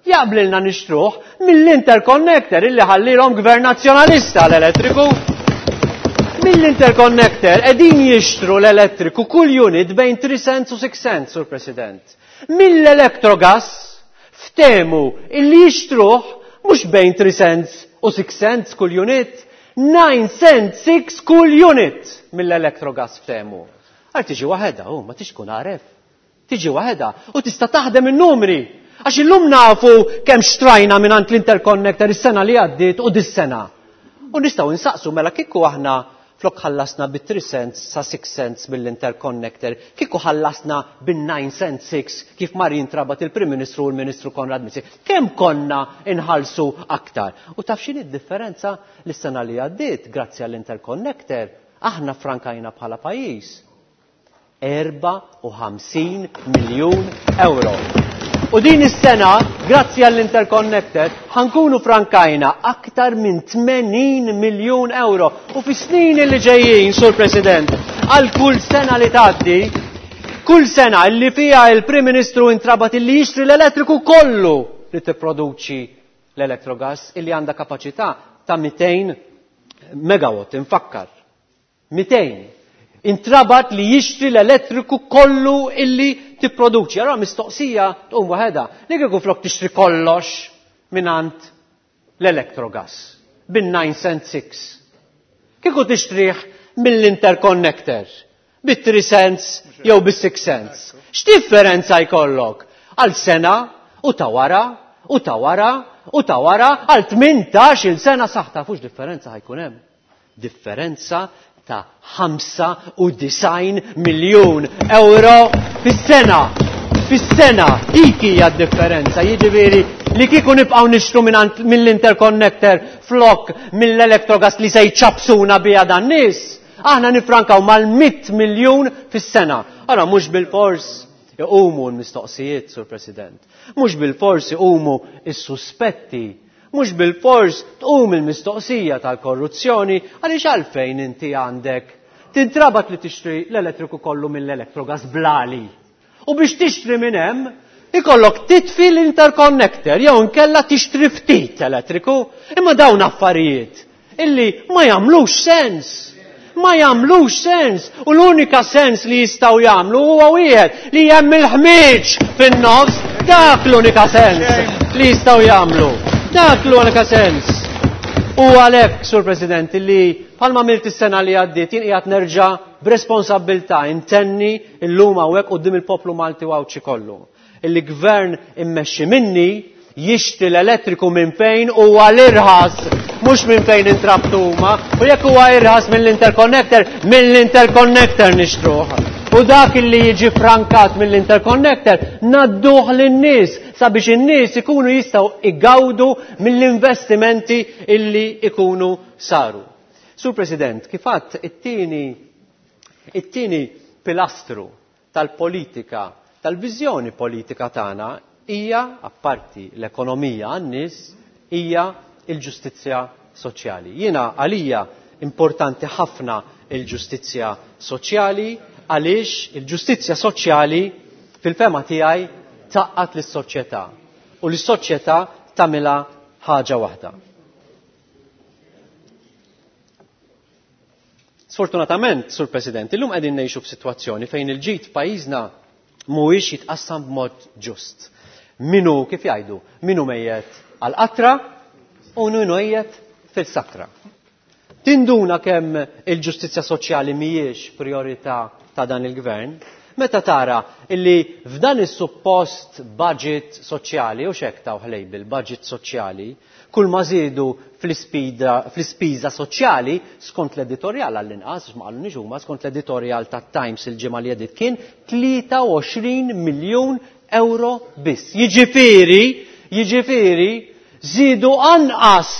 Jaqblilna nixtruh mill-interconnector illi ħallilhom Gvern Nazzjonalista l-elettriku. Mill-interconnector qegħdin jixtru l-elettriku kull unit bejn 3 cents u 6 cents, Sur President. Mill-Electrogas ftehmu illi jixtruh mhux bejn 3 cents u 6 cents kull unit, 9 cents 6 kull unit mill-Electrogas ftehmu. Għal tiġi waħedha, hu ma tix tkun għaref. Tiġi waħedha u tista' taħdem in-numri. Għax illum nafu kemm xtrajna mingħand l-interconnector is-sena li għaddiet u dis-sena. U nistgħu nsaqsu mela kieku aħna flok ħallasna bi 3 cents sa 6 cents mill-interconnector, kieku ħallasna bin 9 cents 6 kif mar jintrabat il-Prim Ministru u l-Ministru Konrad Mizzi, kemm konna inħallsu aktar? U taf x'inhi d-differenza li s-sena li għaddiet, grazzi għall-interconnector, aħna frankajna bħala pajjiż 54 miljun euro. U din is-sena, grazzi għall-interconnector, ħankunu frankajna aktar minn 80 miljun euro. U fi snin li ġejjin, Sur President, għal kull sena li tgħaddi, kull sena li fija il-Prim Ministru intrabat illi jixtri l-elettriku kollu li tipproduċi l-Electrogas, illi għandha kapaċità ta' 200 megawatt, infakkar. 200. Intrabat li jixtri l-elettriku kollu illi tipproduċi. Allora mistoqsija tqum waħedha. Li kieku flok tixtri kollox mingħand l-Electrogas bin 9 cent 6. Kieku tixtrih mill-interconnector bit 3 cents jew bis 6 cents. X'differenza jkollok? Għal sena u ta' wara u ta' wara u ta' wara għal 18-il sena saħ tafux differenza ħajkun hemm. Differenza ta' 95 miljun euro fis-sena. Fis-sena dik hija d-differenza. Jiġifieri li kieku nibqgħu nixtru mill-interconnector flok mill-Electrogas li se jċapsuna biha dan nies, aħna nifrankaw mal-100 miljun fis-sena. Ara mhux bil-fors iqumu l-mistoqsijiet, Sur President. Mhux bil-fors iqumu s-suspetti. Mhux bil-fors tqum il-mistoqsija tal-korruzzjoni għaliex għalfejn inti għandek tintrabat li tixtri l-elettriku kollu mill-Electrogas blali. U biex tixtri minn hemm ikollok titfi l-interconnector jew inkella tixtri ftit elettriku. Imma dawn affarijiet illi ma jagħmlux sens. Ma jagħmlux sens. U l-unika sens li jistgħu jagħmlu huwa wieħed li hemm il-ħmieġ fin-nofs. Dak l-unika sens li jistgħu jagħmlu. Dak l-unika sens. U għalhekk, Sur President, li bħalma għamilt is-sena li għaddiet jien qiegħed nerġa' b'responsabbiltà intenni llum hawnhekk quddiem il-poplu Malti u Għawdxi kollu. Illi gvern immexxi minni jixtri l-elettriku minn fejn huwa l-irħas, mhux minn fejn intrabtu huma, u jekk huwa irħas mill-interconnector, mill-interconnector nixtruh. U dak illi jiġi frankat mill-interconnector nadduh lin-nies sabiex in-nies ikunu jistgħu igawdu mill-investimenti illi ikunu saru. Sur President, kif għadt it-tieni pilastru tal-politika, tal-viżjoni politika tagħna hija, apparti l-ekonomija għan-nies, hija il-ġustizzja soċjali. Jiena għalija importanti ħafna il-ġustizzja soċjali għaliex il-ġustizzja soċjali fil-fema tiegħi taqqat lis-soċjetà u lis-soċjetà tagħmilha ħaġa waħda. Sfortunatament, Sur President, illum qegħdin ngħixu f'sitwazzjoni fejn il-ġid f'pajjiżna mhuwiex jitqassam b'mod ġust. Minu, kif jgħidu, minu mejjet għal-qatra u minu mejjet fil-sakra. Tinduna kemm il-ġustizzja soċjali mhijiex priorità ta' dan il-gvern, meta tara illi f'dan is-suppost budget soċjali, u xek taw label budget soċjali, kull ma żiedu fl-ispiża soċjali skont l-editorjal għall-inqas, ma qalunix huma, skont l-editorjal tat-Times il-ġimgħa li għediet kien 23 miljun euro biss. Jiġifieri, jiġifieri, żiedu anqas,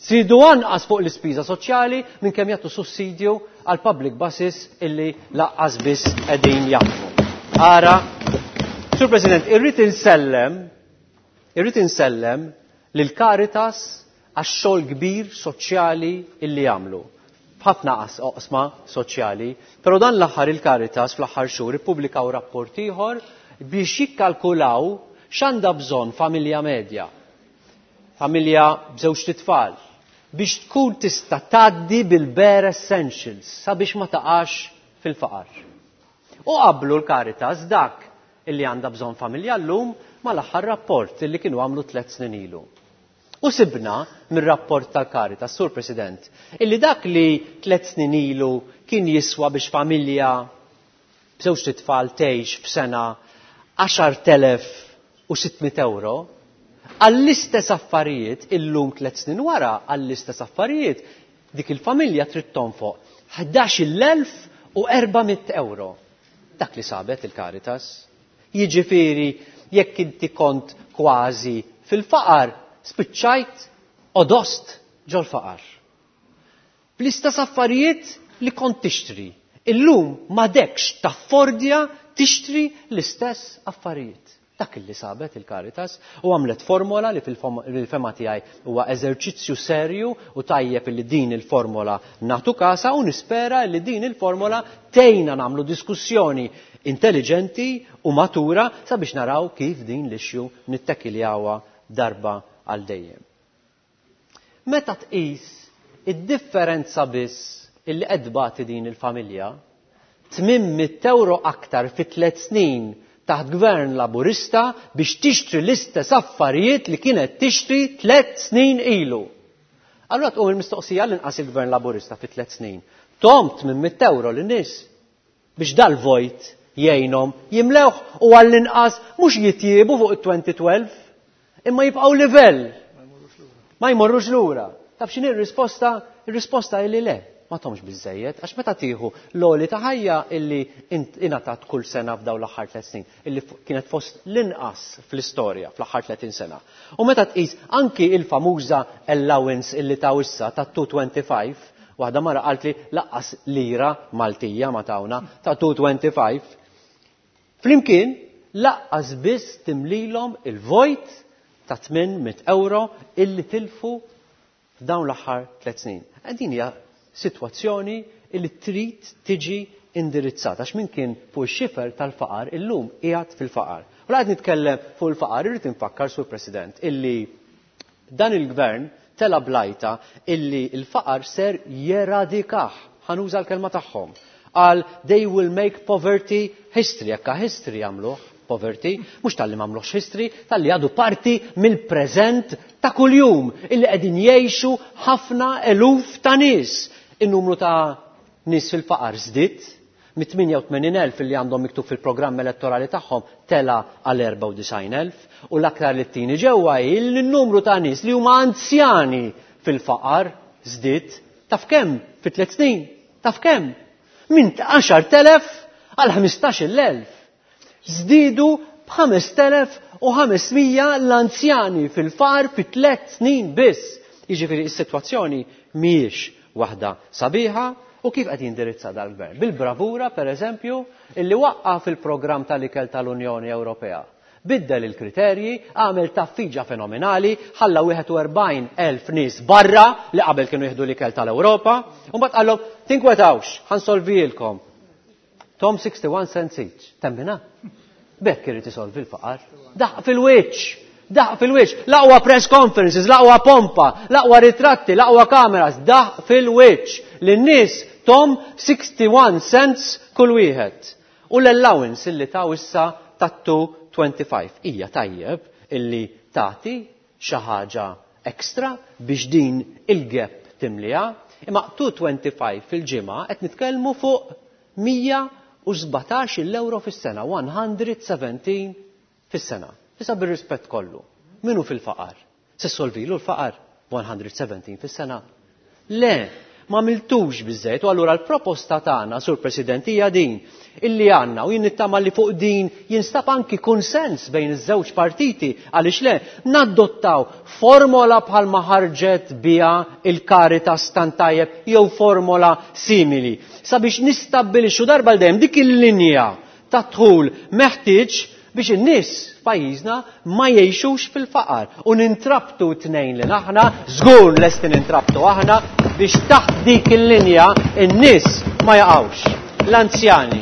żiedu anqas fuq l-ispiża soċjali minn kemm jagħtu sussidju għal public buses illi laqqas biss qegħdin jaħdmu. Ara, Sur President, irrid insellem, irrid insellem lil Caritas għax-xogħol kbir soċjali illi jagħmlu. F'ħafna oqsma soċjali, però dan l-aħħar il-Caritas fl-aħħar xhur ippubblikaw rapport ieħor biex jikkalkulaw x'għandha bżonn familja medja, familja b'żewġ tfal, biex tkun tista' tgħaddi bil-bare essentials sabiex ma taqax fil-faqar. U qablu l-Caritas dak illi għandha bżonn familja llum mal-aħħar rapport illi kienu għamlu 3 snin ilu. U sibna mir-rapport tal-Caritas, Sur President, illi dak li 3 snin ilu kien jiswa biex familja b'żewġ tfal tgħix f'sena 10,600 euro, għall-istess affarijiet illum 3 snin wara għall-istess affarijiet dik il-familja trid tonfoq 11,400 euro. Dak li sabet il-Caritas. Jiġifieri jekk inti kont kważi fil-faqar, spiċċajt odost ġol-faqar. Bl-istess affarijiet li kont tixtri. Illum m'għadekx taffordja tixtri l-istess affarijiet. Dak li sabet il-Caritas u għamlet formola li fil-fema tiegħi huwa eżerċizzju serju u tajjeb li din il-formola nagħtu kasa u nispera li din il-formola tgħinna nagħmlu diskussjoni intelligenti u matura sabiex naraw kif din l-issue nittekiljawha darba għal dejjem. Meta tqis id-differenza biss illi qed tbati din il-familja, 800 euro aktar fi 3 snin taħt gvern laburista biex tixtri l-istess affarijiet li kienet tixtri 3 snin ilu. Allura tqum il-mistoqsija l-inqas il-gvern laburista fi 3 snin. Tom 800 euro lin-nies biex dal-vojt jgħinhom jimlewh u għall-inqas mhux jitjiebu fuq it-2012 imma jibqgħu livell. Ma jmorrux lura. Taf x'inhi r-risposta? Ir-risposta hi li le. Ma tomx biżejjed, għax meta tieħu l-għoli ta' ħajja illi ingħatat kull sena f'dawn l-aħħar 3 snin, illi kienet fost l-inqas fl-istorja fl-aħħar 30 sena. U meta tqis anki il-famuża allowance illi taw issa ta' 225, waħda mara qalt li laqqas lira Maltija ma tawna ta' 225, flimkien laqqas biss timlilhom il-vojt ta' 800 euro illi tilfu f'dawn l-aħħar 3 snin. Din hija sitwazzjoni illi trid tiġi indirizzata, għax min kien fuq ix-xifer tal-faqar illum qiegħed fil-faqar. U la qed nitkellem fuq il-faqar, irrid infakkar, Sur President, illi dan il-gvern tela blajta illi l-faqar ser jeradikah. Ħanuża l-kelma tagħhom. Qal they will make poverty history, jekk history jagħmluh poverty, mhux talli m'għamluhx history, talli għadu parti mill-preżent ta' kuljum illi qegħdin jgħixu ħafna eluf ta' nies. In-numru ta' nies fil-faqar żdied, mit-88,000 li għandhom miktub fil-programm elettorali tagħhom tela għal 94,000, u l-aktar li t-tieni ġewwa hi li n-numru ta' nies li huma anzjani fil-faqar żdied taf kemm fi 3 snin, taf kemm? Minn 10,000 għal 15,000. Żdiedu b'5,500 l-anzjani fil-faqar fi 3 snin biss. Jiġifieri s-sitwazzjoni mhijiex waħda sabiħa. U kif qed jindirizza dal-gvern? Bil-bravura, per eżempju, illi waqqaf il-programm tal-ikel tal-Unjoni Ewropea. Biddel il-kriterji, għamel taffiġa fenomenali, ħalla 41,000 nies barra li qabel kienu jieħdu l-ikel tal-Ewropa, u mbagħad qallhom tinkwetawx, ħansolvilkom. Tom 61 cents each. Temmina? Bekk irid isolvi l-faqar. Daħq fil-wiċċ, daħq fil-wiċċ, l-aqwa press conferences, l-aqwa pompa, l-aqwa ritratti, l-aqwa kameras, daħq fil-wiċċ. Lin-nies Tom 61 cents kull wieħed. U l-allowance illi taw issa ta' 225. Hija tajjeb illi tagħti xi ħaġa extra biex din il-gap timliha, imma 225 fil-ġimgħa qed nitkellmu fuq 117 euro fis-sena, 117 fis-sena. Issa bir-rispett kollu, min hu fil-faqar? Se ssolvilu l-faqar 117 fis-sena? Le, ma għamiltux biżżejjed u allura l-proposta tagħna, Sur President, hija din illi għandna u jien nittama li fuq din jinstab anki kunsens bejn iż-żewġ partiti għaliex le nadottaw formola bħalma ħarġet biha il-Caritas tant tajjeb jew formola simili sabiex nistabbilixxu darba l dejjem dik il-linja ta' dħul meħtieġ biex in-nies f'pajjiżna ma jgħixux fil-faqar u nintrabtu t-tnejn li aħna, żgur lesti nintrabtu aħna biex taħt dik il-linja n-nies ma jaqgħux. L-anzjani,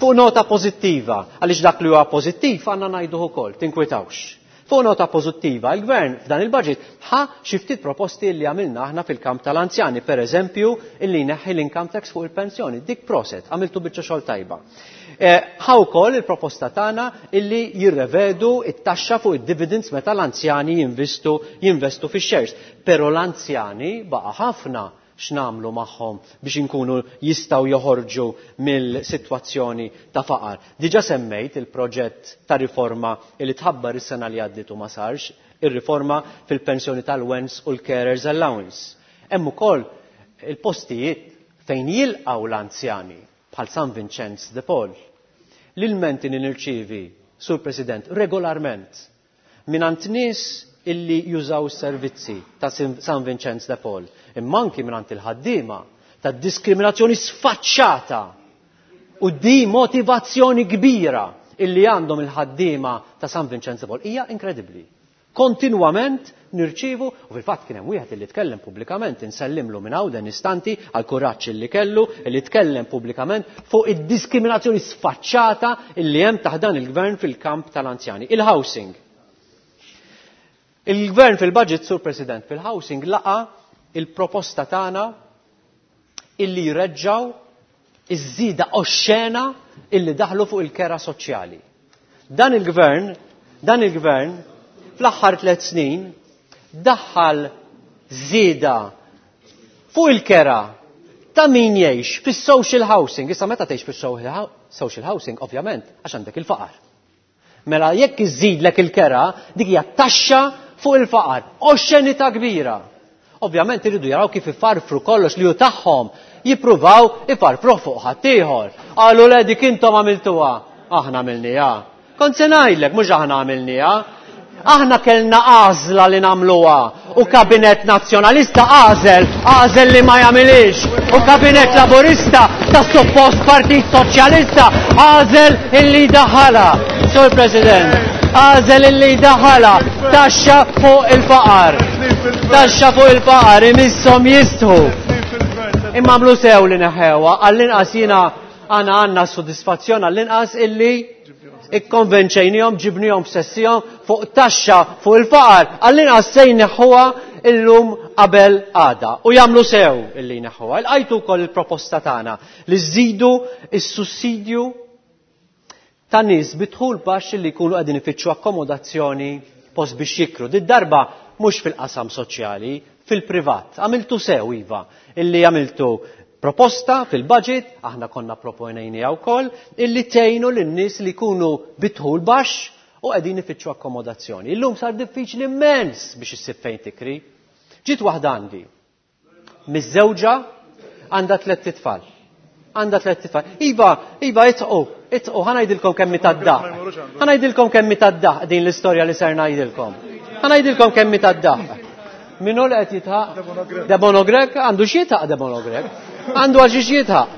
fuq nota pożittiva, għaliex dak li huwa pożittiv għandna ngħiduh ukoll, tinkwitawx. Fuq nota pożittiva, il-Gvern f'dan il-budget ħa xi ftit proposti li għamilna aħna fil-kamp tal-anzjani, per eżempju, illi jneħħi l-income tax fuq il-pensjoni. Dik proset, għamiltu biċċa xogħol tajba. Ħa wkoll il-proposta tagħna illi jirrevedu it-taxxa fuq id-dividends meta l-anzjani jinvestu jinvestu fix-shares. Però l-anzjani baqa' ħafna x'nagħmlu magħhom biex inkunu jistgħu joħorġu mill-sitwazzjoni ta' faqar. Diġà semmejt il-proġett ta' riforma li tħabbar is-sena li għaddiet u ma sarx, ir-riforma fil-pensjoni tal-wens u l-carers allowance. Hemm ukoll il-postijiet fejn jilqgħu l-anzjani bħal San Vincenz de Paul. L-ilmenti li nirċievi, Sur President, regolarment mingħand nies illi jużaw is-servizzi ta' San Vincenz de Paul, imma anki mingħand il-ħaddiema ta' diskriminazzjoni sfaċċata u dimotivazzjoni kbira illi għandhom il-ħaddiema ta' San Vincenz de Paul hija inkredibbli. Kontinwament nirċievu, u fil-fatt kien hemm wieħed illi tkellem pubblikament, insellimlu minn hawn dan istanti għal kuraġġ illi kellu, illi tkellem pubblikament fuq id-diskriminazzjoni sfaċċata illi hemm taħt dan il-gvern fil-kamp tal-anzjani. Il-housing. Il-gvern fil-budget, Sur President, fil-housing laqa il-proposta tagħna illi jreġġaw iż-żieda oxxena illi daħlu fuq il-kera soċjali. Dan il-gvern, dan il-gvern fl-aħħar 3 snin daħħal żieda fuq il-kera ta' min jgħix fis-social housing. Issa meta tgħix fis-social housing, ovvjament, għax għandek il-faqar. Mela jekk iżidlek il-kera, dik hija taxxa fuq il-faqar, oxxenità kbira. Ovvjament iridu jaraw kif ifarfru kollox li hu tagħhom, jippruvaw ifarfruh fuq ħaddieħor. Qalu le dik intom għamiltuha, aħna għamilniha. Kont se ngħidlek mhux aħna għamilniha. Aħna kellna għażla li nagħmluha u kabinet nazzjonalista għażel, għażel li ma jagħmilix. U kabinet laburista ta' suppost Partit Soċjalista għażel illi daħala. Sur President, għażel illi daħala taxxa fuq il-faqar. Taxxa fuq il-faqar imisshom jistħu. Imma għamlu sew li neħewha, għall-inqas jiena għana għandna sodisfazzjon għall-inqas illi ikkonvenċejnihom, ġibnihom f'sessihom fuq taxxa fuq il-faqar, għall-inqas se jneħħuha illum qabel għada. U jagħmlu sew illi jneħħuha. Ilqajtu wkoll il-proposta tagħna li żidu s-sussidju ta' nies bi dħul baxx li jkunu qegħdin ifittxu akkomodazzjoni post biex jikru. Did darba mhux fil-qasam soċjali, fil-privat. Għamiltu sew iva, illi għamiltu proposta fil-budget, aħna konna proponejniha wkoll, illi tgħinu lin-nies li jkunu bi dħul baxx u qegħdin ifittxu akkomodazzjoni. Illum sar diffiċli immens biex issib fejn tikri. Ġiet waħda għandi, miżżewġa, għandha tlett itfal. Għandha tlett itfal. Iva, iva, itqu, itqu, ħa ngħidilkom kemm hi tad-daqq. Ħa ngħidilkom kemm hi tad-daqq din l-istorja li ser ngħidilkom. Ħa ngħidilkom kemm hi tad-daqq. Min hu li qed jitħaq? Debono Grech? Għandu x'jitħaq Debono Grech? Għandu għal xiex jitħaq.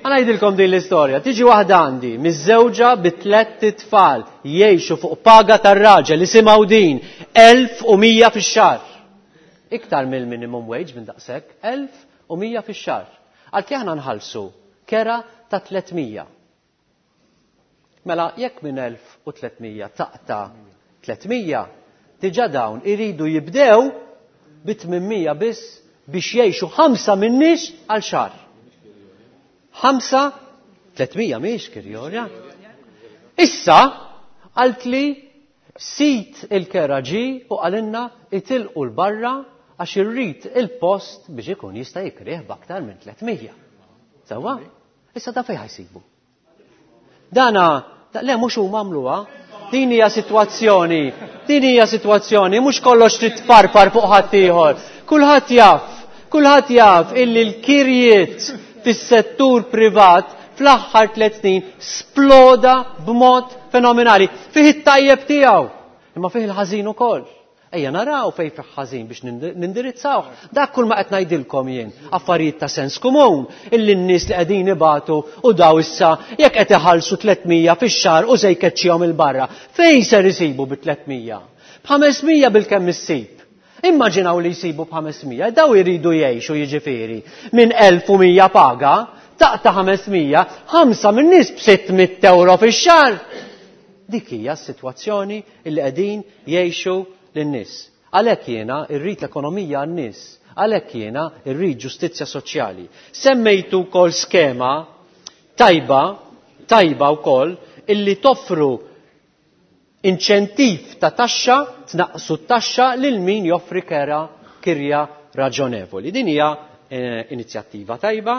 Ħa ngħidilkom din l-istorja. Tiġi waħda għandi, miżżewġa bi tlett itfal, jgħixu fuq paga tar-raġel, isimgħu din, 1100 fix-xahar. Iktar mill-minimum wage minn daqshekk, 1100 fix-xahar. Għalkemm aħna nħallsu kera ta' 300. Mela jekk minn 1300 taqta' 300, diġà dawn iridu jibdew bi 800 biss biex jgħixu ħamsa min-nies għal xahar. Ħamsa, 300 mhix kirjorja. Issa qaltli sid il-kera ġie u qalilna itilqu 'l barra għax irrid il-post biex ikun jista' jikrih b'aktar minn 300. Sewwa? Issa da fejn ħajsibu? Dana, le mhux huma għamluha. Din hija sitwazzjoni, din hija sitwazzjoni, mhux kollox trid tparpar fuq ħaddieħor. Kulħadd jaf, kulħadd jaf illi l-kirjiet fis-settur privat fl-aħħar tliet snin sploda b'mod fenomenali. Fih it-tajjeb tiegħu, imma fih il-ħażin ukoll. Ejja naraw fejn fih ħażin biex nindirizzawh. Dak kull ma qed ngħidilkom jien, affarijiet ta' sens komun illi n-nies li qegħdin ibatu u daw issa jekk qed iħallsu 300 fix-xahar u se jkeċċihom 'il barra. Fejn ser isibu bi 300? B'500 bilkemm issib. Immaġinaw li jsibu b'500, daw iridu jgħixu jiġifieri minn 1100 paga, taqta' 500, ħamsa min-nies b'600 ewro fix-xahar. Dik hija s-sitwazzjoni illi qegħdin jgħixu lin-nies. Għalhekk jiena rrid l-ekonomija għan-nies. Għalhekk jiena rrid ġustizzja soċjali. Semmejtu wkoll skema tajba, tajba wkoll illi toffru inċentiv ta' taxxa, tnaqqsu t-taxxa lil min joffri kera kirja raġonevoli. Din hija inizjattiva tajba,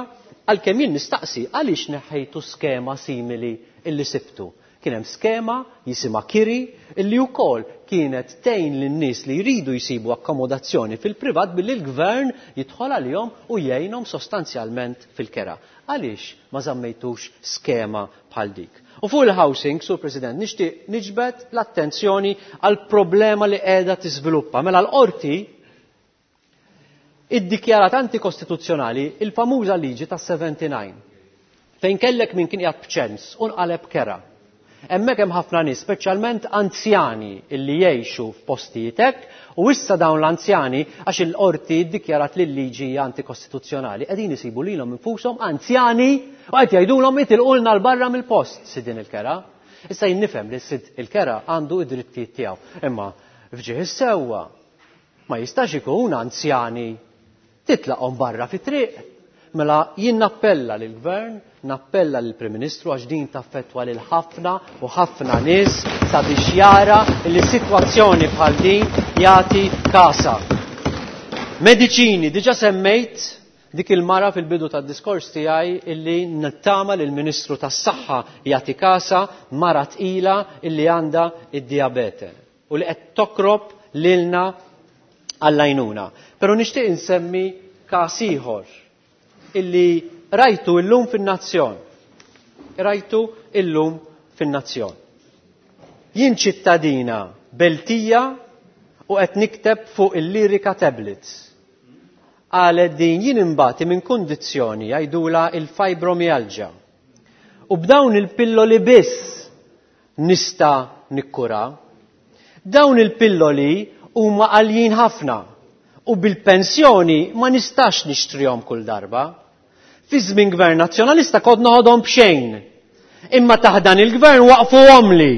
għalkemm jien nistaqsi għaliex neħħejtu skema simili illi sibtu. Kien hemm skema jisimha Kiri illi wkoll kienet tgħin lin-nies li jridu jsibu akkomodazzjoni fil-privat billi l-gvern jidħol għalihom u jgħinhom sostanzjalment fil-kera. Għaliex ma żammejtux skema bħal dik? U fuq il-housing, Sur President, nixtieq niġbed l-attenzjoni għal problema li qiegħda tiżviluppa. Mela l-qorti iddikjarat antikostituzzjonali il-famuża liġi tas-79 fejn kellek min kien qiegħed b'ċens u nqaleb kera. Hemmhekk hemm ħafna nies, speċjalment anzjani illi jgħixu f'postijiet hekk u issa dawn l-anzjani għax il-qorti ddikjarat li l-liġi hija antikostituzzjonali qegħdin isibu lilhom infushom anzjani u qed jgħidulhom itilqulna 'l barra mill-post sidien il-kera. Issa jien nifhem li sid il-kera għandu d-drittijiet tiegħu, imma f'ġieħ is-sewwa Ma jistax ikun anzjani titlaqhom barra fit-triq. Mela jien nappella lill-Gvern, nappella lill-Prim Ministru għax din taffettwa lil ħafna u ħafna nies sabiex jara li sitwazzjoni bħal din jagħti kasha. Mediċini, diġa semmejt dik il-mara fil-bidu tad-diskors tiegħi illi nittama li l-Ministru tas-Saħħa jagħti kasha mara tqila illi għandha id-dijabete. u li qed tokrob lilna għall-għajnuna. Però nixtieq insemmi każ ieħor illi rajtu illum fin-Nazzjon. Rajtu illum fin-Nazzjon. Jien ċittadina Beltija u qed nikteb fuq il-Lyrica Tablets. Qalet din jien imbati minn kundizzjoni jgħidulha il-fibromyalgia. U b'dawn il-pilloli biss nista' nikkura. Dawn il-pilloli huma għaljin ħafna u bil-pensjoni ma nistax nixtrihom kull darba. Fi żmien Gvern Nazzjonalista kont noħodhom b'xejn. Imma taħt dan il-Gvern waqfuhomli.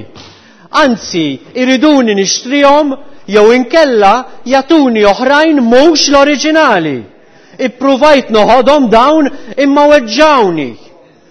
Anzi, iriduni nixtrihom jew inkella jagħtuni oħrajn mhux l-oriġinali. Ippruvajt noħodhom dawn imma weġġgħuni.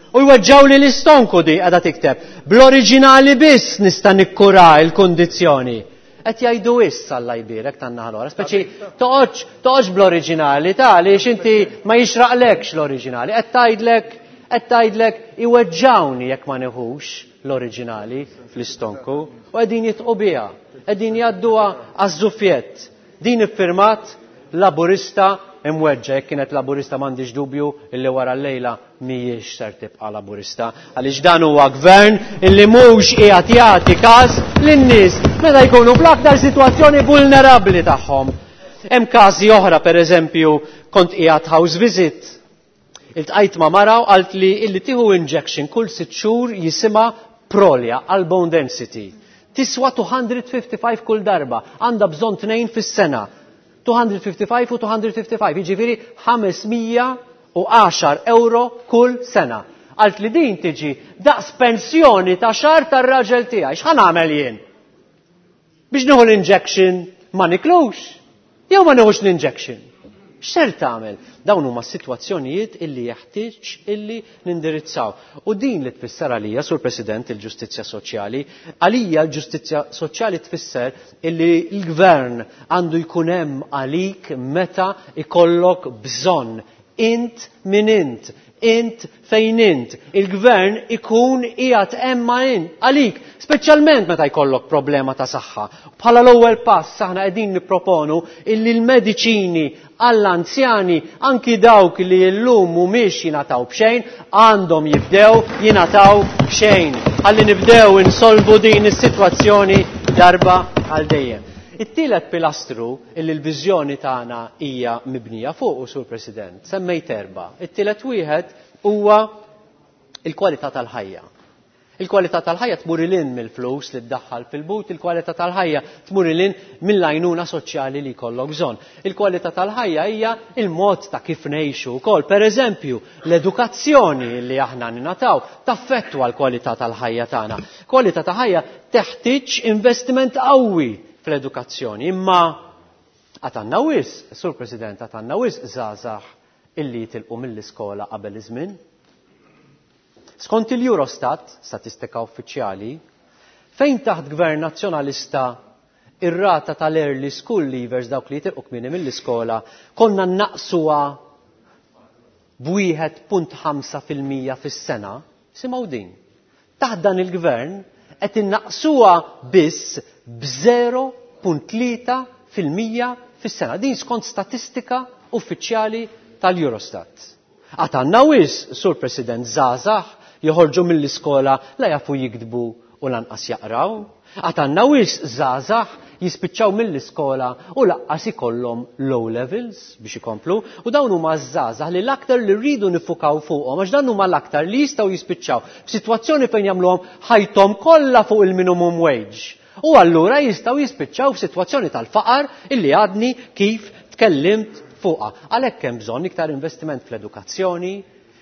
U jweġġgħuli l-istonku di qiegħda tikteb. Bl-oriġinali biss nista' nikkura l-kundizzjoni. Qed jgħidu issa Alla jbierek tan-naħa l-oħra. Speċi toqgħodx toqgħodx bl-oriġinali ta' għaliex inti ma jixraqlekx l-oriġinali. Qed tgħidlek qed tgħidlek iweġġgħuni jekk ma nieħux l-oriġinali fl-istonku u qegħdin jitqu biha, qegħdin jgħadduha għaż-żufjett. Din iffirmat Laburista imweġġa', jekk kienet Laburista m'għandix dubju illi wara llejla mhijiex ser tibqa' Laburista għaliex dan huwa gvern illi mhux qiegħed jagħti każ lin-nies meta jkunu fl-aktar sitwazzjoni vulnerabbli tagħhom. Hemm każi oħra, pereżempju, kont qiegħed house visit. Iltqajt ma' mara u qaltli illi tieħu injection kull sitt xhur jisimha Prolia għal bone density. Tiswa 255 kull darba, għandha bżonn tnejn fis-sena. 255 u 255, jiġifieri 510 euro kull sena. Qaltli din tiġi daqs pensjoni ta' xahar tar-raġel tiegħi. X'ħa nagħmel jien? Biex nieħu l-injection ma niklux? Jew ma nieħux l-injection? X'ser tagħmel? Dawn huma sitwazzjonijiet illi jeħtieġ illi nindirizzaw. U din li tfisser għalija, Sur President, il-ġustizzja soċjali, għalija l-ġustizzja soċjali tfisser illi l-gvern għandu jkun hemm għalik meta ikollok bżonn. Int min int, int fejn int. Il-gvern ikun qiegħed hemm għalik, speċjalment meta jkollok problema ta' saħħa. Bħala l-ewwel pass aħna qegħdin nipproponu illi l-mediċini għall-anzjani anki dawk li llum mhumiex jingħataw b'xejn għandhom jibdew jingħataw b'xejn. Ħalli nibdew insolvu din is-sitwazzjoni darba għal dejjem. It-tielet pilastru illi l-viżjoni tagħna hija mibnija fuq, Sur President, semmejt erba'. It-tielet wieħed huwa il-kwalità tal-ħajja. Il-kwalità tal-ħajja tmur ilin mill-flus li ddaħħal fil-but, il-kwalità tal-ħajja tmur ilin mill-għajnuna soċjali li jkollok bżonn. Il-kwalità tal-ħajja hija il-mod ta' kif ngħixu wkoll. Per eżempju, l-edukazzjoni li aħna ninataw taffettwa l-kwalità tal-ħajja tagħna. Kwalità ta' ħajja teħtieġ investiment qawwi fl-edukazzjoni, imma għatanna wisq, Sur President, għatanna wisq żgħażagħ illi jitilqu mill-iskola qabel iż-żmien. Skont il-Eurostat, statistika uffiċjali, fejn taħt gvern nazzjonalista ir-rata tal-early school leavers dawk li jitilqu kmieni mill-iskola konna naqsuha b'1.5% fis-sena, simgħu din. Taħt dan il-gvern qed innaqsuha biss b'0.3% fis-sena. Din skont statistika uffiċjali tal-Eurostat. Għatanna wis, Sur President, żgħażagħ joħorġu mill-iskola la jafu jiktbu u lanqas jaqraw. Għatanna wis żgħażagħ jispiċċaw mill-iskola u laqqas ikollhom low levels biex ikomplu, u dawn huma żgħażagħ li l-aktar li rridu nifukaw fuqhom għax dan huma l-aktar li jistgħu jispiċċaw f'sitwazzjoni fejn jagħmluhom ħajthom kollha fuq il-minimum wage. U allura jistgħu jispiċċaw f'sitwazzjoni tal-faqar illi għadni kif tkellimt fuqha. Għalhekk hemm bżonn iktar investiment fl-edukazzjoni,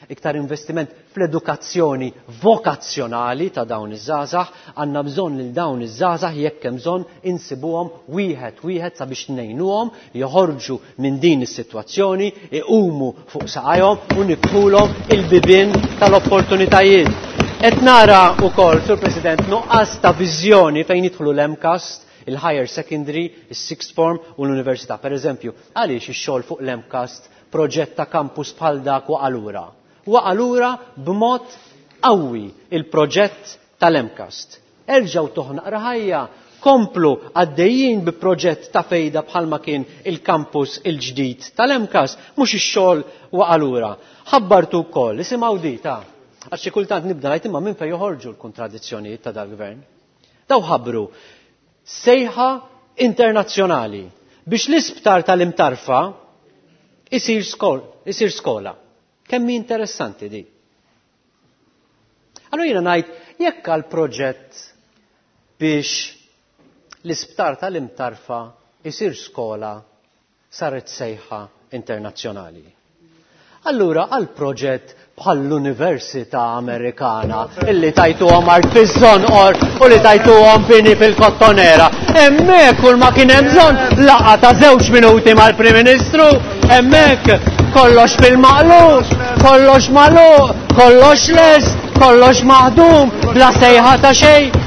iktar investiment fl-edukazzjoni vokazzjonali ta' dawn iż-żgħażagħ, għandna bżonn lil dawn iż-żgħażagħ jekk hemm bżonn insibuhom wieħed wieħed sabiex ngħinuhom joħorġu minn din is-sitwazzjoni, iqumu fuq saqajhom u niftħulhom il-bibien tal-opportunitajiet. Qed nara wkoll, Sur President, nuqqas ta' viżjoni fejn jidħlu l-MCAST, il-higher secondary, il-sixth form u l-università. Per eżempju, għaliex ix-xogħol fuq l-MCAST proġett ta' campus bħal dak waqa' lura? Waqa' lura b'mod qawwi il-proġett tal-MCAST. Erġgħu toħnaq ħajja, komplu għaddejjin bi proġett ta' fejda bħalma kien il-campus il-ġdid tal-MCAST, mhux ix-xogħol waqa' lura. Ħabbartu wkoll, isimgħu di ta' għax xi kultant nibda ngħid imma minn fejn joħorġu l-kontradizzjonijiet ta' dal-gvern. Daw ħabbru sejħa internazzjonali biex l-isptar tal-Imtarfa isir skola. Kemm hi interessanti di. Allora jiena ngħid jekk għal proġett biex l-isptar tal-Imtarfa isir skola saret sejħa internazzjonali. Allura għal proġett bħall-Università Amerikana illi tajtuhom art fiż-Żonqor u li tajtuhom bini fil-Kottonera. Hemmhekk kull ma kien hemm bżonn laqgħa ta' żewġ minuti mal-Prim Ministru, hemmhekk kollox fil-maqlub, kollox magħluq, kollox lest, kollox maħdum, bla sejħa ta' xejn.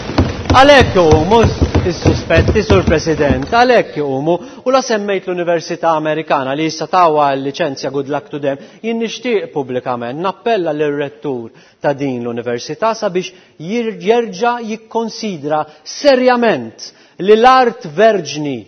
Għalhekk iqumu is-suspetti, Sur President, għalhekk iqumu, u la semmejt l-Università Amerikana li issa tawha l-liċenzja good luck to them, jien nixtieq pubblikament nappella lir-rettur ta' din l-università sabiex jerġa' jikkonsidra serjament li l-art verġni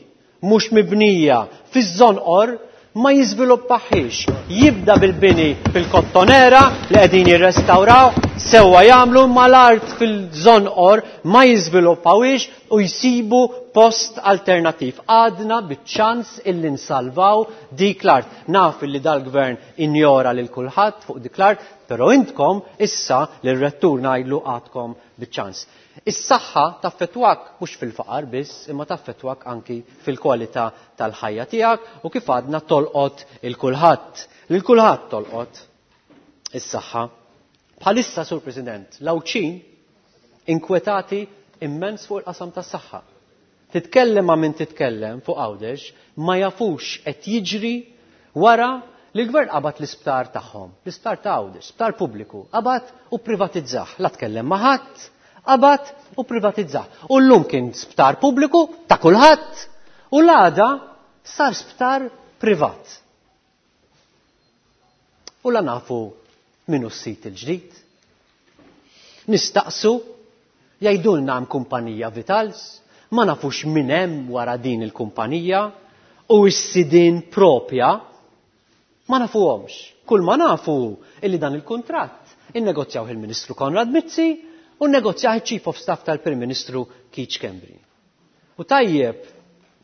mhux mibnija fiż-Żonqor ma jiżviluppaħiex. Jibda bil-bini fil-Kottonera li qegħdin jirrestawraw, sewwa jagħmlu, ma l-art fil-Żonqor ma jiżviluppawhiex u jsibu post alternattiv. Għadna biċ-ċans illi nsalvaw dik l-art. Naf illi dal-gvern injora lil kulħadd fuq dik l-art, però intkom issa lir-rettur ngħidlu għadkom biċ-ċans. Is-saħħa taffettwak mhux fil-faqar biss, imma taffettwak anki fil-kwalità tal-ħajja tiegħek u kif għadna tolqot il-kulħadd. Lil kulħadd tolqot is-saħħa. Bħalissa, Sur President, l-Għawdxin inkwetati immens fuq il-qasam tas-saħħa. Titkellem ma' min titkellem fuq Għawdex, ma jafux qed jiġri Wara li l-gvern qabad l-isptar tagħhom, l-isptar ta' Għawdex, sptar pubbliku, qabad u privatizzah. La tkellem ma' ħadd, qabad u privatizzah. U llum kien sptar pubbliku ta' kulħadd u l-għada sar sptar privat. U la nafu min hu s-sid il-ġdid. Nistaqsu, jgħidulna hemm kumpanija Vitals, ma nafux min hemm wara din il-kumpanija u s-sidien propja ma nafuhomx. Kull ma nafu hu illi dan il-kuntratt innegozjawh il-Ministru Konrad Mizzi u nnegozjah iċ-Chief of Staff tal-Prim Ministru Keith Schembri. U tajjeb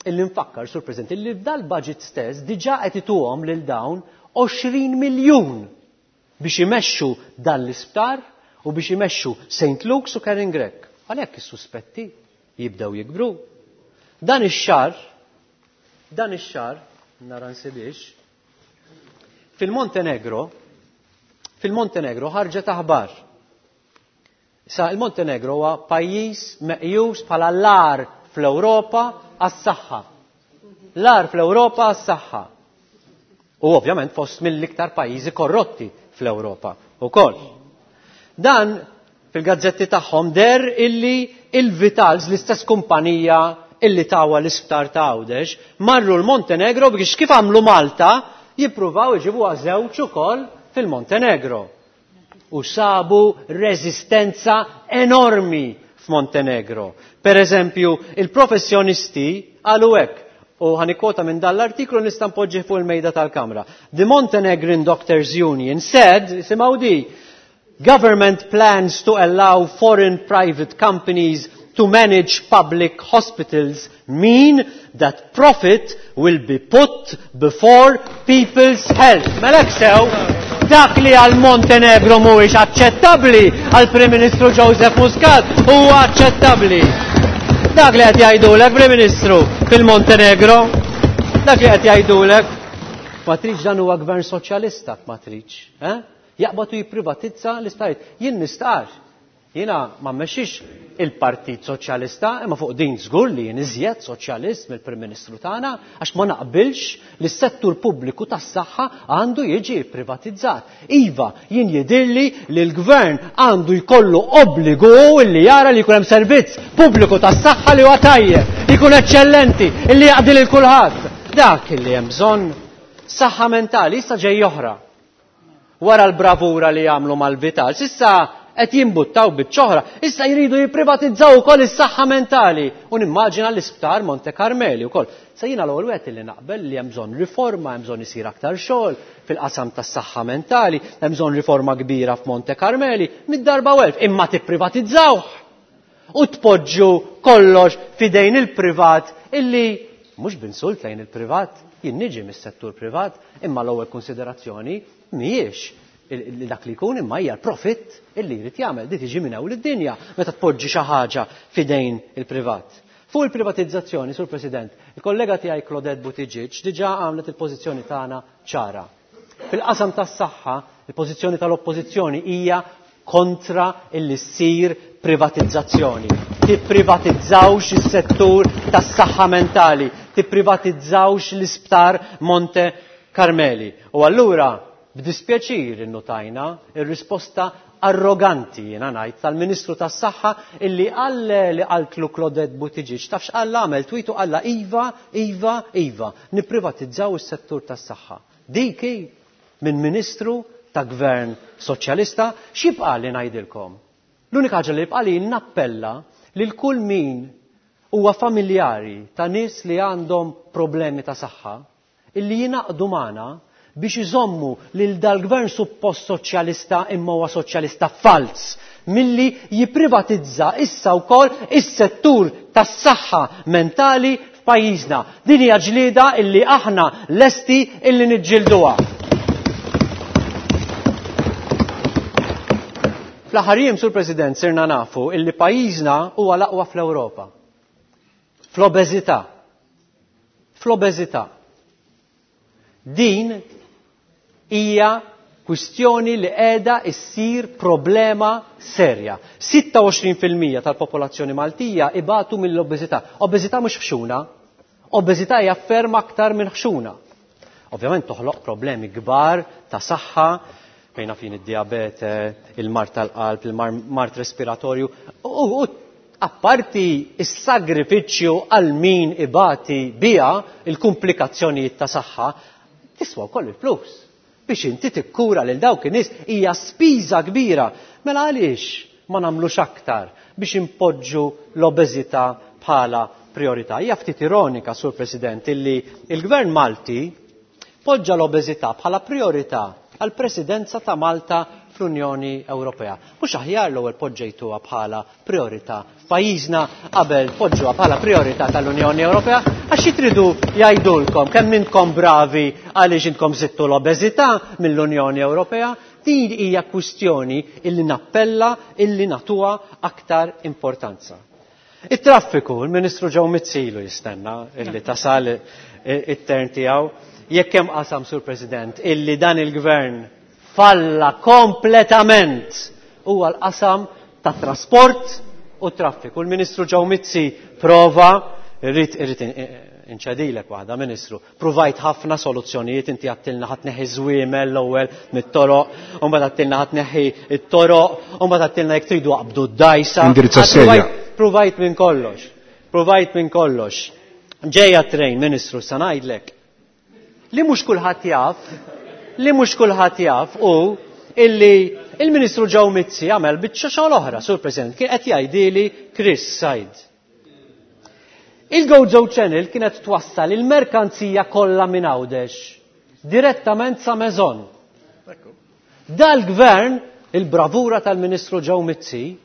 illi nfakkar, Sur President, illi f'dal-budget stess diġà qed ituhom lil dawn 20 miljun biex imexxu dan l-isptar u biex imexxu St. Luke's u Karen Grech. Għalhekk is-suspetti jibdew jikbru. Dan ix-xahar, dan ix-xahar, nara nsibiex, fil-Montenegro, fil-Montenegro ħarġet aħbar. Issa il-Montenegro huwa pajjiż meqjus bħala l-agħar fl-Ewropa għas-saħħa. L-agħar fl-Ewropa għas-saħħa. U ovvjament fost mill-iktar pajjiżi korrotti fl-Ewropa ukoll. Dan fil-gazzetti tagħhom der illi il-Vitals, l-istess kumpanija illi tawa l-isptar ta' Għawdex, marru l-Montenegro biex kif għamlu Malta jippruvaw iġibuha żewġ ukoll fil-Montenegro. U sabu reżistenza enormi f'Montenegro. Per eżempju, il-professjonisti qalu hekk, u ħa nikkwota minn dan l-artiklu nista' npoġġih fuq il-mejda tal-Kamra. The Montenegrin Doctors Union said, isimgħu di, government plans to allow foreign private companies to manage public hospitals mean that profit will be put before people's health. Mela hekk sew, dak li għal Montenegro mhuwiex aċċettabbli għal Prim Ministru Joseph Muscat huwa aċċettabbli. Dak li qed jgħidulek Prim Ministru fil-Montenegro, dak li qed jgħidulek. Ma tridx dan huwa gvern soċjalista ma tridx, eh? Jaqbad u jipprivatizza l-isptarijiet. Jien nistqarr Jiena ma mmexxix il-Partit Soċjalista, imma fuq din żgur li jien iżjed soċjalist mill-Prim Ministru tagħna għax ma naqbilx li s-settur pubbliku tas-saħħa għandu jiġi privatizzat. Iva, jien jidhirli li l-Gvern għandu jkollu obbligu li jara li jkun hemm servizz pubbliku tas-saħħa li huwa tajjeb, li jkun eċċellenti, li jaqdi lil kulħadd. Dak li hemm bżonn. Saħħa mentali issa ġej oħra. Wara l-bravura li għamlu mal-Vitals, issa qed jimbuttaw biċċa oħra, issa jridu jipprivatizzaw ukoll is-saħħa mentali. U nimmaġina l-isptar Monte Carmeli wkoll. Sa jiena l-ewwel wieħed li naqbel li hemm bżonn riforma, hemm bżonn isir aktar xogħol fil-qasam tas-saħħa mentali, hemm bżonn riforma kbira f'Monte Carmeli, mid-darba u elf, imma tipprivatizzawh u tpoġġu kollox f'idejn il-privat illi mhux b'insult lejn il-privat, jien niġi mis-settur privat, imma l-ewwel konsiderazzjoni mhijiex dak li jkun imma hija l-profitt illi jrid jagħmel. Di tiġi minn hawn id-dinja meta tpoġġi xi ħaġa f'idejn il-privat. Fuq il-privatizzazzjoni, Sur President, il-kollega tiegħi Claudette Buttigieg diġà għamlet il-pożizzjoni tagħna ċara. Fil-qasam tas-saħħa, il-pożizzjoni tal-Oppożizzjoni hija kontra illi ssir privatizzazzjoni. Tipprivatizzawx is-settur tas-saħħa mentali, tipprivatizzawx l-isptar Monte Carmeli. U allura, b'dispjaċir innutajna ir-risposta arroganti, jiena ngħid, tal-Ministru tas-Saħħa illi qal li qaltlu Claudette Buttigieg, taf x'qal għamel tweet u qallha iva, iva, iva, nipprivatizzaw is-settur tas-saħħa. Dik hi minn Ministru ta' Gvern Soċjalista, x'jibqagħli ngħidilkom? L-unika ħaġa li jibqagħli nappella lil kull min huwa familjari ta' nies li għandhom problemi ta' saħħa illi jingħaqdu magħna biex iżommu lil dal-gvern suppost soċjalista imma huwa soċjalista falz milli jipprivatizza issa wkoll is-settur tas-saħħa mentali f'pajjiżna. Din hija ġlieda illi aħna lesti illi niġġielduha. Fl-aħħar jiem, Sur President, sirna nafu illi pajjiżna huwa l-aqwa fl-Ewropa. Fl-obeżità. Fl-obeżità. Din hija kwistjoni li qiegħda issir problema serja. 26% tal-popolazzjoni Maltija ibatu mill-obeżità. Obeżità mhux ħxuna. Obeżità hija ferm aktar minn ħxuna. Ovvjament toħloq problemi kbar ta' saħħa, fejna fin id-diabete, il-mard tal-qalb, il-mard respiratorju, u apparti is-sagrifiċċju għal min ibati biha il-kumplikazzjonijiet ta' saħħa, tiswa wkoll il-flus. Biex inti tikkura lil dawk in-nies hija spiża kbira. Mela għaliex ma nagħmlux aktar biex impoġġu l-obeżità bħala priorità? Hija ftit ironika, Sur President, illi il-Gvern Malti poġġa l-obeżità bħala priorità għall-Presidenza ta' Malta fl-Unjoni Ewropea. Mhux aħjar l-ewwel poġġejtuha bħala priorità f'pajjiżna qabel poġġuha bħala priorità tal-Unjoni Ewropea? Għax xi tridu jgħidulkom kemm intkom bravi għaliex intkom żidtu l-obeżità mill-Unjoni Ewropea? Din hija kwistjoni illi nappella illi nagħtuha aktar importanza. It-traffiku, il-Ministru Joe Mizzi ilu jistenna illi tasal it-tern tiegħu. Jekk hemm qasam, Sur President, illi dan il-Gvern falla kompletament huwa l-qasam ta' trasport u traffiku. Il-Ministru Joe Mizzi prova, irrid inċedilek waħda, Ministru, provajt ħafna soluzzjonijiet, inti għattilna ħa tneħħi żwiemel l-ewwel mit-toroq, u mbagħad għattilna ħa tneħħi t-toroq, u mbagħad għattilna jekk tridu aqbdu d-dajsa. Indirizza serja. Provajt minn kollox. Provajt minn kollox. Ġejja trejn, Ministru, sa ngħidlek. Li mhux kulħadd jaf, li mhux kulħadd jaf hu illi il-Ministru Joe Mizzi għamel biċċa xogħol oħra, Sur President, kien qed jgħidili Chris Said. Il-Gozo Channel kienet twassal il-merkanzija kollha minn Għawdex direttament sa Maison. Dal-gvern, il-bravura tal-Ministru Joe Mizzi,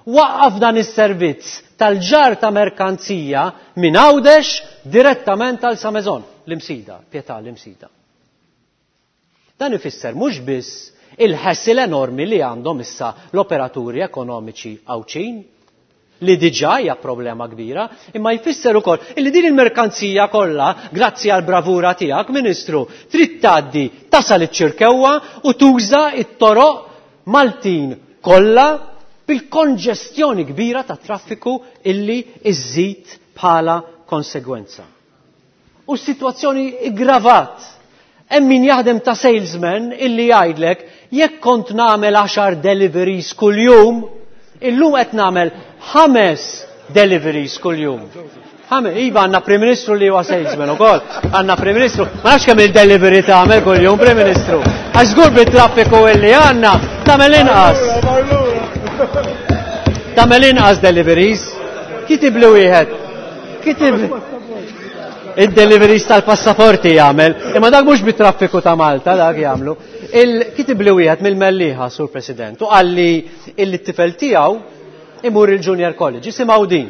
waqqaf dan is-servizz tal-ġar ta' merkanzija minn Għawdex direttament għal sa Maison, l-Imsida, Pietà l-Imsida. Dan ifisser mhux biss il-ħessil enormi li għandhom issa l-operaturi ekonomiċi Għawdxin, li diġà hija problema kbira, imma jfisser ukoll illi din il-merkanzija kollha, grazzi għal bravura tiegħek, Ministru, trid tgħaddi tasal iċ-Ċirkewwa u tuża t-toroq Maltin kollha bil-konġestjoni kbira ta' traffiku illi iżżid bħala konsegwenza. U s-sitwazzjoni iggravat. Hemm min jaħdem ta' salesman illi jgħidlek jekk kont nagħmel 10 deliveries kuljum, illum qed nagħmel 5 deliveries kuljum. Iva, għandna Prim Ministru li huwa salesman ukoll. Għandna Prim Ministru, ma nafx kemm il-delivery tagħmel kuljum Prim Ministru. Għax żgur bit-traffiku illi għandna tagħmel inqas. Tagħmel inqas deliveries. Kitibli wieħed. Kitib id-deliveries tal-passaporti jagħmel, imma dak mhux bit-traffiku ta' Malta dak jagħmlu. Kitibli wieħed mill-Mellieħa, Sur President, u qalli illi t-tifel tiegħu imur il-Junior College. Isimgħu din.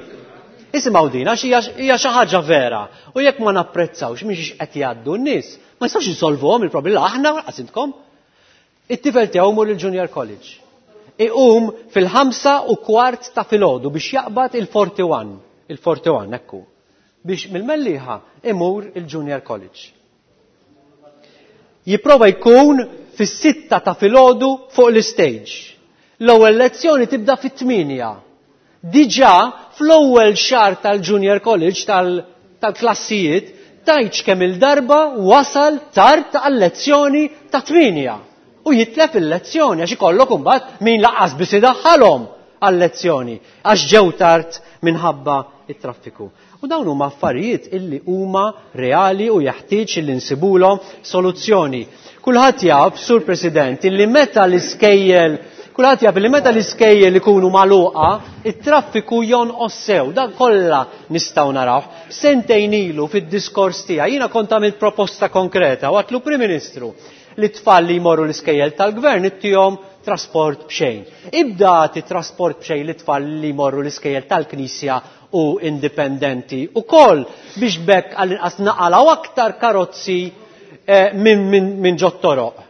Isimgħu din għax hija xi ħaġa vera. U jekk ma napprezzawx mhix qed jgħaddu n-nies, ma jistgħux insolvuhom il-problemi aħna lanqas intkom. It-tifel tiegħu imur il-Junior College. Iqum fil-5:15 ta' filgħodu biex jaqbad il-41, il-41 ekku, biex mill-Mellieħa imur il-Junior College. Jipprova jkun fis-6 ta' filgħodu fuq l-istage. L-ewwel lezzjoni tibda fit-8. Diġà fl-ewwel xahar tal-Junior College tal-klassijiet tajtx kemm il-darba wasal tard għal-lezzjoni ta' 8. U jitlef il-lezzjoni għax ikollok imbagħad min laqqas biss idaħħalhom għal-lezzjoni għax ġew tard minħabba it-traffiku. U dawn huma affarijiet illi huma reali u jeħtieġ illi nsibulhom soluzzjoni. Kulħadd jaf, Sur President, illi meta l-iskejjel, kulħadd jaf illi meta l-iskejjel ikunu magħluqa, it-traffiku jonqos sew, dan kollha nistgħu narawh. Sentejn ilu fid-diskors tiegħi jiena kont għamilt proposta konkreta u għatlu Prim Ministru li tfal li jmorru l-iskejjel tal-gvern ittihom trasport b'xejn. Ibda agħti trasport b'xejn li tfal li jmorru l-iskejjel tal-Knisja u indipendenti u koll biex bekk għall-inqas naqalgħu aktar karozzi minn ġot-toroq.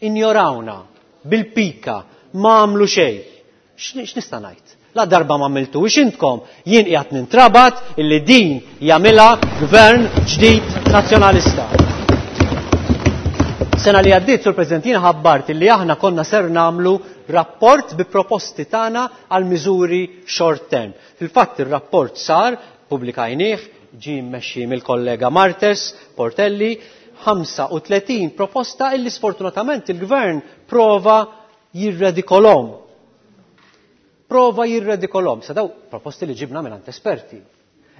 Injorawna bil-pika, ma għamlu xejn. X'nista' ngħid? La darba ma għamiltux intkom, jien qiegħed nintrabat illi din jagħmilha gvern ġdid nazzjonalista. Sena li għaddiet, Sur President, jien ħabbart illi aħna konna ser nagħmlu rapport bi proposti tagħna għal miżuri short term. Fil-fatt ir-rapport sar, pubblikajnieh, ġie mmexxi mill-kollega Martes Portelli, 35 proposta illi sfortunatament il-gvern prova jirredikolhom. Prova jirredikolhom. Sa daw proposti li ġibna minn esperti.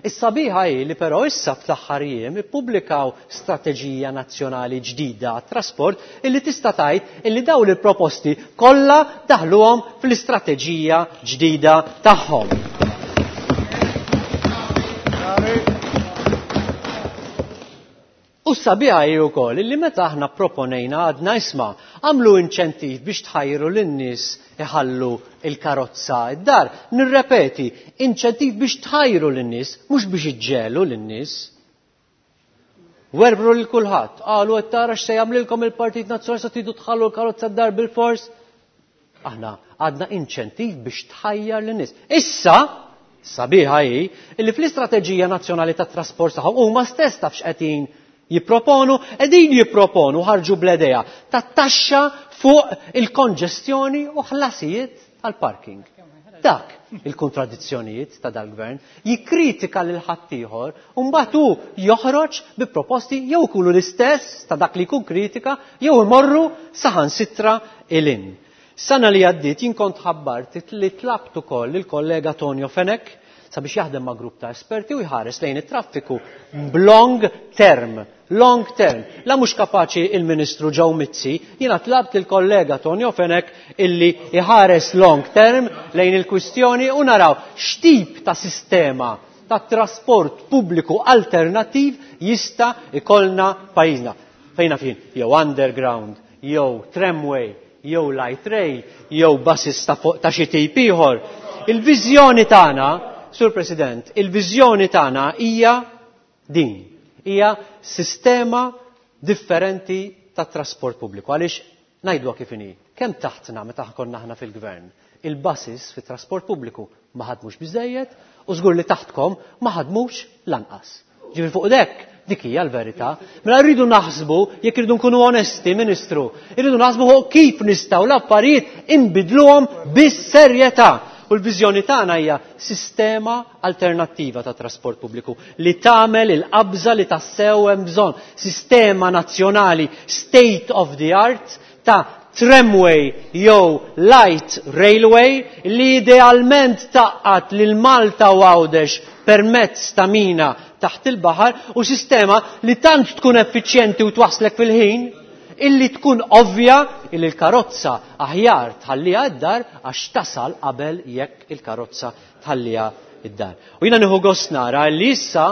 Is-sabiħa hi li però issa fl-aħħar jiem ippubblikaw strateġija nazzjonali ġdida għat-trasport illi tista' tgħid illi dawn il-proposti kollha daħluhom fl-istrateġija ġdida tagħhom. U s-sabiħa hi wkoll illi meta aħna proponejna għadna isma' għamlu inċentiv biex tħajru lin-nies iħallu il-karozza id-dar. Nirrepeti, inċentiv biex tħajru lin-nies, mhux biex iġġelu lin-nies. Werbru lil kulħadd, qalu qed tara x'se jagħmlilkom il-Partit Nazzjonalista tridu tħallu l-karozza d-dar bil-fors. Aħna għadna inċentiv biex tħajjar lin-nies. Issa, sabiħa hi, illi fl-istrateġija nazzjonali tat-trasport tagħhom huma stess taf x'qegħdin jipproponu, qegħdin jipproponu ħarġu bl-idea ta' taxxa fuq il-konġestjoni u ħlasijiet tal-parking. Dak il-kontradizzjonijiet ta' dal-gvern jikkritika lil ħaddieħor u mbagħad hu joħroġ bi proposti jew ikunu l-istess ta' dak li jkun kritika jew imorru saħansitra ilin. Sena li għaddiet jien kont ħabbart li tlabt ukoll il-kollega Tonio Fenech sabiex jaħdem ma' grupp ta' esperti u jħares lejn it-traffiku b'long term. Long term. La mhux kapaċi il-Ministru Joe Mizzi, jiena tlabt il-kollega Tonio Fenech illi jħares long term lejn il-kwistjoni u naraw x'tip ta' sistema ta' trasport pubbliku alternattiv jista' ikollna pajjiżna. Fejna fin, jew underground, jew tramway, jew light rail, jew buses ta' xi tip ieħor. Il-viżjoni tagħna, Sur President, il-viżjoni tagħna hija din. Hija sistema differenti ta' trasport pubbliku. Għaliex ngħidluha kif inhi, kemm taħtna meta konna aħna fil-gvern, il-buses fit-trasport pubbliku ma ħadmux biżejjed u żgur li taħtkom ma ħadmux lanqas. Ġifieri fuq dek dik hija l-verità. Mela rridu naħsbu, jekk irridu nkunu onesti, Ministru, irridu naħsbu fuq kif nistgħu l-affarijiet inbidluhom bis-serjetà. U l-viżjoni tagħna hija sistema alternattiva ta' trasport pubbliku li tagħmel il-qabża li tassew hemm bżonn. Sistema nazzjonali state of the art ta' tramway jew light railway li idealment taqqat lil Malta u Għawdex permezz ta' mina taħt il-baħar u sistema li tant tkun effiċjenti u twasslek fil-ħin illi tkun ovvja illi l-karozza aħjar tħalliha d-dar għax tasal qabel jekk il-karozza tħalliha id-dar. U jiena nieħu gost nara li issa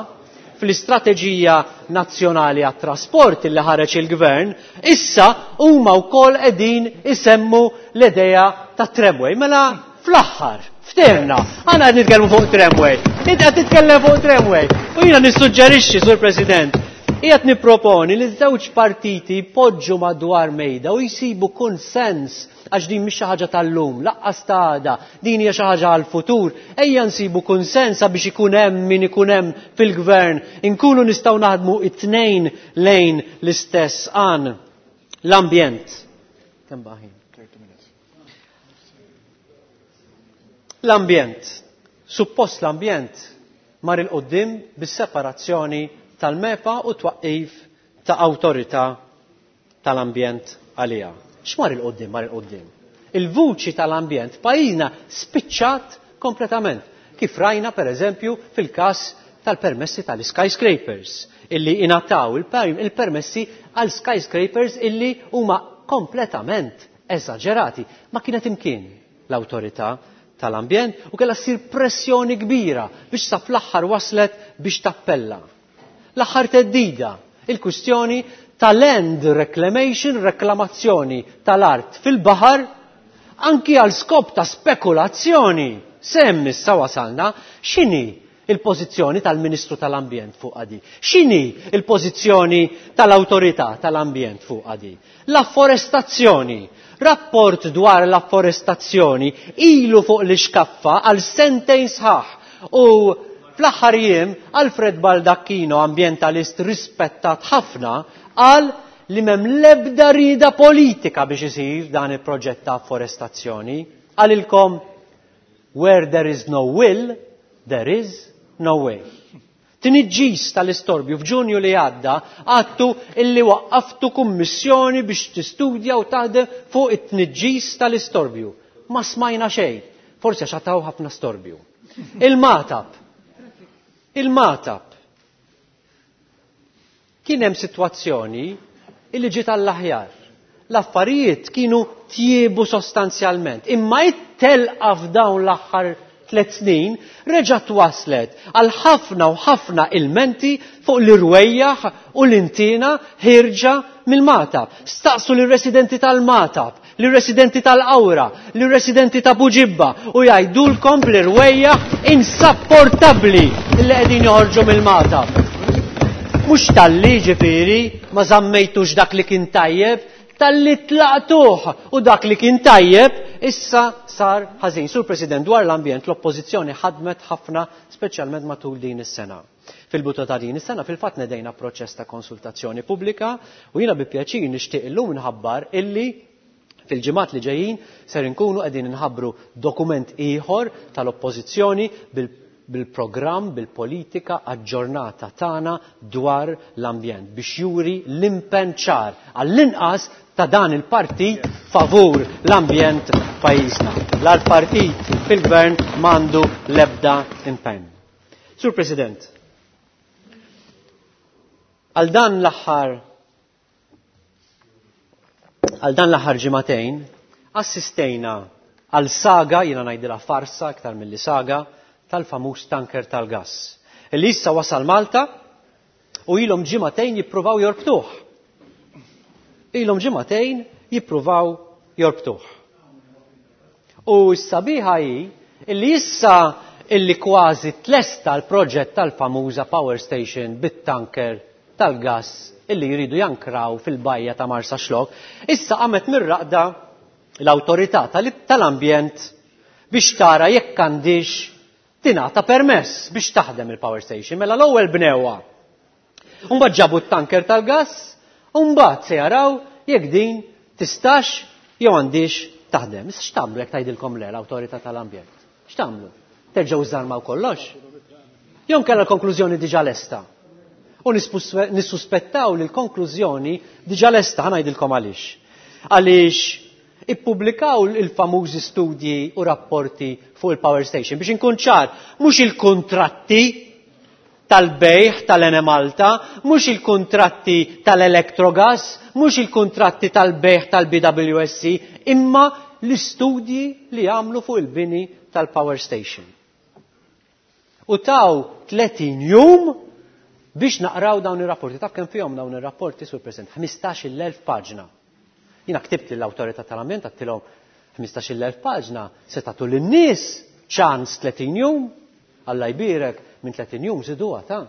fl-istrateġija nazzjonali għat-trasport illi ħareġ il-gvern, issa huma wkoll qegħdin isemmu l-idea ta' tramway. Mela fl-aħħar, ftehemna, aħna qed nitkellmu fuq tramway. Inti qed titkellem fuq tramway. U jiena nissuġġerixxi, Sur President, qiegħed nipproponi li ż-żewġ partiti jpoġġu madwar mejda u jsibu konsens għax din mhix xi ħaġa tal-lum, laqqas ta' għada, din hija xi ħaġa għall-futur. Ejja nsibu kunsens sabiex ikun hemm min ikun hemm fil-gvern, inkunu nistgħu naħdmu it-tnejn lejn l-istess għan. L-ambjent. Kemm baħin? L-ambjent. Suppost l-ambjent mar il-qoddim bis-separazzjoni tal-MEPA u twaqqif ta' awtorità tal-ambjent għaliha. X'mar il-qoddim, mar il-qoddim? Il-vuċi tal-ambjent pajjiżna spiċċat kompletament. Kif rajna per eżempju fil-każ tal-permessi tal-skyscrapers illi ingħataw il-permessi għal skyscrapers illi huma kompletament eżaġerati. Ma kienet imkien l-awtorità tal-ambjent u kellha ssir pressjoni kbira biex sa fl-aħħar waslet biex tappella. L-aħħar theddida, il-kwistjoni tal-land reclamation, reklamazzjoni tal-art fil-baħar, anki għal skop ta' spekulazzjoni. Semm issa wasalna, x'inhi il-pożizzjoni tal-Ministru tal-Ambjent fuq għadi? X'inhi il-pożizzjoni tal-Awtorità tal-Ambjent fuq għadi? L-afforestazzjoni. Rapport dwar l-afforestazzjoni ilu fuq l-ixkaffa għal sentejn sħaħ u fl-aħħar jiem Alfred Baldacchino, ambjentalist rispettat ħafna, qal li m'hemm l-ebda rieda politika biex isir dan il-proġett ta' afforestazzjoni. Qalilkom, where there is no will, there is no way. Tniġġis tal-istorbju f'Ġunju li għadda għadtu illi waqqaftu kummissjoni biex tistudja u taħdem fuq it-tniġġis tal-istorbju. Ma smajna xejn, forsi għax għataw ħafna storbju. Il-Magħtab. Il-Magħtab. Kien hemm sitwazzjoni illi ġiet għall-aħjar. L-affarijiet kienu tjiebu sostanzjalment, imma it-telqa f'dawn l-aħħar 3 snin reġgħet waslet għal ħafna u ħafna ilmenti fuq l-irwejjaħ u l-intiena ħierġa mill-Magħtab. Staqsu lir-residenti tal-Magħtab, lir-residenti tal-Qawra, lir-residenti ta' Buġibba u jgħidulkom bl-irwejjaħ insapportabbli li qegħdin joħorġu mill-Magħtab. Mhux talli ġifieri ma żammejtux dak li kien tajjeb, talli tlaqtuh u dak li kien tajjeb issa sar ħażin. Sur President, dwar l-ambjent l-Oppożizzjoni ħadmet ħafna speċjalment matul din is-sena. Fil-bidu ta' din is-sena fil-fatt nedejna proċess ta' konsultazzjoni pubblika u jiena bi pjaċir nixtieq illum nħabbar illi fil-ġimgħat li ġejjin ser inkunu qegħdin inħabbru dokument ieħor tal-Oppożizzjoni bil-programm, bil-politika aġġornata tagħna dwar l-ambjent biex juri l-impenn ċar għall-inqas ta' dan il-partit favur l-ambjent f'pajjiżna. L-partit fil-gvern m'għandu l-ebda impenn. Sur President, għal dan l-aħħar għal dan l-aħħar ġimagħtejn assistejna għal saga, jiena ngħidilha farsa aktar milli saga, tal-famuż tanker tal-gass. Illi issa wasal Malta u ilhom ġimagħtejn jippruvaw jorbtuh. Ilhom ġimagħtejn jippruvaw jorbtuh. U s-sabiħa hi illi issa illi kważi tlesta l-proġett tal-famuża power station bit-tanker tal-gass illi jridu jankraw fil-bajja ta' Marsaxlokk, issa qamet mir-raqda l-awtorità tal-ambjent biex tara jekk għandix tingħata permess biex taħdem il-power station. Mela l-ewwel bnewha. Mbagħad ġabu t-tanker tal-gass, u mbagħad se jaraw jekk din tistax jew għandix taħdem. Issa x'tagħmlu jekk tgħidilkom le l-awtorità tal-ambjent? X'tagħmlu? Terġgħu żarmaw kollox? Jew kellha l-konklużjoni diġà lesta? U nissuspettaw li l-konklużjoni diġà lesta, ħa ngħidilkom għaliex. Għaliex ippubblikaw il-famużi studji u rapporti fuq il-power station biex inkun ċar, mhux il-kuntratti tal-bejħ tal-Enemalta, mhux il-kuntratti tal-Electrogas, mhux il-kuntratti tal-bejħ tal-BWSC, imma l-istudji li għamlu fuq il-bini tal-power station. U taw 30 jum biex naqraw dawn ir-rapporti. Taf kemm fihom dawn ir-rapporti, Sur President? 15,000 paġna. Jiena ktibt lill-Awtorità tal-Ambjent għedtilhom 15,000 paġna se tagħtu lin-nies ċans 30 jum, Alla jbierek minn 30 jum żiduha ta'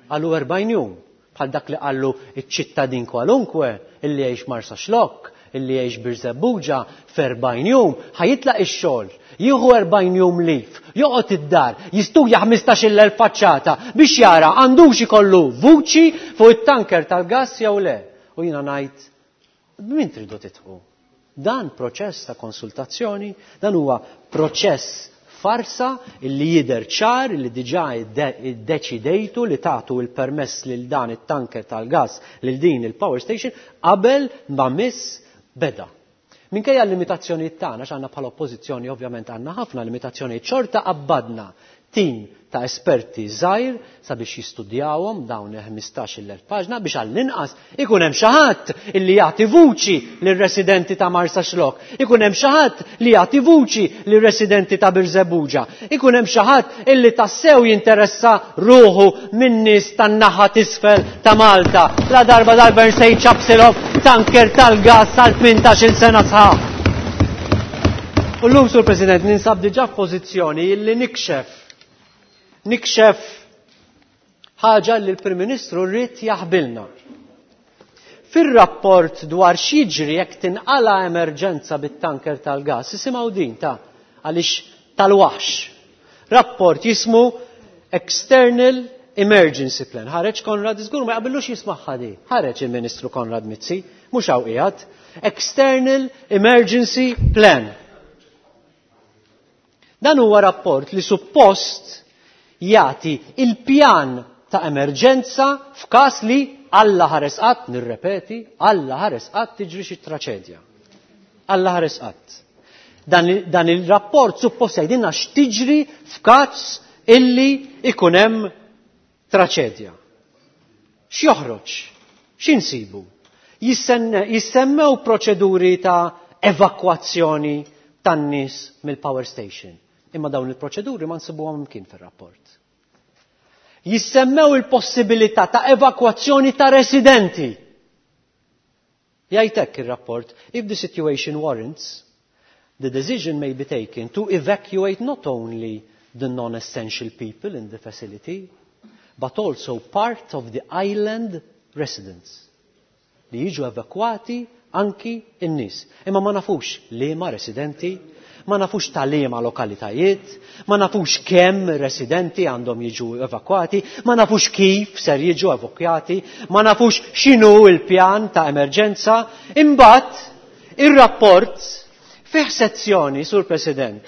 qalu 40 jum. Bħal dak li qallu iċ-ċittadin kwalunkwe illi jgħix Marsaxlokk, illi jgħix Birżebbuġa f'40 jum ħajitlaq ix-xogħol, jieħu 40 jum lif, joqgħod id-dar, jistudja 15,000 faċċata biex jara għandux ikollu vuċi fuq it-tanker tal-gass jew le. U jiena ngħid b'min tridu tidħu? Dan proċess ta' konsultazzjoni, dan huwa proċess farsa illi jidher ċar illi diġà iddeċidejtu li tagħtu il-permess lil dan it-tanker tal-gass lil din il-power station qabel ma miss beda. Minkejja l-limitazzjonijiet tagħna, għax għandna bħala oppożizzjoni ovvjament għandna ħafna limitazzjonijiet, xorta qabbadna tim ta' esperti żgħir sabiex jistudjawhom dawn il-15,000 paġna biex għall-inqas ikun hemm xi ħadd illi jagħti vuċi lir-residenti ta' Marsaxlokk, ikun hemm xi ħadd li jagħti vuċi lir-residenti ta' Birżebbuġa, ikun hemm xi ħadd illi tassew jinteressa ruħu min-nies tan-naħa t'isfel ta' Malta. La darba dal-gvern se jċapsilhom tanker tal-gass għal 18-il sena sħaħ. U llum, Sur President, ninsab diġà f'pożizzjoni illi nikxef nikxef ħaġa li l-Prim Ministru rrid jaħbilna. Fir-rapport dwar x'jiġri jekk tinqala emerġenza bit-tanker tal-gas, isimgħu din ta' għaliex tal-waħx. Rapport jismu External Emergency Plan. Ħareġ Konrad żgur ma jaqbillux jismagħha di. Ħareġ il-Ministru Konrad Mizzi, mhux hawn qiegħed. External Emergency Plan. Dan huwa rapport li suppost jagħti il-pjan ta' emerġenza f'każ li Alla ħares qatt, nirrepeti, Alla ħares qatt tiġri xi traċedja. Alla ħares qatt. Dan, dan il-rapport suppost jgħidilna x'tiġri f'każ illi ikun hemm traċedja. X'joħroġ? X'insibu? Jissemmew proċeduri ta' evakwazzjoni tan-nies mill-power station. Imma dawn il-proċeduri ma nsibuhom imkien fir-rapport. Jissemmew il-possibilità ta' evakwazzjoni ta' residenti. Jgħid hekk ir-rapport, if the situation warrants, the decision may be taken to evacuate not only the non-essential people in the facility, but also part of the island residents. Li jiġu evakwati anki n-nies. Imma ma nafux liema residenti, ma nafux ta' liema lokalitajiet, ma nafux kemm residenti għandhom jiġu evakwati, ma nafux kif ser jiġu evakwati, ma nafux x'inhu il-pjan ta' emerġenza. Imbagħad ir-rapport fih sezzjoni, Sur President,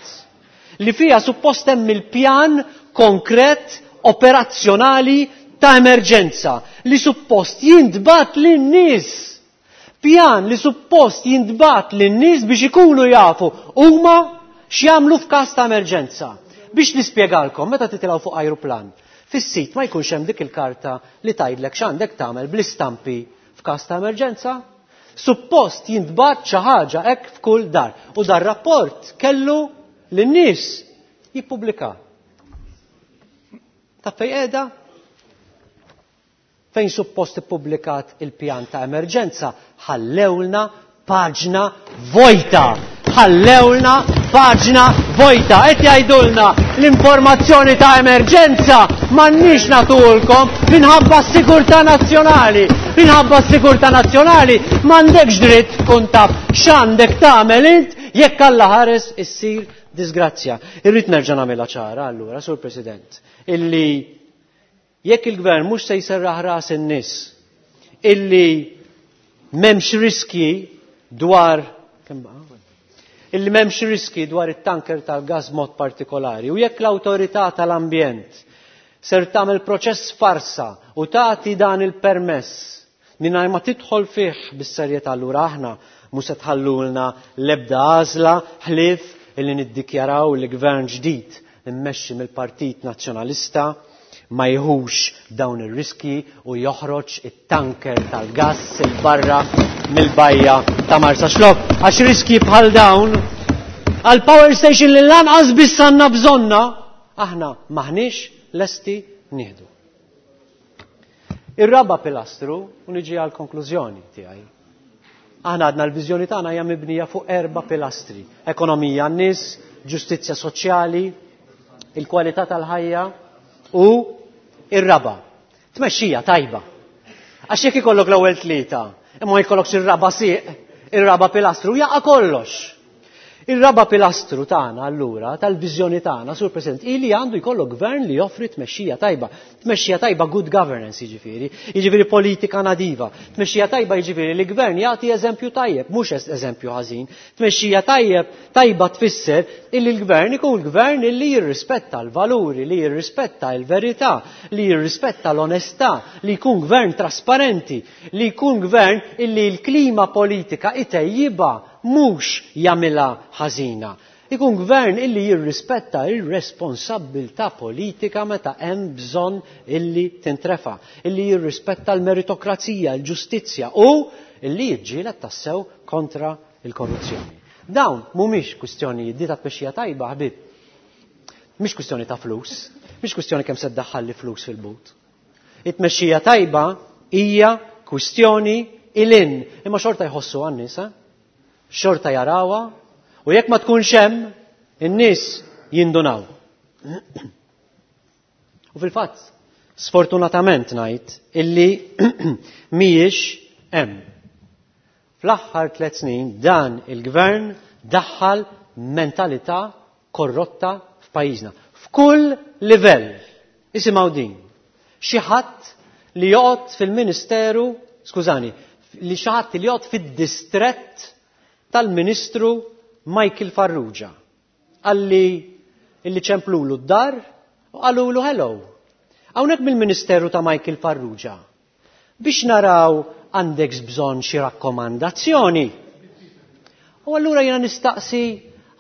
li fija suppost hemm il-pjan konkret operazzjonali ta' emerġenza li suppost jintbagħat lin-nies. Pjan li suppost jintbagħat lin-nies biex ikunu jafu huma x'jagħmlu f'każ ta' emerġenza. Biex nispjegalkom, meta titilgħu fuq ajruplan, fis-sit ma jkunx hemm dik il-karta li tgħidlek x'għandek tagħmel bl-istampi f'każ ta' emerġenza. Suppost jintbagħat xi ħaġa hekk f'kull dar. U dar rapport kellu lin-nies jippubblika. Ta' fejn qiegħda? Fejn suppost ippubblikat il-pjan ta' emerġenza, ħallewlna paġna vojta. Ħallewlna paġna vojta. Qed jgħidulna l-informazzjoni ta' emerġenza m'għandniex nagħtulkom minħabba s-sigurtà nazzjonali. Minħabba s-sigurtà nazzjonali m'għandekx dritt tkun taf x'għandek tagħmel int jekk Alla ħares issir disgrazzja. Irrid nerġa' nagħmilha ċara allura, Sur President, illi jekk il-gvern mhux se jserraħ ras in-nies illi m'hemmx riski dwar illi m'hemmx riski dwar it-tanker tal-gas mod partikolari u jekk l-awtorità tal-ambjent ser tagħmel proċess farsa u tagħti dan il-permess mingħajr ma tidħol fih bis-serjetà, allura aħna mhux se tħallulna l-ebda għażla ħlief illi niddikjaraw li gvern ġdid immexxi mill-Partit Nazzjonalista ma jieħux dawn ir-riski u joħroġ it-tanker tal-gass 'il barra mill-bajja ta' Marsaxlokk. Għax riski bħal dawn għal power station li lanqas biss għandna bżonna, aħna maħniex lesti nieħdu. Ir-raba' pilastru, u niġi għal konklużjoni tiegħi. Aħna għadna l-viżjoni tagħna hija mibnija fuq 4 pilastri: ekonomija għan-nies, ġustizzja soċjali, il-kwalità tal-ħajja u ir-raba', tmexxija tajba. Għax jekk ikollok l-ewwel 3, imma ma jkollokx ir-raba' sieq, ir-raba' pilastru, jaqa' kollox. Ir-raba' pilastru tagħna allura, tal-viżjoni tagħna, Sur President, ili għandu jkollok gvern li joffri tmexxija tajba. Tmexxija tajba good governance jiġifieri, jiġifieri politika nadiva. Tmexxija tajba jiġifieri li gvern jagħti eżempju tajjeb, mhux eżempju ħażin. Tmexxija tajba tfisser illi l-gvern ikun gvern illi jirrispetta l-valuri, li jirrispetta l-verità, li jirrispetta l-onestà, li jkun gvern trasparenti, li jkun gvern illi l-klima politika itejjiba mhux jagħmilha ħażina. Ikun gvern illi jirrispetta ir-responsabbiltà politika meta hemm bżonn illi tintrefa, illi jirrispetta l-meritokrazija, l-ġustizzja u illi jiġġieled tassew kontra l-korruzzjoni. Dawn mhumiex kwistjonijiet di ta' tmexxija tajba, ħbib. Mhix kwistjoni ta' flus, mhix kwistjoni kemm se ddaħħalli flus fil-but. It-tmexxija tajba hija kwistjoni ilin, imma xorta jħossu għan-nies, eh? Xorta jarawha, u jekk ma tkunx hemm, in-nies jindunaw. U fil-fatt, sfortunatament ngħid illi mhijiex hemm. Fl-aħħar 3 snin dan il-gvern daħħal mentalità korrotta f'pajjiżna. F'kull livell. Isimgħu din. Xi ħadd li joqgħod fil-Ministeru, skużani, li xi ħadd li joqgħod fid-distrett tal-Ministru Michael Farrugia. Qalli illi ċemplulu d-dar u qalulu hello. Hawnhekk mill-Ministeru ta' Michael Farrugia biex naraw għandek bżonn xi rakkomandazzjoni. U allura jiena nistaqsi,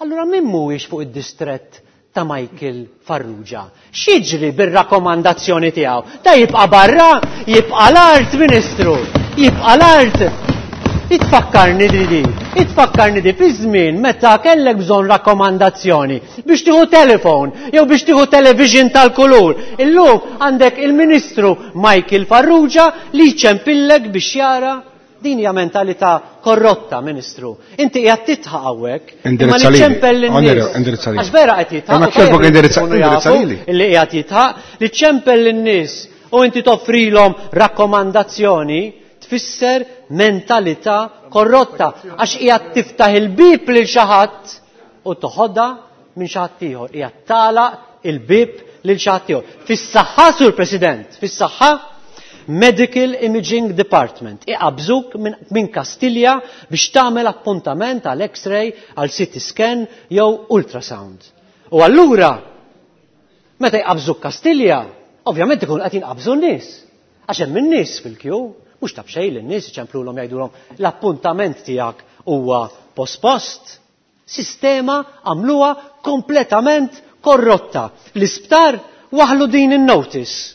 allura min mhuwiex fuq id-distrett ta' Michael Farrugia? X'jiġri bir-rakkomandazzjoni tiegħu? Da jibqa' barra, jibqa' l-art, Ministru, jibqa' l-art. Itfakkarni di, itfakkarni di fi żmien meta kellek bżonn rakkomandazzjoni biex tieħu telefon jew biex tieħu television tal-kulur. Illum għandek il-Ministru Michael Farrugia li jċempillek biex jara. Din hija mentalità korrotta, Ministru. Inti qiegħed titħaq hawnhekk. Imma li ċempel lin-nies. Għax vera qed jitħaq. Ma kierbok indirizza lili. Illi qiegħed jitħaq li ċempel lin-nies u inti toffrilhom rakkomandazzjoni tfisser mentalità korrotta għax qiegħed tiftaħ il-bieb lil xi ħadd u toħodha minn xi ħadd ieħor. Qiegħed tagħlaq il-bieb lil xi ħadd ieħor. Fis-saħħa, Sur President, fis-saħħa Medical Imaging Department iqabżuk minn Kastilja biex tagħmel appuntament għal X-ray, għal CT scan jew ultrasound. U allura meta jqabżuk Kastilja, ovvjament ikun qed jinqabżu n-nies. Għax hemm in-nies fil-kju, mhux ta' b'xejn lin-nies iċemplulhom jgħidulhom l-appuntament tiegħek huwa pospost. Sistema għamluha kompletament korrotta. L-isptar waħlu din in-notice.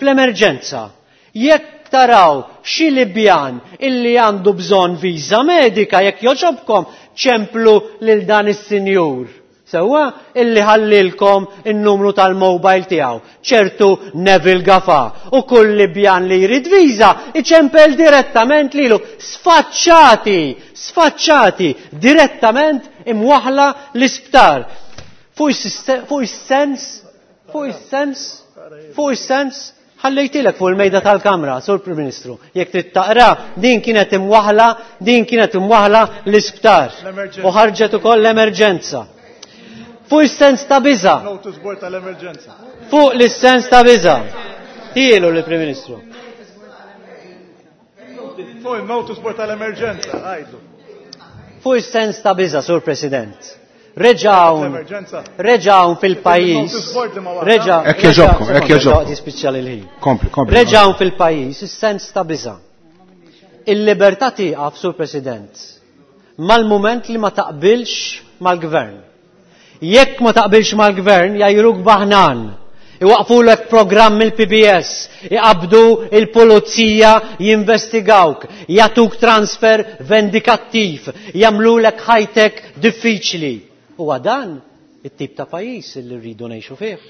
Fl-emerġenza, jekk taraw xi Libjan illi għandu bżonn viża medika, jekk joġobkom, ċemplu lil dan is-sinjur. Sewwa illi ħallilkom in-numru tal-mobile tiegħu, ċertu Neville Gafa, u kull Libjan li jrid viża iċempel direttament lilu. Sfaċċati, sfaċċati, direttament imwaħla l-isptar. Fuq is-sens, fuq is-sens, fuq is-sens, ħallejtilek fuq il-mejda tal-Kamra, Sur Prim Ministru. Jekk trid taqra, din kienet imwaħla, din kienet imwaħla l-isptar. U ħarġet ukoll l-emerġenza. Fuq is-sens ta' biża. Fuq l-sens ta' biża. Tielu l-Prim Ministru. Fuq il-notice board tal-emerġenza, għajdu. Fuq is-sens ta' biża, Sur President. Reġawn fil-pajjiż. Hekk jogħġobkom, hekk jogħġobkom. Kompli, kompli. Reġawn fil-pajjiż is-sens ta' biża. Il-libertà tieqaf, Sur President, mal-mument li ma taqbilx mal-gvern. Jekk ma taqbilx mal-gvern jajruk baħnan. Iwaqfulek programm il-PBS, iqabdu il-pulizija jinvestigawk, jagħtuk transfer vendikattiv, jagħmlulek ħajtek diffiċli. Huwa dan it-tip ta' pajjiż li rridu ngħixu fih.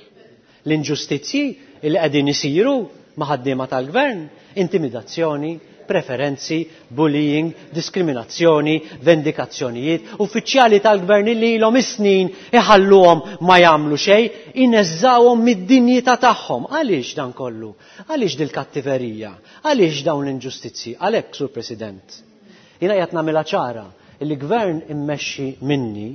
L-inġustizzji li qegħdin isiru ma' ħaddiema tal-gvern, intimidazzjoni, preferenzi, bullying, diskriminazzjoni, vendikazzjonijiet, uffiċjali tal-gvern li ilhom is-snin iħalluhom ma jagħmlu xejn, ineżżawhom mid-dinjità tagħhom. Għaliex dan kollu? Għaliex dil-kattiverija? Għaliex dawn l-inġustizzji? Għalhekk, Sur President, jiena qiegħed nagħmilha ċara li gvern immexxi minni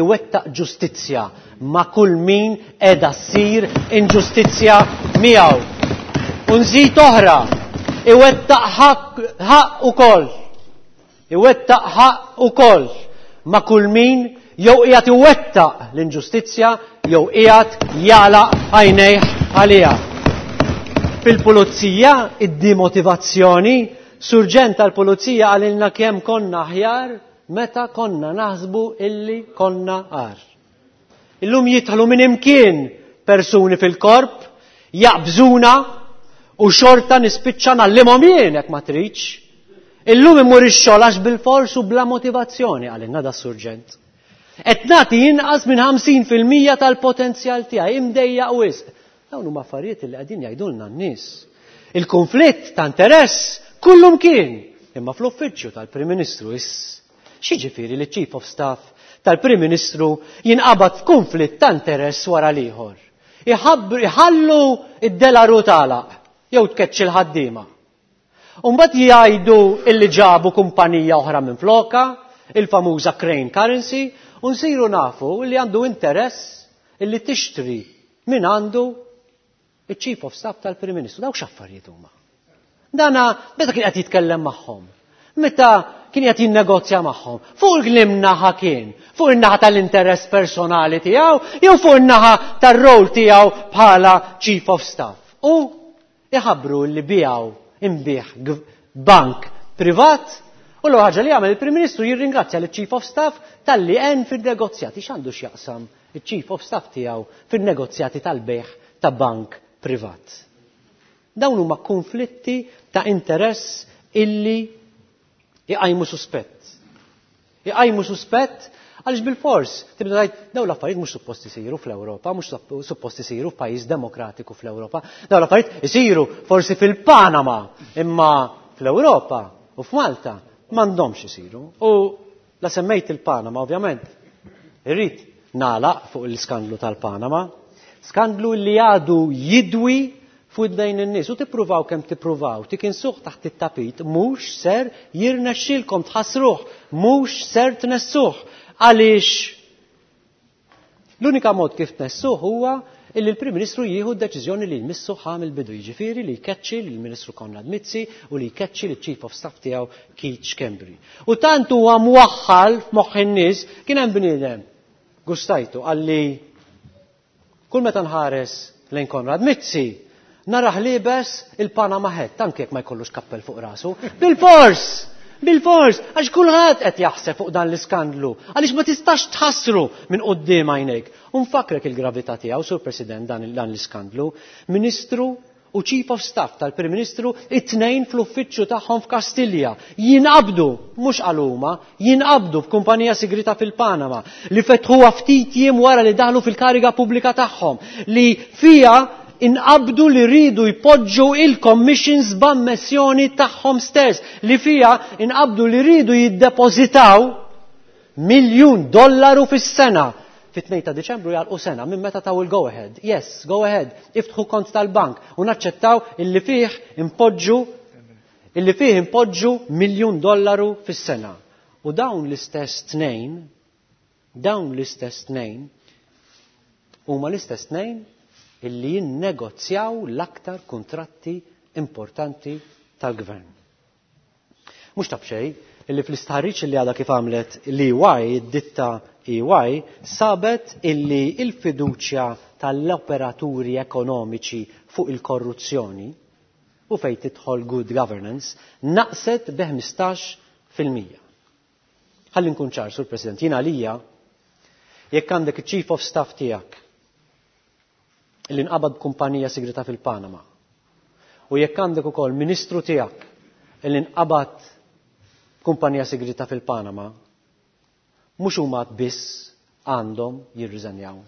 iwettaq ġustizzja ma' kull min qiegħda ssir inġustizzja miegħu. U nżid oħra, iwettaq ħaqq ukoll. Iwettaq ħaqq ukoll ma' kull min jew qiegħed iwettaq l-inġustizzja jew qiegħed jagħlaq għajnejh għaliha. Fil-pulizija id-dimotivazzjoni, surġent tal-pulizija qalilna kemm konna aħjar meta konna naħsbu illi konna għar. Illum jidħlu minn imkien persuni fil-korp, jaqbżuna u xorta nispiċċa nallimhom jien jekk ma tridx. Illum immur ix-xogħol għax bil-fors u bla motivazzjoni qalilna da surġent. Qed nagħti inqas minn 50% tal-potenzjal tiegħi imdejjaq wisq. Dawn huma affarijiet li qegħdin jgħidulna n-nies. Il-konflitt ta' interess kullum kien imma fl-uffiċċju tal-Prim Ministru iss. X'jiġifieri li Chief of Staff tal-Prim Ministru jinqabad f'konflitt ta' interess wara l-ieħor? Iħallu id-delaru tagħlaq jew tkeċċi l-ħaddiema. U mbagħad jgħidu illi ġabu kumpanija oħra minn floka, il-famuża Crane Currency, u nsiru nafu li għandu interess illi tixtri min għandu il-Chief of Staff tal-Prim Ministru. Dawk x'affarijiet huma. Dana meta kien qed jitkellem magħhom. Meta kien qed jinnegozja magħhom, fuq liem naħa kien? Fuq in-naħa tal-interess personali tiegħu jew fuq in-naħa tar-rol tiegħu bħala Chief of Staff? U iħabbru li biegħu inbiegħ bank privat u l-ewwel ħaġa li jagħmel il-Prim Ministru jirringrazzja liċ-Chief of Staff talli għen fin-negozjati. X'għandu x'jaqsam iċ-Chief of Staff tiegħu fin-negozjati tal-bejgħ ta' bank privat? Dawn huma konflitti ta' interess illi iqajmu suspett. Iqajmu suspett għaliex bil-fors tibda tgħid dawn l-affarijiet mhux suppost isiru fl-Ewropa, mhux suppost isiru f'pajjiż demokratiku fl-Ewropa. Dawn l-affarijiet isiru forsi fil-Panama, imma fl-Ewropa u f'Malta m'għandhomx isiru. U la semmejt il-Panama, ovvjament, irrid nagħlaq fuq l-iskandlu tal-Panama, skandlu li għadu jidwi fuq id-dejn in-nies u tippruvaw kemm tippruvaw tikinsuh taħt it-tapit mhux ser jirnexxilkom tħassruh, mhux ser tnessuh għaliex l-unika mod kif tnessuh huwa illi l-Prim Ministru jieħu d-deċiżjoni li jmissu ħa mill-bidu, jiġifieri li jkeċċi lill-Ministru Konrad Mizzi u li jkeċċi liċ-Chief of Staff tiegħu Keith Schembri. U tant huwa mwaħħal f'moħħ in-nies kien hemm bniedem gustajtu qalli kull meta nħares lejn Konrad Mizzi narah liebes il-Panama hat, anke jekk ma jkollux kappell fuq rasu. Bil-fors! Bil-fors! Għax kulħadd qed jaħseb fuq dan l-iskandlu, għaliex ma tistax tħassru minn quddiem għajnejk. U nfakkrek il-gravità tiegħu, Sur President, dan l-iskandlu. Ministru u Chief of Staff tal-Prim Ministru, it-tnejn fl-uffiċċju tagħhom f'Kastilja, jinqabdu, mhux għal huma, jinqabdu f'kumpanija sigrita fil-Panama, li fetħuha ftit jiem wara li daħlu fil-kariga pubblika tagħhom, li fija inqabdu li ridu jpoġġu il-commissions b'ammessjoni tagħhom stess, li fija inqabdu li ridu jiddepożitaw miljun dollaru fis-sena. Fit-2 ta' Diċembru jgħalqu sena minn meta taw il-go ahead. Yes, go ahead, iftħu kont tal-bank u naċċettaw illi fih impoġġu illi fih impoġġu miljun dollaru fis-sena. U dawn l-istess tnejn, dawn l-istess tnejn huma l-istess tnejn illi jinnegozjaw l-aktar kuntratti importanti tal-gvern. Mhux ta' b'xejn illi fl-istħarriġ illi għadha kif għamlet l-EY, id-ditta EY, sabet illi il-fiduċja tal-operaturi ekonomiċi fuq il-korruzzjoni u fejn tidħol good governance naqset bi ħmistax fil-mija. Ħalli nkun ċar, Sur President, jien għalija jekk għandek iċ-Chief of Staff tiegħek illi nqabad b'kumpanija sigrita fil-Panama u jekk għandek ukoll ministru tiegħek illi nqabad kumpanija sigrita fil-Panama, mhux huma biss għandhom jirriżenjaw,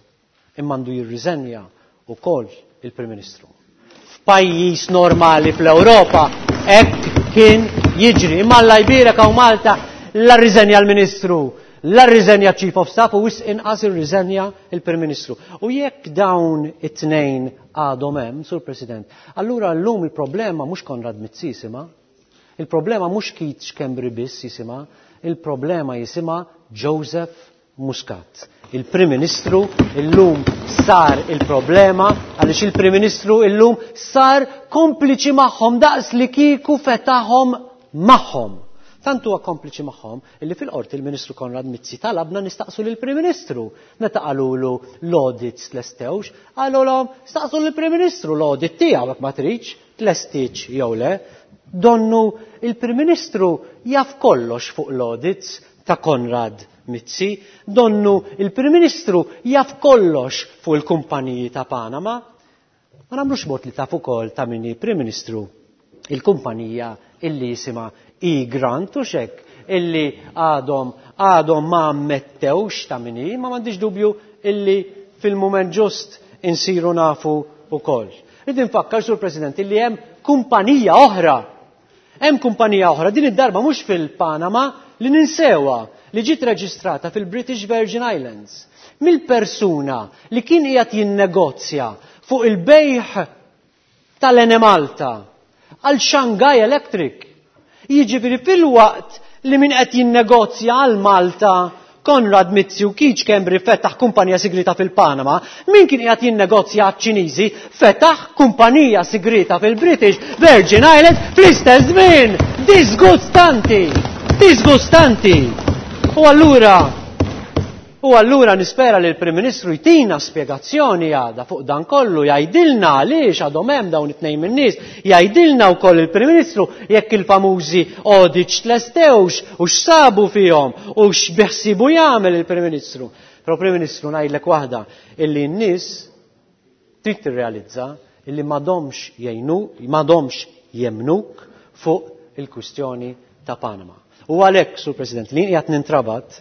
imma għandu jirriżenja wkoll il-Prim Ministru. F'pajjiż normali fl-Ewropa hekk kien jiġri, imma Alla jbierek hawn Malta la rriżenja l-Ministru, la rriżenja Chief of Staff u wisq inqas irriżenja il-Prim Ministru. U jekk dawn it-tnejn għadhom hemm, Sur President, allura llum il-problema mhux Konrad Mizzi jisimha, il-problema mhux Keith Schembri biss jisimha, il-problema jisimha Joseph Muscat. Il-Prim Ministru illum sar il-problema għaliex il-Prim Ministru illum sar kompliċi magħhom daqs li kieku fetaħhom magħhom. Tant huwa kompliċi magħhom illi fil-qorti il-Ministru Konrad Mizzi talabna nistaqsu lill-Prim Ministru. Meta qalulu l-audits tlestewx, qalulhom staqsu lill-Prim Ministru l-audit tiegħu jekk ma tridx tlestiċ jew le. Donnu il-Prim Ministru jaf kollox fuq l-audits ta' Konrad Mizzi, donnu il-Prim Ministru jaf kollox fuq il-kumpaniji ta' Panama. Ma nagħmlux mod li taf ukoll ta' minni Prim Ministru il-kumpanija illi jisimha E-Grant u xek illi għadhom ma ammettewx ta' minni, ma m'għandix dubju illi fil-mument ġust insiru nafu ukoll. Rrid infakkar, Sur President, illi hemm kumpanija oħra. Hemm kumpanija oħra, din id-darba mhux fil-Panama, li ninsewa li ġiet reġistrata fil-British Virgin Islands mill-persuna li kien qiegħed jinnegozja fuq il-bejħ tal-Enemalta għal Shanghai Electric. Jiġifieri fil-waqt li min qed jinnegozja għal Malta Konrad Mizzi u Keith Schembri fetaħ kumpanija sigrita fil-Panama, min kien qiegħed jinnegozja għaċ-Ċiniżi fetaħ kumpanija sigrita fil-British Virgin Islands fl-istess żmien. Disgustanti! Disgustanti! U allura U allura nispera li l-Prim Ministru jtina spjegazzjoni għada fuq dan kollu, jgħidilna għaliex għadhom hemm dawn it-tnejn min-nies, jgħidilna wkoll il-Prim Ministru jekk il-famużi audits tlestewx u x'sabu fihom u x'biħsibu jagħmel il-Prim Ministru. Però Prim Ministru ngħidlek waħda illi n-nies trid tirrealizza illi m'għadhomx jgħinu, m'għadhomx jemmnuk fuq il-kwistjoni ta' Panama. U għalhekk, Sur President, li qiegħed nintrabat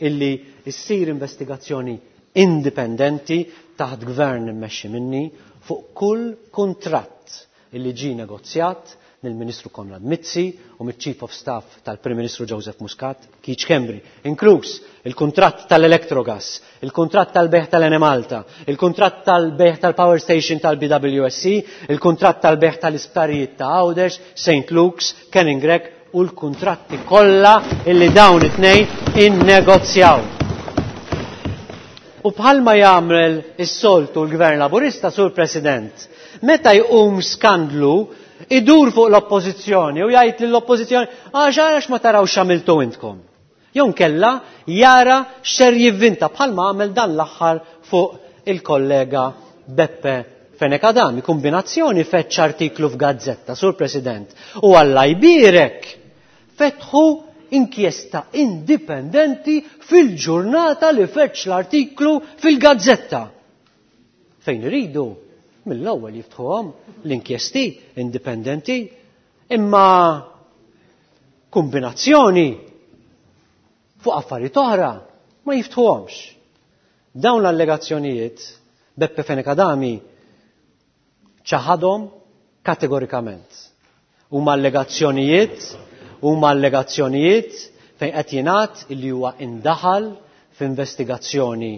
illi ssir investigazzjoni indipendenti taħt gvern immexxi minni fuq kull kuntratt illi ġie negozjat mill-Ministru Konrad Mizzi u mill-Chief of Staff tal-Prim Ministru Joseph Muscat, Keith Schembri, inkluż il-kuntratt tal-Electrogas, il-kuntratt tal-bejgħ tal-Enemalta, il-kuntratt tal-bejgħ tal-Power Station tal-BWSC, il-kuntratt tal-bejgħ tal-isptarijiet ta' Għawdex, St. Luke's, Kenning Grech u l-kuntratti kollha illi dawn it-tnejn innegozjaw. U bħalma jagħmel is-soltu l-Gvern Laburista, Sur President, meta jqum skandlu idur fuq l-oppożizzjoni u jgħid lill-oppożizzjoni għax għax ma taraw x'għamiltu intkom. Jew nkella jara x'ser jivvinta bħalma għamel dan l-aħħar fuq il-kollega Beppe Fenech Adami, kombinazzjoni feċ artiklu f'gazzetta, Sur President, u Alla jbierek fetħu inkjesta indipendenti fil-ġurnata li feċ l-artiklu fil-gazzetta. Fejn iridu, mill-ewwel jiftħuhom l-inkjesti indipendenti, imma kombinazzjoni fuq affarijiet oħra ma jiftħuhomx. Dawn l-allegazzjonijiet Beppe Fenech Adami ċaħadhom kategorikament. Huma allegazzjonijiet, huma allegazzjonijiet fejn qed jingħad illi huwa indaħal f'investigazzjoni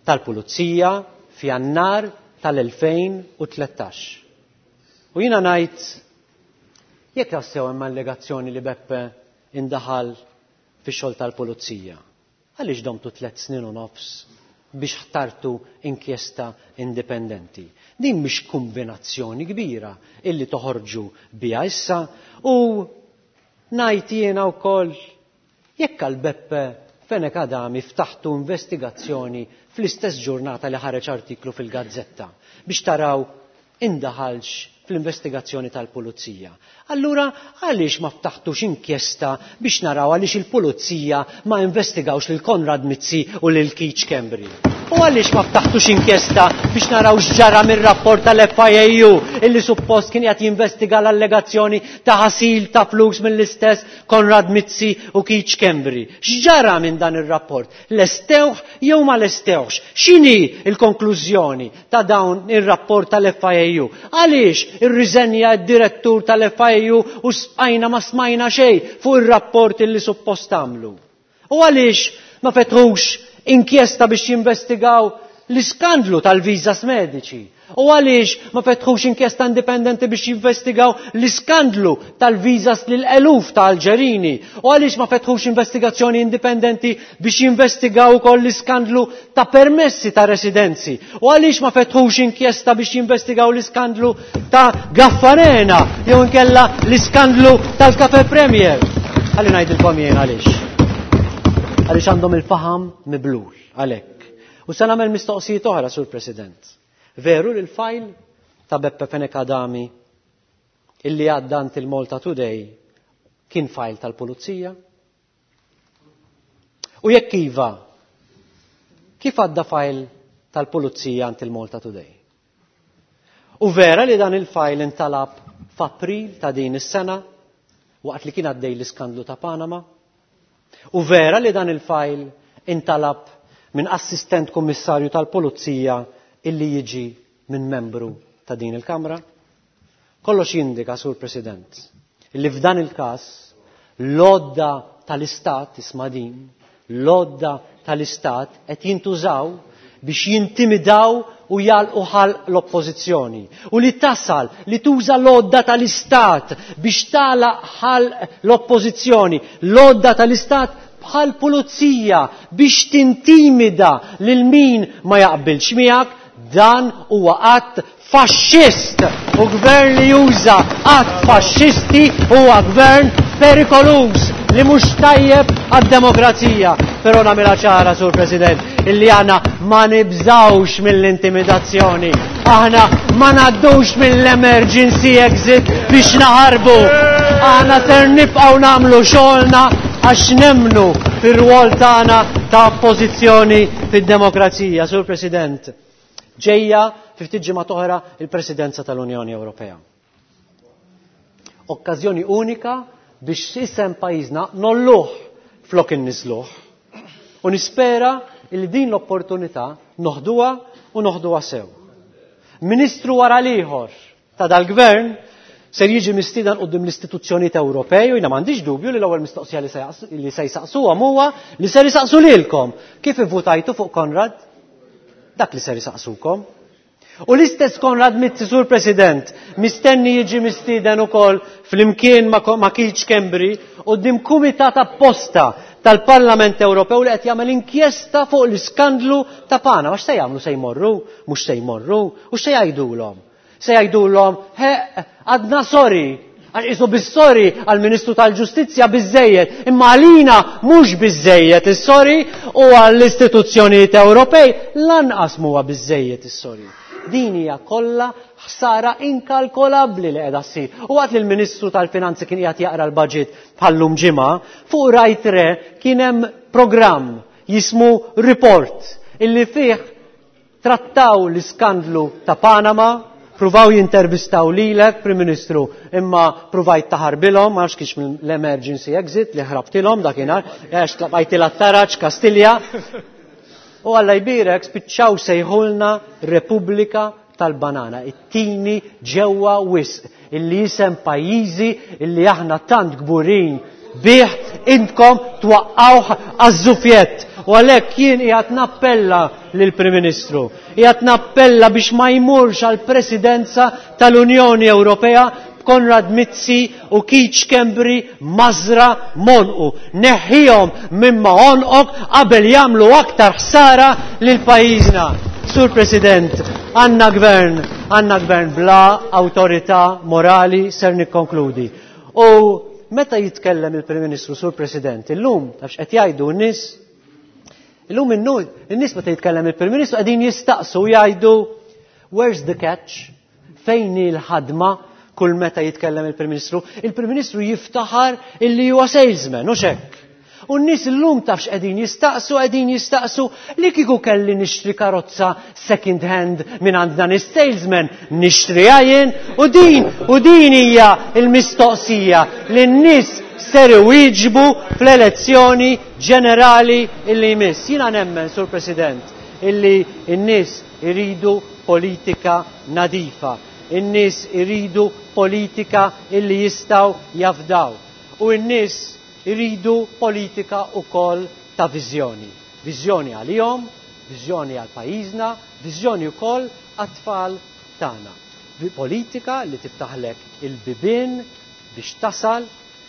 tal-Pulizija f'Jannar tal-2013. U jiena ngħid jekk tassew hemm allegazzjoni li Beppe indaħal fix-xogħol tal-Pulizija, għaliex domtu 3 snin u nofs biex ħtartu inkjesta indipendenti? Din mhix kombinazzjoni kbira illi toħorġu biha issa. U ngħid jiena wkoll jekk għal Beppe Fenech Adami ftaħtu investigazzjoni fl-istess ġurnata li ħareġ artiklu fil-gazzetta biex taraw indaħalx fl-investigazzjoni tal-pulizija. Allura għaliex ma ftaħtux inkjesta biex naraw għaliex il-pulizija ma investigawx lil Konrad Mizzi u lil Keith Schembri? U għaliex ma ftaħtux inkjesta biex naraw x'ġara mir-rapport tal-FIAU illi suppost kien qed jinvestiga l-allegazzjoni ta' ħasil ta' flus mill-istess Konrad Mizzi u Keith Schembri? X'ġara minn dan ir-rapport? Lestewh jew ma lestewhx? X'inhi l-konklużjoni ta' dawn ir-rapport tal-FIAU? Għaliex irriżenja d-direttur tal-FIAU u spajna ma smajna xejn fuq ir-rapport illi suppost għamlu? U għaliex ma fetħux inkjesta biex jinvestigaw l-iskandlu tal-viżas mediċi? U għaliex ma fetħux inkjesta indipendenti biex jinvestigaw l-iskandlu tal-viżas lil eluf ta' Alġerini? U għaliex ma fetħux investigazzjoni indipendenti biex jinvestigaw ukoll l-iskandlu ta' permessi ta' residenzi? U għaliex ma fetħux inkjesta biex jinvestigaw l-iskandlu ta' Gaffarena jew inkella l-iskandlu tal-Cafe Premier? Ħalli ngħidilkom jien għaliex. Għaliex għandhom il-faham miblul għalhekk. U se nagħmel mistoqsijiet oħra, Sur President. Veru li l-fajl ta' Beppe Fenech Adami illi għadda għand il-Malta Today kien fajl tal-Pulizija? U jekk iva, kif għadda fajl tal-Pulizija għand il-Malta Today? U vera li dan il-fajl intalab f'April ta' din is-sena waqt li kien għaddej l-iskandlu ta' Panama? U vera li dan il-fajl intalab minn assistent kummissarju tal-Pulizija illi jiġi minn membru ta' din il-Kamra? Kollox jindika, Sur President, illi f'dan il-każ l-għodda tal-Istat, isma' din, l-għodda tal-Istat qed jintużaw biex jintimidaw u jalqu ħalq l-oppożizzjoni. U li tasal li tuża l-għodda tal-Istat biex tagħlaq ħalq l-oppożizzjoni, l-għodda tal-Istat bħal pulizija biex tintimida lil min ma jaqbilx miegħek, dan huwa att faxxist. U gvern li juża att faxxisti huwa gvern perikoluż. li mhux tajjeb għad-demokrazija. Però nagħmilha ċara, Sur President, illi aħna ma nibżawx mill-intimidazzjoni. Aħna ma ngħaddux mill-emergency exit biex naħarbu. Aħna ser nibqgħu nagħmlu xogħolna għax nemmnu fir-rwol tagħna ta' oppożizzjoni fid-demokrazija. Sur President, ġejja fi ftit ġimgħat oħra il-Presidenza tal-Unjoni Ewropea. Okkażjoni unika biex isem pajjiżna nolluh flok inniżluh. U nispera li din l-opportunità noħduha u noħduha sew. Ministru wara l-ieħor ta' dal-gvern ser jiġi mistieden quddiem l-istituzzjonijiet Ewropej u jiena m'għandix dubju li l-ewwel mistoqsija li se jsaqsuhom huwa li ser isaqsu lilkom. Kif ivvutajtu fuq Konrad? Dak li ser isaqsukom. U l-istess Konrad Mizzi, Sur President, mistenni jiġi mistieden ukoll flimkien ma' Keith Schembri quddiem kumitat apposta tal-Parlament Ewropew li qed jagħmel inkjesta fuq l-iskandlu ta' Panama. X'se jagħmlu? Se jmorru? Mhux se jmorru? U x'se jgħidulhom? Se jgħidulhom, ħeqq, għadna sorry, għax qisu bis-sorry għall-Ministru tal-Ġustizzja biżżejjed, imma għalina mhux biżżejjed is-sorry u għall-istituzzjonijiet Ewropej lanqas m'huwa biżżejjed is-sorry. Din hija kollha ħsara inkalkolabbli li qiegħda ssir. U waqt li l-Ministru tal-Finanzi kien qiegħed jaqra l-budget bħal-lum ġimgħa, fuq Rai 3 kien hemm programm jismu Report illi fih trattaw l-iskandlu ta' Panama, pruvaw jintervistaw lilek, Prim Ministru, imma pruvajt taħarbilhom, ma nafx kienx mill-emergency exit li ħrabtilhom dakinhar, għax tlaqajtilha t-taraġ Kastilja. U Alla jbierek spiċċaw sejħulna Repubblika tal-Banana, it-tini ġewwa wisq, illi jisem pajjiżi illi aħna tant kburin bih intkom twaqqawh għaż-żufjett. U għalhekk jien qiegħed nappella lill-Prim Ministru, qiegħed nappella biex ma jmurx għall-Presidenza tal-Unjoni Ewropea b'Konrad Mizzi u Keith Schembri mażra m'għonqu. Neħħihom minn ma' għonqok qabel jagħmlu aktar ħsara lil pajjiżna. Sur President, għandna gvern, għandna gvern bla awtorità morali, ser nikkonkludi. U meta jitkellem il-Prim Ministru, Sur President, illum, taf x'qed jgħidu n-nies? Illum in-nies meta jitkellem il-Prim Ministru qegħdin jistaqsu jgħidu where's the catch? Fejn hi l-ħadma kull meta jitkellem il-Prim Ministru? Il-Prim Ministru jiftaħar illi huwa salesman, hux hekk? U n-nies illum taf x'qegħdin jistaqsu, qegħdin jistaqsu li kieku kelli nixtri karozza second hand minn għand dan is-salesman, nixtriha jien? U din, u din hija l-mistoqsija li n-nies ser iwieġbu fl-elezzjoni ġenerali illi jmiss. Jiena nemmen, Sur President, illi n-nies iridu politika nadifa. In-nies iridu politika illi jistgħu jafdaw. U n-nies iridu politika wkoll ta' viżjoni. Viżjoni għalihom, viżjoni għal pajjiżna, viżjoni wkoll għat-tfal tagħna. Politika li tiftaħlek il-bibien biex tasal,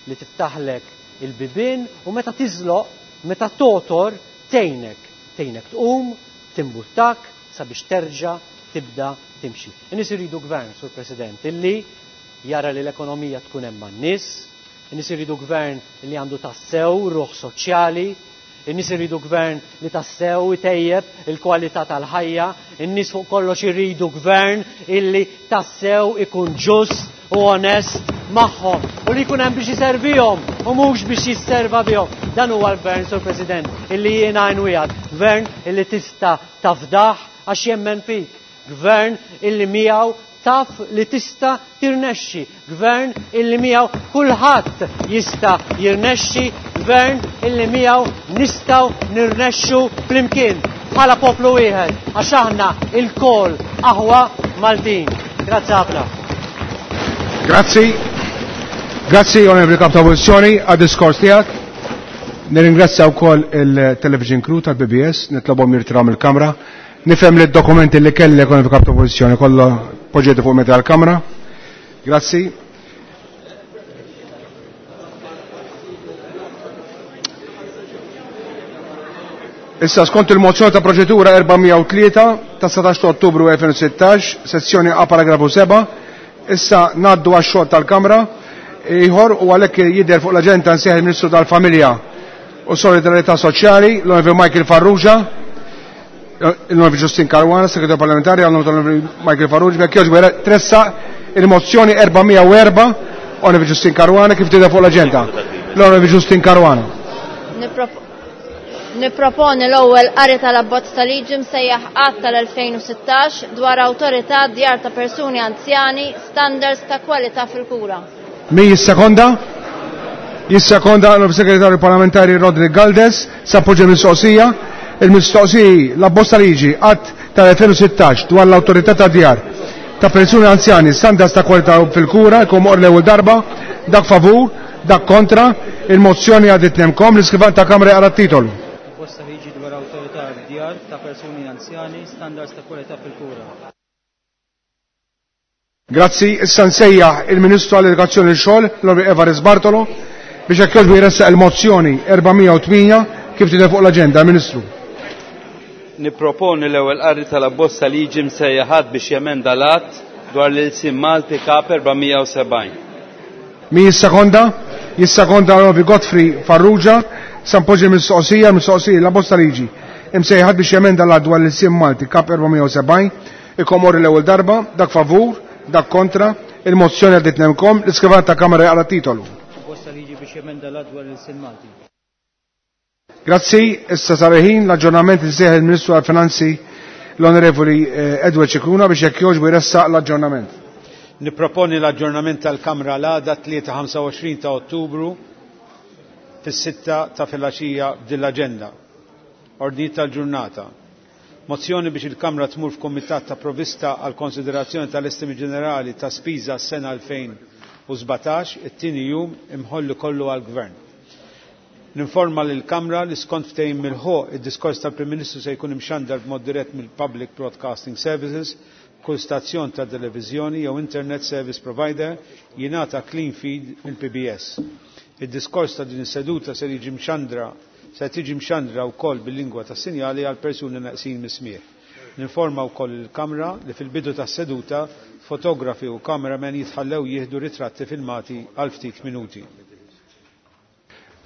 li tiftaħlek il-bibien u meta tiżloq, meta totor, tgħinek. Tgħinek tqum, timbuttak sabiex terġa' tibda timxi. In-nies iridu gvern, Sur President, illi jara li l-ekonomija tkun hemm man-nies, in-nies iridu gvern li għandu tassew ruħ soċjali, in-nies iridu gvern li tassew itejjeb il-kwalità tal-ħajja, in-nies fuq kollox iridu gvern illi tassew ikun ġust u onest magħhom u li jkun hemm biex iservihom u mhux biex jisserva bihom. Dan huwa l-gvern, Sur President, illi jiena nwiegħed, gvern illi tista' tafdah għax jemmen fik, gvern illi miegħu taf li tista' tirnexxi, gvern illi miegħu kulħadd jista' jirnexxi, gvern illi miegħu nistgħu nirnexxu flimkien bħala poplu wieħed għax aħna ilkoll aħwa Maltin. Grazzi ħafna. Grazzi. Grazzi, Onorevoli Kap ta' Oppożizzjoni, għad-diskors tiegħek. Nirringrazzja wkoll il-television crew tal-BBS, nitlobhom jirtiraw mill-kamra. Nifhem li d-dokumenti li kellek, Onorevoli Kap ta' Oppożizzjoni, kollha poġġejtu fuq meta tal-kamra. Grazzi. Issa skont il-mozzjoni ta' proċedura 403 ta' 17 ta' Ottubru 2016, sezzjoni A paragrafu 7, issa ngħaddu għax-xogħol tal-Kamra. ieħor u għalhekk jidher fuq l-aġenda nsejħ il-Ministru tal-Familja u Solidarità Soċjali, l-Onorevoli Michael Farrugia, l-Onorevoli Justin Caruana, Segretarju Parlamentari, l-Onorevoli Michael Farrugia, jekk jogħġbu tressa il-mozzjoni 404, Onorevoli Justin Caruana, kif tidher fuq l-aġenda. L-Onorevoli Justin Caruana. Niproponi l-ewwel qari tal-abbozz ta' liġi msejjaħ Att tal-2016 dwar awtorità djar ta' persuni anzjani standards ta' kwalità fil-kura. Min jissekonda? Jissekonda l-Segretarju Parlamentari Roderick Galdes, sappoġġa mistoqsija. Il-mistoqsiji l-abbozz ta' liġi Att tal-2016 dwar l-awtorità ta' djar ta' persuni anzjani standards ta' kwalità fil-kura, jkun moqr l-ewwel darba, dak favur, dak kontra, il-mozzjoni għaddiet nemkom, l-iskrivan ta' Kamra jaqra t-titolu. Abbozz ta' liġi dwar awtorità djar ta' persuni anzjani standards ta' kwalità fil-kura. Grazzi, issa nsejjaħ il-Ministru għall-Edukazzjoni u x-Xogħol, l-Onorevoli Evarist Bartolo, biex hekk jogħġbu jressaq il-mozzjoni 408 kif tidher fuq l-aġenda, Ministru. Nipproponi l-ewwel qari tal-abbozz ta' liġi msejjaħ att biex jemenda l-att dwar l-ilsien Malti Kap 470. Min jissekonda? Jissekonda l-Onorevoli Godfrey Farrugia, sa npoġġi l-mistoqsija, l-mistoqsija l-abbozz ta' liġi imsejjaħ att biex jemenda l-att dwar l-ilsien Malti Kap 470, ikomor l-ewwel darba, dak favur, dak kontra, il-mozzjoni għaddiet nemkom, l-iskrivan ta' Kamra jaqra titolu. Abbozz ta' liġi biex jemenda l-att dwar l-ilsien Malti. Grazzi, issa sar il-ħin l-aġġornament insejjaħ il-Ministru għall-Finanzi l-Onorevoli Edward Scicluna biex jekk jogħġbu jressaq l-aġġornament. Nipproponi l-aġġornament tal-Kamra l-għada 3-25 ta' Ottubru fis-6 ta' filgħaxija b'din l-aġenda. Ordnijiet tal-ġurnata. Mozzjoni biex il-Kamra tmur f'Kumitat ta' Provvista għal konsiderazzjoni tal-Estimi Ġenerali ta' Spiża s-sena 2017, it-tieni jum imħolli kollu għall-Gvern. Ninforma lil Kamra li skont ftehim mill-ħoq id-diskors tal-Prim Ministru se jkun imxandar b'mod dirett mill-Public Broadcasting Services, kull stazzjon ta' televiżjoni jew Internet Service Provider jingħata clean feed mill-PBS. Id-diskors ta' din is-seduta se jiġi mxandra se tiġi mxandra wkoll bil-lingwa tas-sinjali għal persuni naqsin mis-smieħ. Ninforma wkoll il-Kamra li fil-bidu tas-seduta fotografi u cameramen jitħallew jieħdu ritratti filmati għal ftit minuti.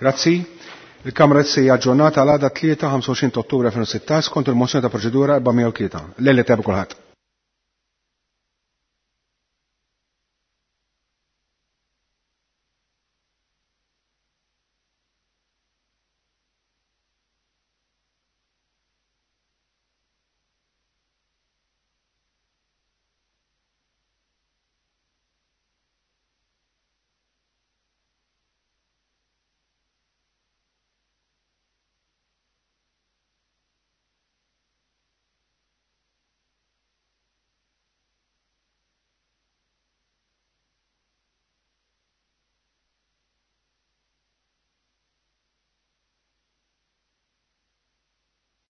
Grazzi. Il-Kamra issa aġġornata għal għada 3-25 Ottubru 2016 skont il-mozzjoni ta' proċedura 403. Lejla tajba kulħadd.